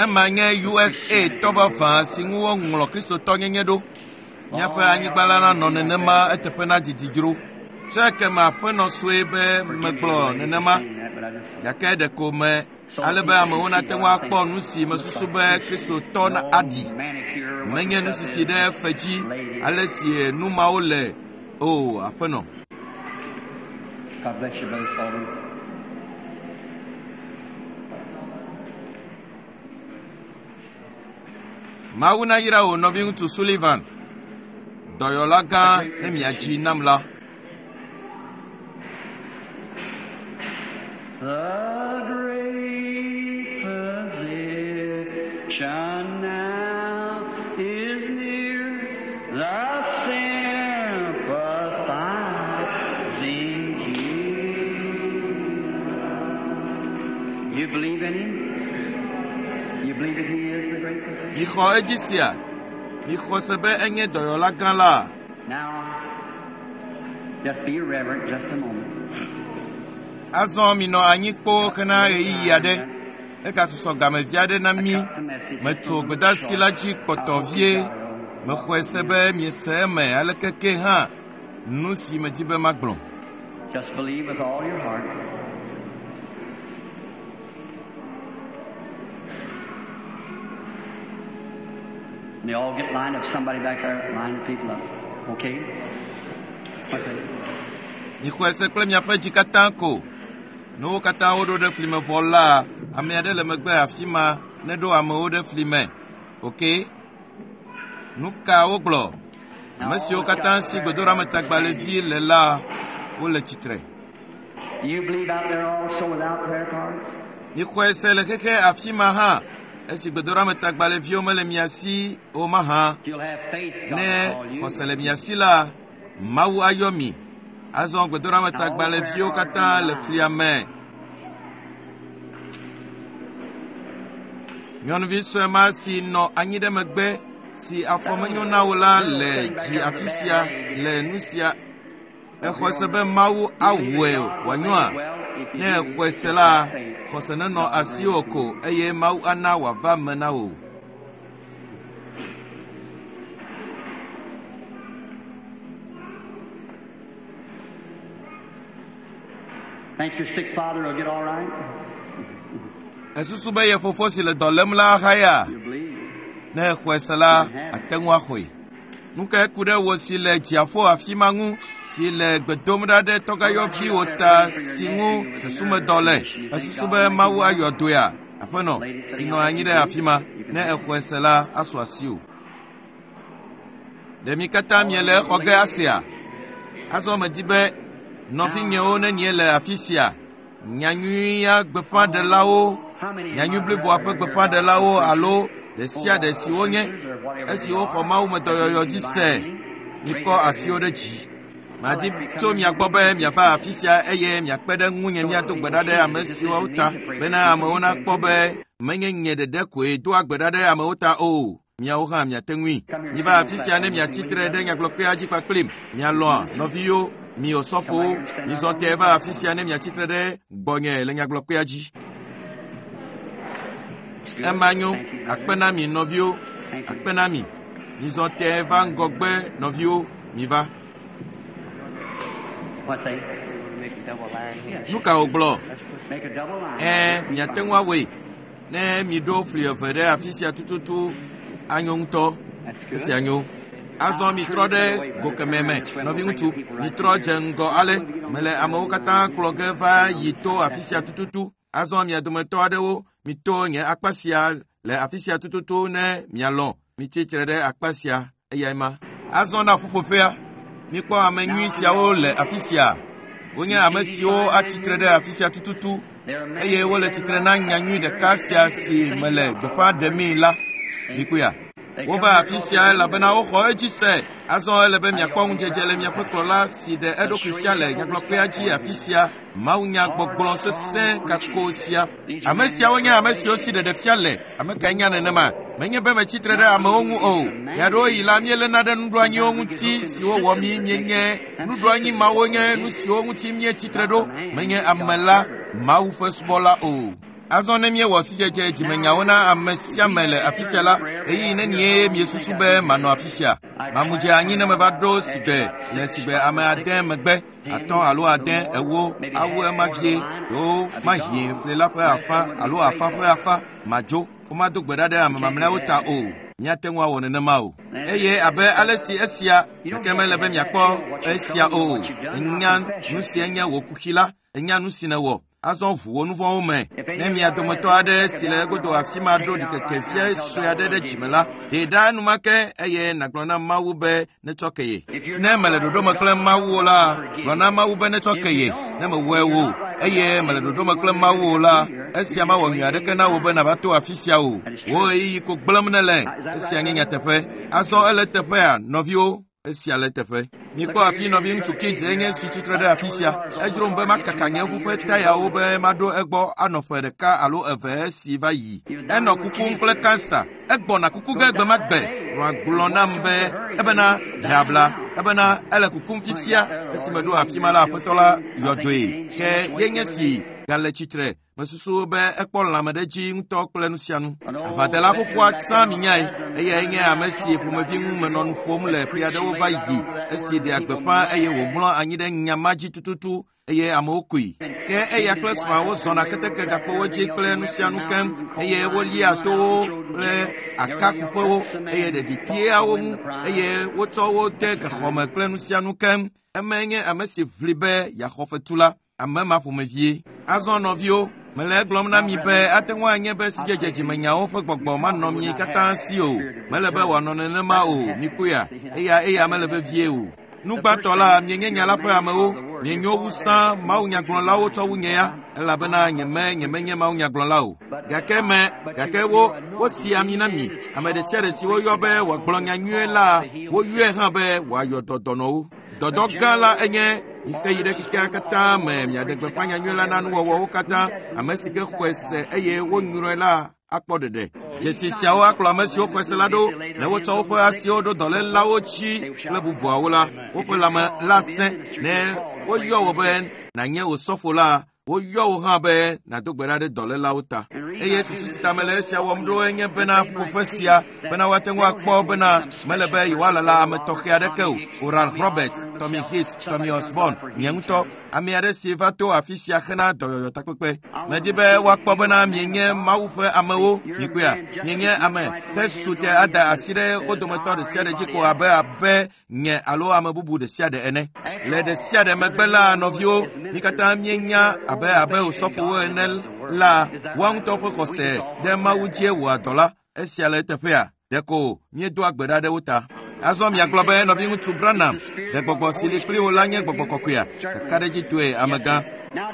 Ema nye USA tɔ vavã si ŋu woŋlɔ kristotɔnyenye ɖo. Míaƒe anyigba la nanɔ nenema eteƒe na didi dzro. Tse keme aƒenɔ sue be megblɔ nenema gake ɖeko me ale be amewo nate ŋu akpɔ nu si mesusu be kristotɔ na aɖi. Menye nu sisi ɖe fe dzi ale si nu mawo le o aƒenɔ. God bless you, Brother Sullivan. Mawu nayra wò nɔviŋutsu Sullivan, dɔyɔla gã ne miadzi nam la. The great physician now is near, the sympathizing healer. You believe in him? You believe that he is the great physician? Mixɔ edzi sia. Mixɔ se be enye dɔyɔla gã la. Now, just be reverent just a moment. Azɔ minɔ anyi kpoo hena ɣeyiɣi aɖe. Egasusɔ gamevi aɖe na mí. Metso gbedeasi la dzi kpɔtɔ vie. Mexɔe se be miese eme aleke ke hã nu si medi be magblɔ. Just believe with all your heart. And they all get lined up. Somebody back there, line the people up. Okay? What's that? Mixɔe se kple miaƒe dzi katã ko. Ne wo katã woɖo ɖe fli me vɔ la, ame aɖe le megbe afi ma neɖo amewo ɖe fli me. Ok? Nu ka wogblɔ? Ame siwo katã si gbedoɖametagbalẽvi le la, wole tsitre. You believe out there also without prayer cards? Mixɔe se le xexe afi ma hã esi gbedoɖametagbalẽviwo mele mia si o mahã. You'll have faith, God Ne will call you. xɔse le mia si la, Mawu ayɔ mi. Azɔ gbedoɖametagbalẽviwo katã le flia me. Nyɔnuvi sue ma si nɔ anyi ɖe megbe si afɔ menyo na wo la le dzi afi sia le nu sia. Exɔe se be Mawu awɔe wòanyoa? Ne exɔe se la, xɔse nenɔ asiwò ko eye Mawu ana wòava me na wò. Think your sick father will get all right? Esusu be ye fofo si le dɔ lém la haya? You believe. Ne exɔe se la, ate ŋu axɔe. Nu kae ku ɖe wò si le dziaƒo afi ma ŋu si le gbe dom ɖa ɖe tɔgãyɔviwò ta si ŋu susumedɔ le? Esusu be Mawu ayɔ dɔea? Aƒenɔ, si nɔ anyi ɖe afi ma, ne exɔe se la, asu asiwò. Ɖe mi katã miele exɔ ge asea? Azɔ medi be nɔvinyewo nenie le afi sia. Nyanyuia gbeƒãɖelawo, nyanyui bliboa ƒe gbeƒãɖelawo alo ɖe sia ɖe si wonye esi woxɔ Mawu me dɔyɔyɔ dzi se, mikɔ asiwo ɖe dzi. Madi tso mia gbɔ be miava afi sia eye miakpe ɖe ŋunye miado gbe ɖa ɖe ame siwo ta bena amewo nakpɔ be menye nye ɖeɖe koe doa gbe ɖa ɖe amewo ta o. Miawo hã miate ŋui. Miva afi sia ne miatsi tre ɖe nyagblɔkpea dzi kpakplim. Mialɔ̃a nɔviwo, mi osɔfowo, mizɔ te va afi sia ne miatsi tre ɖe gbɔnye le nyagblɔkpea dzi. Ema nyo, akpe na mi nɔviwo, akpe na mi. Mizɔ te va ŋgɔgbe nɔviwo, miva. What's that? Nu ka wògblɔ? Make a double line. Ɛ̃, miate ŋu awɔe. Ne miɖo fli eve ɖe afi sia tututu, anyo ŋutɔ. That's good. Esia nyo. Azɔ mitrɔ ɖe go kemɛ me, nɔviŋutsu, mitrɔ dze ŋgɔ ale. Mele amewo katã kplɔ ge va yi to afi sia tututu. Azɔ mia dometɔ aɖewo mito nye akpa sia le afi sia tututu ne mialɔ̃. Mitsi tre ɖe akpa sia eyae ma. Azɔ na ƒuƒoƒea. Mikpɔ ame nyui siawo le afi sia. Wonye ame siwo atsi tre ɖe afi sia tututu eye wole tsitre na nyanyui ɖeka sia si mele gbeƒã ɖemii la. Mikpɔea? Wova afi sia elabena woxɔ edzi se. Azɔ ele be miakpɔ ŋudzedze le miaƒe kplɔla si ɖe eɖokui fia le nyagblɔkpea dzi afi sia. Mawunyagbɔgblɔ sesẽ kako sia. Ame siawo nye ame siwo si ɖeɖe fia le. Ame kae nya nenema? Menye be metsi tre ɖe amewo ŋu o. Ɣeaɖewoɣi la míeléna ɖe nuɖoanyiwo ŋuti siwo wɔ mí míenye. Nuɖoanyi mawo nye nu siwo ŋuti míetsi tre ɖo. Menye ame la, Mawu ƒe subɔla o. Azɔ ne míewɔ sidzedze dzimenyawo na ame sia ame le afi sia la, ɣeyiɣi nenie miesusu be manɔ afi sia? Mamu dze anyi ne meva ɖo sigbe le sigbe ame ade megbe, 5 alo 6, 8, awu ema vie, ɖewo mahie fli la ƒe afã alo afã ƒe afã, madzo. Womado gbe ɖa ɖe ame mamlɛawo ta o. Míate ŋu awɔ nenema o. Eye abe ale si esia, gake mele be miakpɔ esia o. Ènya nu si enye wò kuxi la, ènya nu si nèwɔ. Azɔ ʋu wò nu vɔ̃wo me. Ne mia dometɔ aɖe si le egodo afi ma ɖo ɖikeke fia sue aɖe ɖe dzime la, ɖee ɖa enumake eye nàgblɔ na Mawu be netsɔ ke ye. Ne mele ɖoɖo me kple Mawu o la, gblɔ na Mawu be netsɔ ke ye. Ne mewɔe o eye mele ɖoɖo me kple Mawu o la, esia mawɔ nyui aɖeke na wò be nàva to afi sia o. Wò ɣeyiɣi ko gblẽm nèle. Esia nye nyateƒe. Azɔ ele teƒea, nɔviwo. Esia le teƒe. Mikpɔ afi nɔviŋutsu Kids enye si tsitre ɖe afi sia. Edzrom be makaka nye ʋu ƒe tayawo be maɖo egbɔ anɔ ƒe 1 alo 2 esi va yi. Enɔ kukum kple kansa. Egbɔna kuku ge gbe ma gbe. Srɔ̃a gblɔ nam be ebena ɖe abla. Ebena ele kukum fifia. Esime ɖo afi ma la, aƒetɔ la yɔ dɔe. Ke yenye si gale tsitre. Mesusu be ekpɔ lãme ɖe dzi ŋutɔ kple nu sia nu. Aʋadela xoxoa tsã minyae. Eyae nye ame si ƒomevi ŋu menɔ nu ƒom le ƒe aɖewo va yi esi ɖea gbeƒã eye wòmlɔ anyi ɖe nya ma dzi tututu eye amewo koe. Ke eya kple srɔ̃a wozɔna keteke gakpowo dzi kple nu sia nu keŋ eye wolia towo kple akakuƒewo eye ɖeɖi tea wo ŋu eye wotsɔ wo de gaxɔme kple nu sia nu keŋ. Emae nye ame si ʋli be yeaxɔ fetu la. Ame ma ƒomevie. Azɔ nɔviwo, mele egblɔm na mi be ate ŋu anye be sidzedze dzimenyawo ƒe gbɔgbɔ manɔ mi katã si o. Mele be wòanɔ nenema o, mikpɔea? Eya mele vevie o. Nu gbãtɔ la, mienye nya la ƒe amewo. Mienyo wu sã mawunyagblɔlawo tsɔ wu nye ya, elabena nyemenye mawunyagblɔla o. Gake wo wosi ami na mi. Ame ɖe sia ɖe si woyɔ be wòagblɔ nya nyuie la, woyɔe hã be wòayɔ dɔ dɔnɔwo. Dɔdɔ gã la enye mixe yi ɖe xexea katã me miaɖe gbeƒã nyanyui la na nuwɔwɔwo katã. Ame si ke xɔe se eye wonyrɔe la akpɔ ɖeɖe. Dzesi siawo akplɔ ame siwo xɔe se la ɖo. Ne wotsɔ woƒe asiwo ɖo dɔlélawo dzi kple bubuawo la, woƒe lãme la sẽ. Ne woyɔ wò be nànye osɔfo la, woyɔ wò hã be nàdo gbe ɖa ɖe dɔlélawo ta. Eye susu si ta mele esia wɔm ɖo enye bena ƒuƒoƒe sia bena woate ŋu akpɔ bena mele be yewoalala ame tɔxɛ aɖeke o. Oral Roberts, Tommy Hicks, Tommy Osborn, nye ŋutɔ, ame aɖe si va to afi sia hena dɔyɔyɔ takpekpe. Medi be woakpɔ bena mienye Mawu ƒe amewo, mikpɔea? Mienye ame ke su te ada asi ɖe wo dometɔ ɖe sia ɖe dzi ko abe nye alo ame bubu ɖe sia ɖe ene. Le ɖe sia ɖe megbe la, nɔviwo, mi katã míenya abe osɔfowo ene la, woa ŋutɔ ƒe xɔse ɖe Mawu dzie wɔa dɔ la. Esia le eteƒea, ɖeko míedoa gbe ɖa ɖe wo ta. Azɔ miagblɔ be nɔviŋutsu Branham, ɖe gbɔgbɔ si li kpli wo la nye gbɔgbɔ kɔkɔea? Kakaɖedzitɔe, amegã.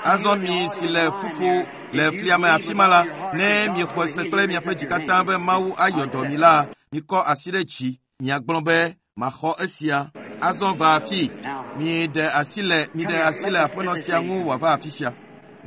Azɔ mi si le fufu le flia me afi ma la, ne miexɔe se kple miaƒe dzi katã be Mawu ayɔ dɔ mi la, mikɔ asi ɖe dzi, miagblɔ be maxɔ esia. Azɔ va afi. Miɖe asi le miɖe asi le aƒenɔ sia ŋu wòava afi sia.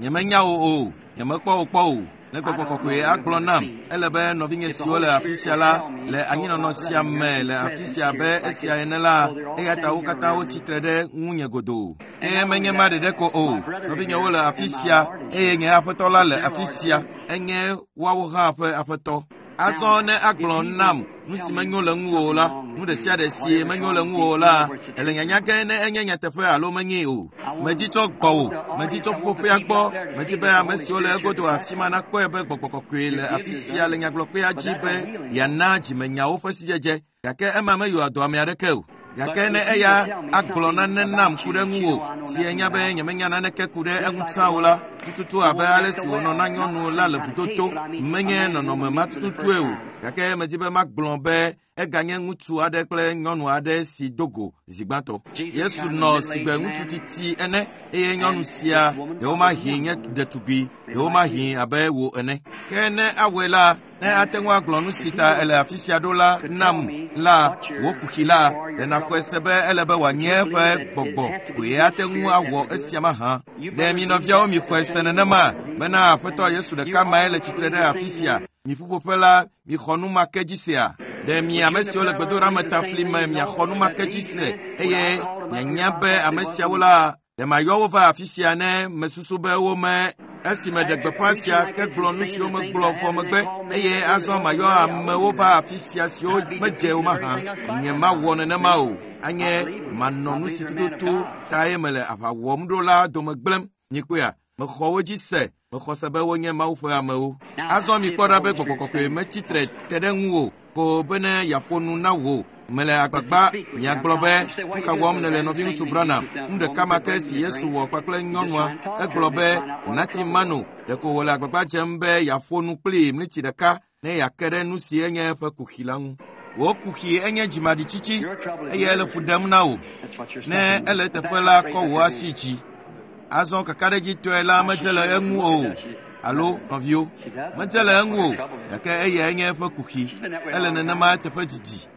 Nyemenya wò o, nyemekpɔ wò kpɔ o. Ne gbɔgbɔ kɔkɔe agblɔ nam, ele be nɔvinye siwo le afi sia la le anyinɔnɔ sia me le afi sia abe esia ene la, eya ta wo katã wotsi tre ɖe ŋunye godoo. Ke menye ma ɖeɖe ko o, nɔvinyewo le afi sia eye nye aƒetɔ la le afi sia, enye woawo hã ƒe aƒetɔ. Azɔ ne agblɔ nam nu si menyo le ŋuwò la, nu ɖe sia ɖe si menyo le ŋuwò la, ele nyanya ge ne enye nyateƒe alo menyee o. Medzi tso gbɔwò, medzi tso ƒuƒoƒea gbɔ, medzi be ame siwo le egodo afi ma nakpɔe be gbɔgbɔ kɔkɔe le afi sia le nyagblɔkpea dzi be yeana dzimenyawo ƒe sidzedze, gake ema meyɔa dɔ ame aɖeke o. Gake ne eya agblɔ nane nam ku ɖe ŋuwò, si enya be nyemenya naneke ku ɖe eŋu tsã o la, tututu abe ale si wònɔ na nyɔnu la le vudoto, menye nɔnɔme ma tututue o. Gake medzi be magblɔ be eganye ŋutsu aɖe kple nyɔnu aɖe si do go zi gbãtɔ. Yesu nɔ sigbe ŋutsu titi ene eye nyɔnu sia ɖewomahi nye ɖetugbi, ɖewomahi abe wò ene. Ke ne awɔe la, ne ate ŋu agblɔ nu si ta ele afi sia ɖo la nam la, wò kuxi la, ɖe nàxɔe se be ele be wòanye eƒe gbɔgbɔ koe ate ŋu awɔ esia mahã. Ɖe mi nɔviawo mixɔe se nenema bena Aƒetɔ Yesu ɖeka mae le tsitre ɖe afi sia. Mi ƒuƒoƒe la, mixɔ nu ma ke dzi sea? Ɖe mi ame siwo le gbedoɖa ta fli me miaxɔ nu ma ke dzi se eye mianya be ame siawo la, ɖe mayɔ wo va afi sia ne mesusu be wome esime ɖe gbeƒã sia hegblɔ nu siwo megblɔ vɔ megbe eye azɔ mayɔ amewo va afi sia siwo medze o mahã. Nyemawɔ nenema o. Anye manɔ nu si tututu tae mele aʋa wɔm ɖo la dome gblẽm. Mikpɔea, mexɔ wo dzi se, mexɔ se be wonye Mawu ƒe amewo. Azɔ mikpɔ ɖa be gbɔgbɔ kɔkɔe metsi tre te ɖe ŋuwò ko bene yeaƒo nu na wò. Mele agbagba miagblɔ be nu ka wɔm nèle nɔviŋutsu Branham. Nu ɖeka ma ke si Yesu wɔ kpakple nyɔnua, egblɔ be nati mano, ɖeko wòle agbagba dzem be yeaƒo nu kplii miniti ɖeka ne yeake ɖe nu si enye eƒe kuxi la ŋu. Wò kuxi enye dzimaɖitsitsi eye ele fu ɖem na wò. Ne ele eteƒe la, kɔ wò asi dzi. Azɔ kakaɖedzitɔe la medze le eŋu o, alo nɔviwo, medze le eŋu o, gake eyae nye eƒe kuxi. Ele nenema eteƒe didi.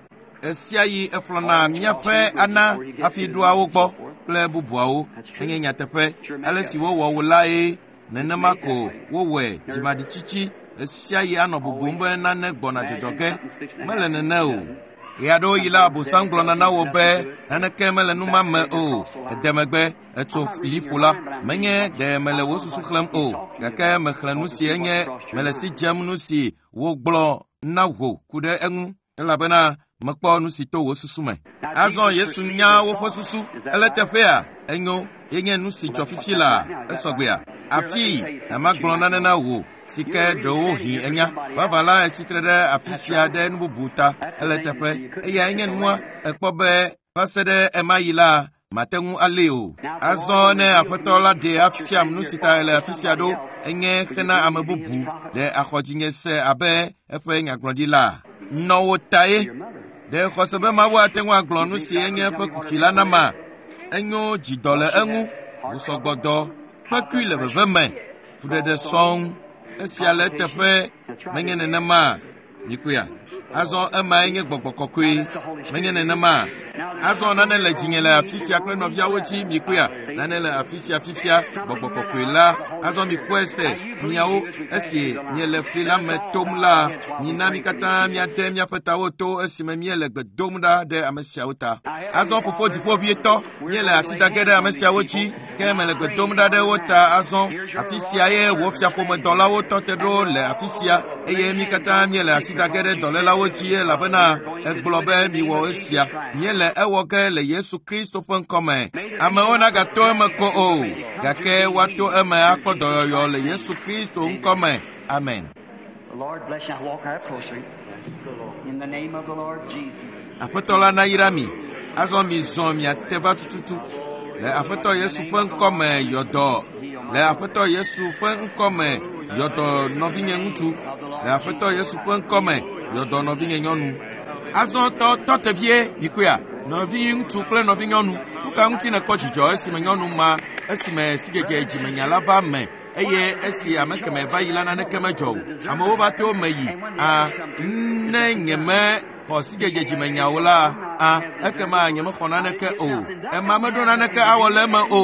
Esia yi eflɔna míaƒe ana hafi ɖoa wo gbɔ kple bubuawo. Enye nyateƒe. Ale si wowɔ wò lae nenema ko wowɔe dzimaɖitsitsi. Esia yi anɔ bubum be nane gbɔna dzɔdzɔ ge. Mele nene o. Ɣeaɖewoɣi la, Abosam gblɔna na wò be naneke mele nu ma me o. Ede megbe, etso liƒo la. Menye ɖe mele wò susu xlẽm o, gake mexlẽ nu si enye mele si dzem nu si wogblɔ na wò ku ɖe eŋu, elabena mekpɔ nu si to wò susu me. Azɔ Yesu nya woƒe susu. Ele teƒea, enyo, yenye nu si dzɔ fifi la, esɔgbea. Afi na magblɔ nane na wò si ke ɖewohĩ enya. Vava la etsi tre ɖe afi sia ɖe nu bubu ta. Ele teƒe, eyae nye nua. Ekpɔ be va se ɖe ema yi la, mate ŋu alée o. Azɔ ne Aƒetɔ la ɖee afiam nu si ta ele afi sia ɖo, enye xena ame bubu ɖe axɔ dzinye se abe eƒe nyagblɔɖila. Nɔ wò tae. Ɖe xɔse be Mawu ate ŋu agblɔ nu si enye eƒe kuxi la nama? Enyo dzidɔ le eŋu, ʋusɔgbɔdɔ, kpekui le veve me, fuɖeɖe sɔŋ. Esia le eteƒe, menye nenema. Mikpɔea? Azɔ emae nye gbɔgbɔ kɔkɔe, menye nenema. Azɔ nane le dzinye le afi sia kple nɔviawo dzi, mikpɔea? Nane le afi sia fifia, gbɔgbɔ kɔkɔe la. Azɔ mixɔe se, miawo, esi miele fli la me tom la, mina mi katã miade miaƒe tawo to esime miele gbe dom ɖa ɖe ame siawo ta. Azɔ Fofo Dziƒoʋĩtɔ, míele asi da ge ɖe ame siawo dzi, ke mele gbe dom ɖa ɖe wo ta azɔ. Afi sia ye wò fiaƒomedɔlawo tɔ te ɖo le afi sia, eye mi katã míele asi da ge ɖe dɔlélawo dzi elabena egblɔ be miwɔ esia. Míele ewɔ ge le Yesu Kristo ƒe ŋkɔme. Amewo nagato eme ko o, gake woato eme akpɔ dɔyɔyɔ le Yesu Kristo ŋkɔme. Amen. The Lord bless you. Now walk right closer. In the name of the Lord Jesus. Aƒetɔ la nayra mi. Azɔ mizɔ miate va tututu. Le Aƒetɔ Yesu ƒe ŋkɔme yɔdɔ. Le Aƒetɔ Yesu ƒe ŋkɔme yɔdɔ nɔvinye ŋutsu. Le Aƒetɔ Yesu ƒe ŋkɔme yɔdɔ nɔvinye nyɔnu. Azɔ tɔ tevie mikpɔea nɔvi ŋutsu kple nɔvi nyɔnu. Nuka ŋuti nèkpɔ dzidzɔ esime nyɔnu ma esime sidzedze dzimenya la va me eye esi ame keme va yi la naneke medzɔ o. Amewo va to me yi. Ne nyeme xɔ sidzedze dzimenyawo la, ekema nyemexɔ naneke o. Ema meɖo naneke awɔ le eme o.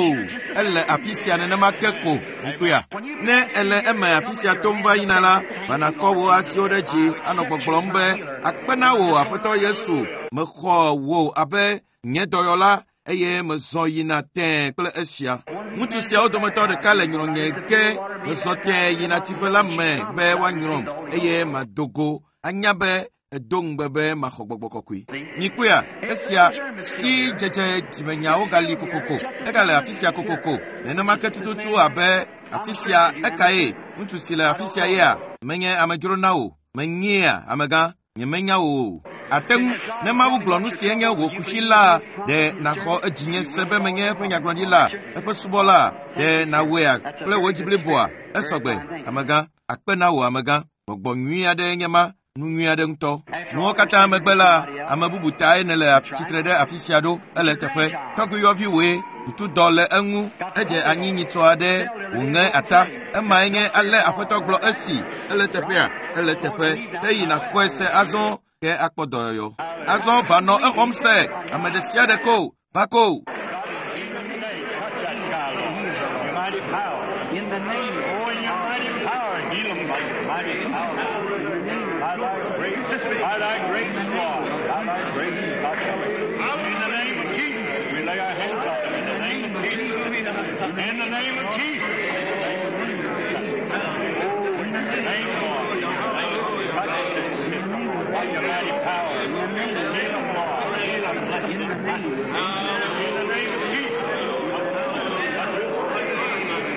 Ele afi sia nenema ke ko. Mikpɔea? Ne ele eme afi sia tom va yina la, va nakɔ wò asiwo ɖe dzi anɔ gbɔgblɔm be akpe na wò Aƒetɔ Yesu, mexɔ wò abe nye dɔyɔla eye mezɔ yina tẽe kple esia. Ŋutsu siawo dometɔ ɖeka le nyrɔ̃nye ge mezɔ tẽe yina tsiƒe la me be woanyrɔ̃m eye mado go anya be edo ŋugbe be maxɔ gbɔgbɔ kɔkɔe. Mikpɔea, esia si dzedze dzimenyawo gali kokoko. Egale afi sia kokoko. Nenema ke tututu abe afi sia ekae ŋutsu si le afi sia yea menye amedzro na wò. Menyea amegã, nyemenya wò o. Ate ŋu ne Mawu gblɔ nu si enye wò kuxi la, ɖe nàxɔ edzinye se be menye eƒe nyagblɔɖila, eƒe subɔla, ɖe nàwɔea kple wò dzi bliboa? Esɔgbe, amegã, akpe na wò amegã. Gbɔgbɔ nyui aɖe nye ma, nu nyui aɖe ŋutɔ. Nuwo katã megbe la, ame bubu tae nèle tsitre ɖe afi sia ɖo. Ele teƒe. Tɔgbuiyɔvi wòe, tutudɔ le eŋu, edze anyi nyitsɔ aɖe, wòŋe ata. Emae nye ale Aƒetɔ gblɔ esi. Ele teƒea? Ele teƒe. Eyi nàxɔe se azɔ ke akpɔ dɔyɔyɔ. Azɔ va nɔ exɔm se. Ame ɖe sia ɖe ko, va ko. In the name, oh, in your mighty power, heal them by your mighty power. By thy great law, by thy great power. In the name of Jesus, we lay our hands on them. In the name of Jesus, in the name of Jesus. Oh, in the name, Lord, in your name, touch this sick by your mighty power. Heal them, Lord. Heal them, bless them. In the name of Jesus.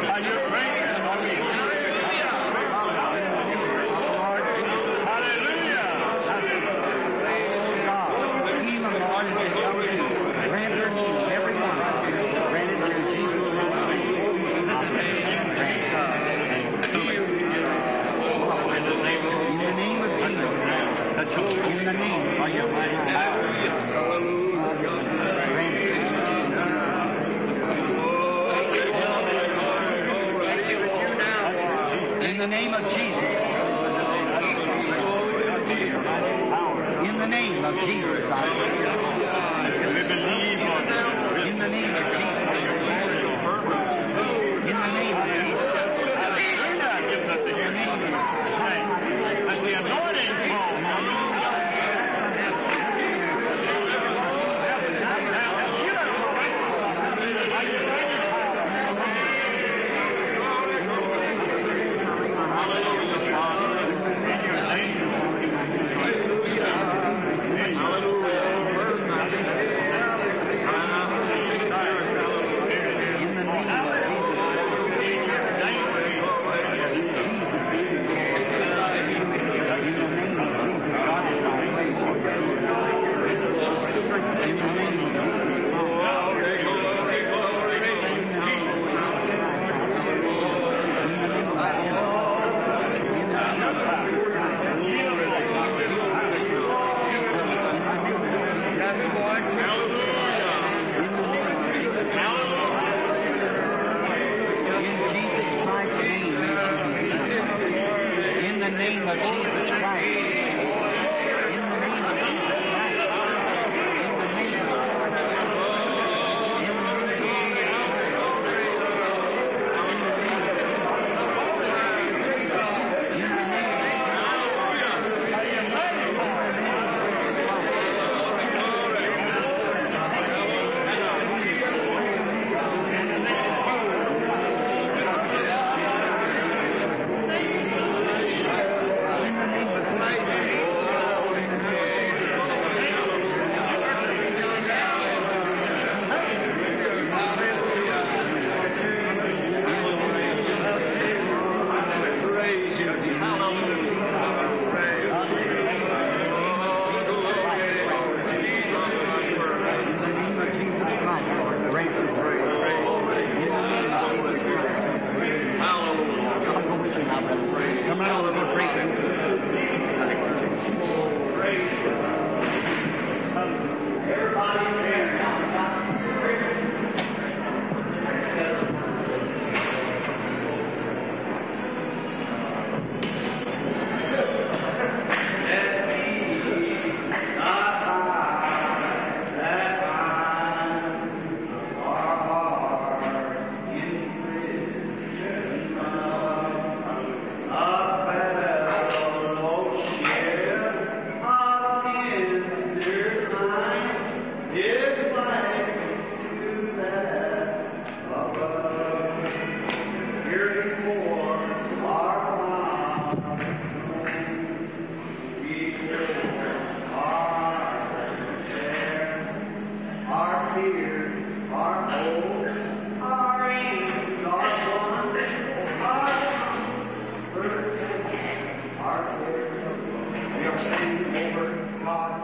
By your grace, Hallelujah. God, heal them, Lord, and they shall be healed. Grant their need, every one. Grant it in Jesus' name. In the name of Jesus. In the name of your mighty power. Grant it. In the name of Jesus. In the name of Jesus, I pray. We believe on you. In the name of Jesus. In the name of Jesus. Hallelujah. Give us the healing. Let the anointing fall.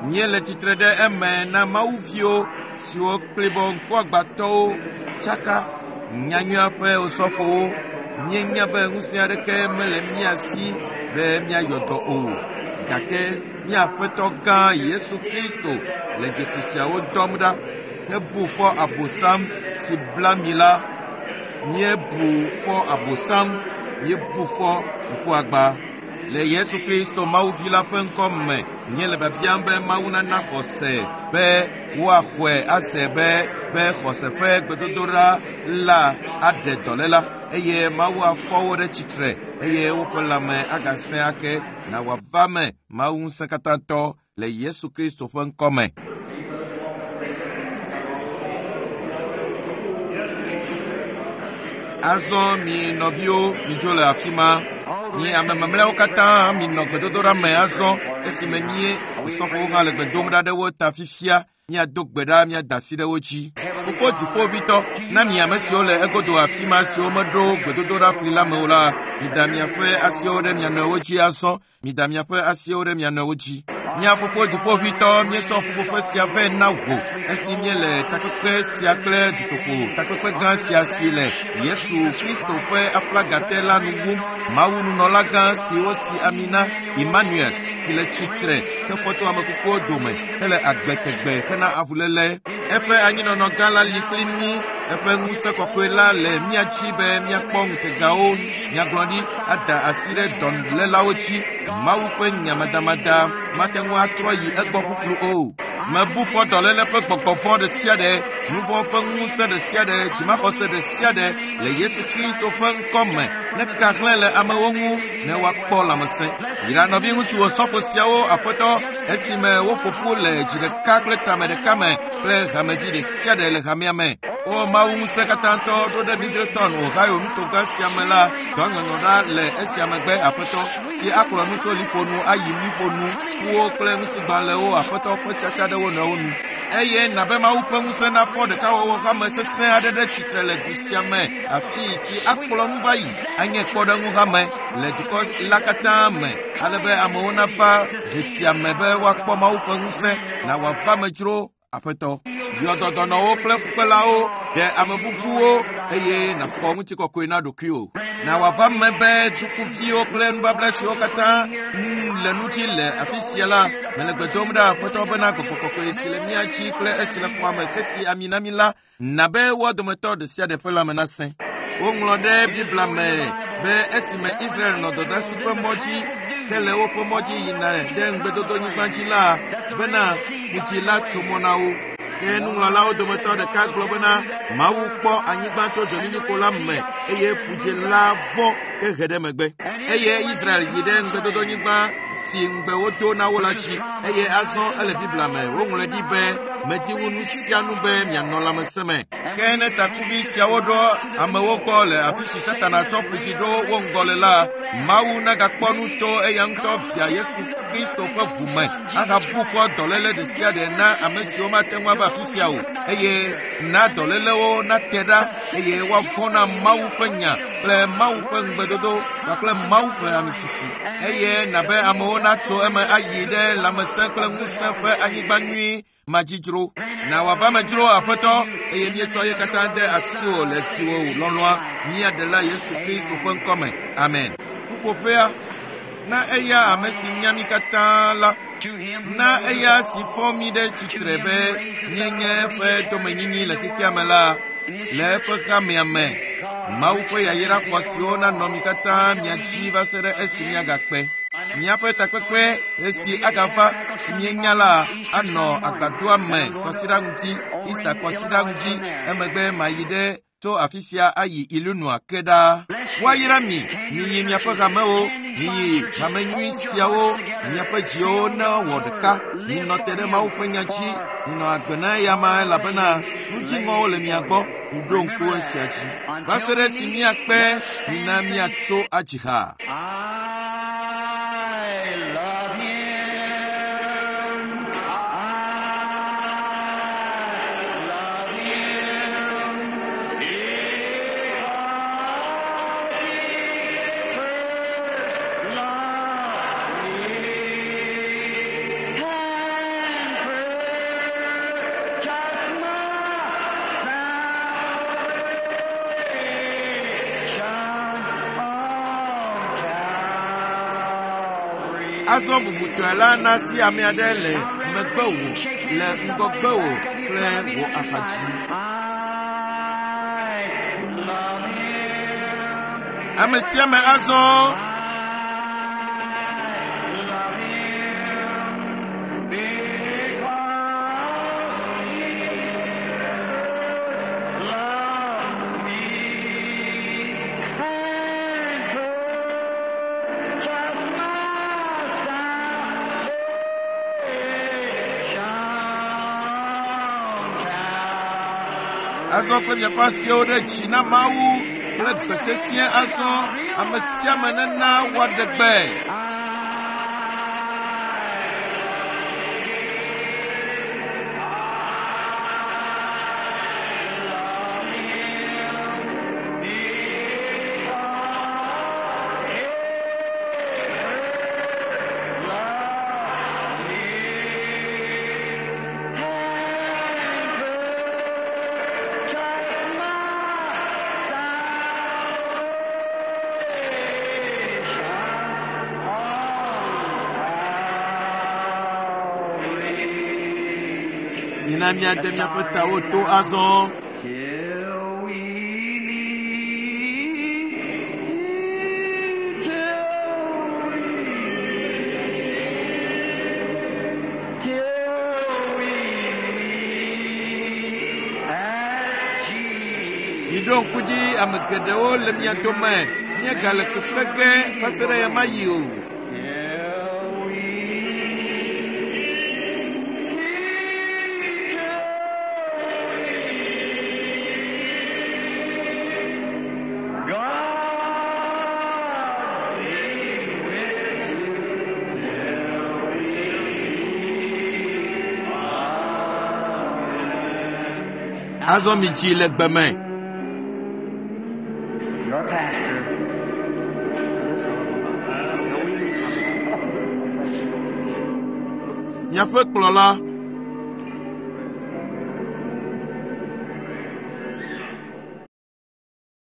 Míele tsitre ɖe eme na mawuviwo siwo kplibɔ ŋkuagbãtɔwo tsaka nyanyuia ƒe osɔfowo. Míenya be ŋusẽ aɖeke mele mía si be míayɔ dɔ o, gake mía Aƒetɔ gã Yesu Kristo le dzesi siawo dɔm ɖa hebu fɔ Abosam si bla mi la. Míebu fɔ Abosam, míebu fɔ ŋkuagbã. Le Yesu Kristo Mawu Vi la ƒe ŋkɔ me, míele biabiam be Mawu nana xɔse be woaxɔe ase be be xɔse ƒe gbedodoɖa la aɖe dɔléla eye Mawu afɔ wo ɖe tsitre eye woƒe lãme agasẽ ake na wòava me Mawu ŋusẽkatãtɔ le Yesu Kristo ƒe ŋkɔ me. Azɔ mi nɔviwo midzo le afi ma. Mi ame mamlɛawo katã minɔ gbedodoɖa me azɔ esime mí osɔfowo hã le gbe dom ɖa ɖe wo ta fifia. Míado gbe ɖa míada asi ɖe wo dzi. Fofo dziƒoʋĩtɔ, na mi ame siwo le egodo afi ma siwo meɖo gbedodoɖa fli la me o la, mida miaƒe asiwo ɖe mia nɔewo dzi azɔ. Mida miaƒe asiwo ɖe mia nɔewo dzi. Mía Fofo Dziƒoʋĩtɔ, míetsɔ ƒuƒoƒe sia vɛ na wò esi míele takpekpe sia kple dutoƒo takpekpe gã sia si le Yesu Kristo ƒe aflaga te la nu wum. Mawu nunɔlagã si wosi ami na, Emmanuel, si le tsitre hefɔ tso ame kukuwo dome hele agbe tegbe hena avuléle. Eƒe anyinɔnɔ gã la li kpli mí. Eƒe ŋusẽ kɔkɔe la le mía dzi be míakpɔ ŋutegawo, nyagblɔɖi, ada asi ɖe dɔlélawo dzi. Mawu ƒe nyamadamada mate ŋu atrɔ yi egbɔ ƒuƒlu o. Mebu fɔ dɔléle ƒe gbɔgbɔ vɔ̃ ɖe sia ɖe, nu vɔ̃ ƒe ŋusẽ ɖe sia ɖe, dzimaxɔse ɖe sia ɖe le Yesu Kristo ƒe ŋkɔ me neka hlẽ le amewo ŋu ne woakpɔ lãmesẽ. Yra nɔviŋutsu osɔfo siawo, Aƒetɔ, esime woƒo ƒu le dzi ɖeka kple tame ɖeka me kple hamevi ɖe sia ɖe le hamea me. O Mawu ŋusẽkatãtɔ, ɖo ɖe Middleton, Ohio nutogã sia me la, dɔ nyɔnyɔ ɖa le esia megbe, Aƒetɔ, si akplɔ nu tso liƒo nu ayi liƒo nu, ƒuwo kple ŋutigbalẽwo, Aƒetɔ ƒe tsatsa ɖe wo nɔewo nu. Eye na be Mawu ƒe ŋusẽ nafɔ ɖekawɔwɔ hame sesẽ aɖe ɖe tsitre le du sia me, afii si akplɔ nu va yi, anye kpɔɖeŋu hame le dukɔ la katã me, ale be amewo nava du sia me be woakpɔ Mawu ƒe ŋusẽ, na wòava me dzro, Aƒetɔ. Yɔ dɔ dɔnɔwo kple fukpelawo, ɖe ame bubuwo, eye nàxɔ ŋutikɔkɔe na ɖokuiwò. Na wòava me be dukuviwo kple nubabla siwo katã le nu dzi le afi sia la, mele gbe dom ɖa Aƒetɔ bena gbɔgbɔ kɔkɔe si le mía dzi kple esi le xɔa me hesi ami na mí la, na be woa dometɔ ɖe sia ɖe ƒe lãme nasẽ. Woŋlɔ ɖe Biblia me be esime Israel nɔ dɔdeasi ƒe mɔ dzi hele woƒe mɔ dzi yina ɖe ŋugbedodonyigba dzi la, bena ƒudzi la tso mɔ na wo. Ke nuŋlɔlawo dometɔ ɖeka gblɔ bena Mawu kpɔ anyigba to dzolilikpo la me eye ƒudzi la vɔ hehe ɖe megbe. Eye Israel yi ɖe ŋugbedodonyigba si ŋugbe wodo na wo la dzi eye azɔ ele Biblia me woŋlɔe ɖi be medi wu nu sia nu be mianɔ lãmesẽ me. Ke ne takuvi siawo ɖo amewo gbɔ le afi si Satana tsɔ ƒudzi ɖo wo ŋgɔ le la, Mawu nagakpɔ nu to eya ŋutɔ Via Yesu Kristo ƒe ʋu me ahabu fɔ dɔléle ɖe sia ɖe na ame siwo mate ŋu ava afi sia o eye na dɔlélewo nate ɖa eye woavɔ̃ na Mawu ƒe nya kple Mawu ƒe ŋugbedodo kpakple Mawu ƒe amisisi eye nabe amewo natso eme ayi ɖe lãmesẽ kple ŋusẽ ƒe anyigba nyui madzidzro. Na wòava me dzro, Aƒetɔ, eye míetsɔ ye katã de asiwò le viwò lɔlɔ̃a, mía Ɖela Yesu Kristo ƒe ŋkɔ me. Amen. Ƒuƒoƒea, na eya ame si nya mí katã la, na eya si fɔ mí ɖe tsitre be míenye eƒe domenyinyi le xexea me la, le eƒe hamea me. Mawu ƒe yayra xɔasiwo nanɔ mi katã mia dzi va se ɖe esi míagakpe. Míaƒe takpekpe esi agava si míenya la anɔ agbadɔa me kɔsiɖa ŋuti, Easter kɔsiɖa ŋuti. Emegbe mayi ɖe tso afi sia ayi Illinois ke ɖaa. Woayra mi, miyi miaƒe hamewo, miyi hame nyui siawo, miaƒe dziwo newɔ ɖeka, minɔ te ɖe Mawu ƒe nya dzi, minɔ agbe na eyama elabena nu dziŋɔwo le mia gbɔ. Miɖo ŋku esia dzi. Va se ɖe esi míakpe, mina míatso adzi ha. I love him. I love him. Because he first loved me. Azɔ bubutɔe la na si ame aɖe le megbewò, le ŋgɔgbewò kple wò axadzi. Ame sia ame azɔ azɔ kple miaƒe asiwo ɖe dzi na Mawu kple gbe sesĩe azɔ ame sia ame nena woaɖe gbe. Mina míade míaƒe tawo to azɔ. Till we meet, till we meet, till we meet at Jesus. Miɖo ŋku dzi ame geɖewo le mia dome míegale kpekpe ge va se ɖe ɣemaɣi o. Till we meet, till we meet. God be with you till we meet again. Azɔ midzi le gbe me. Your pastor. Miaƒe kplɔla.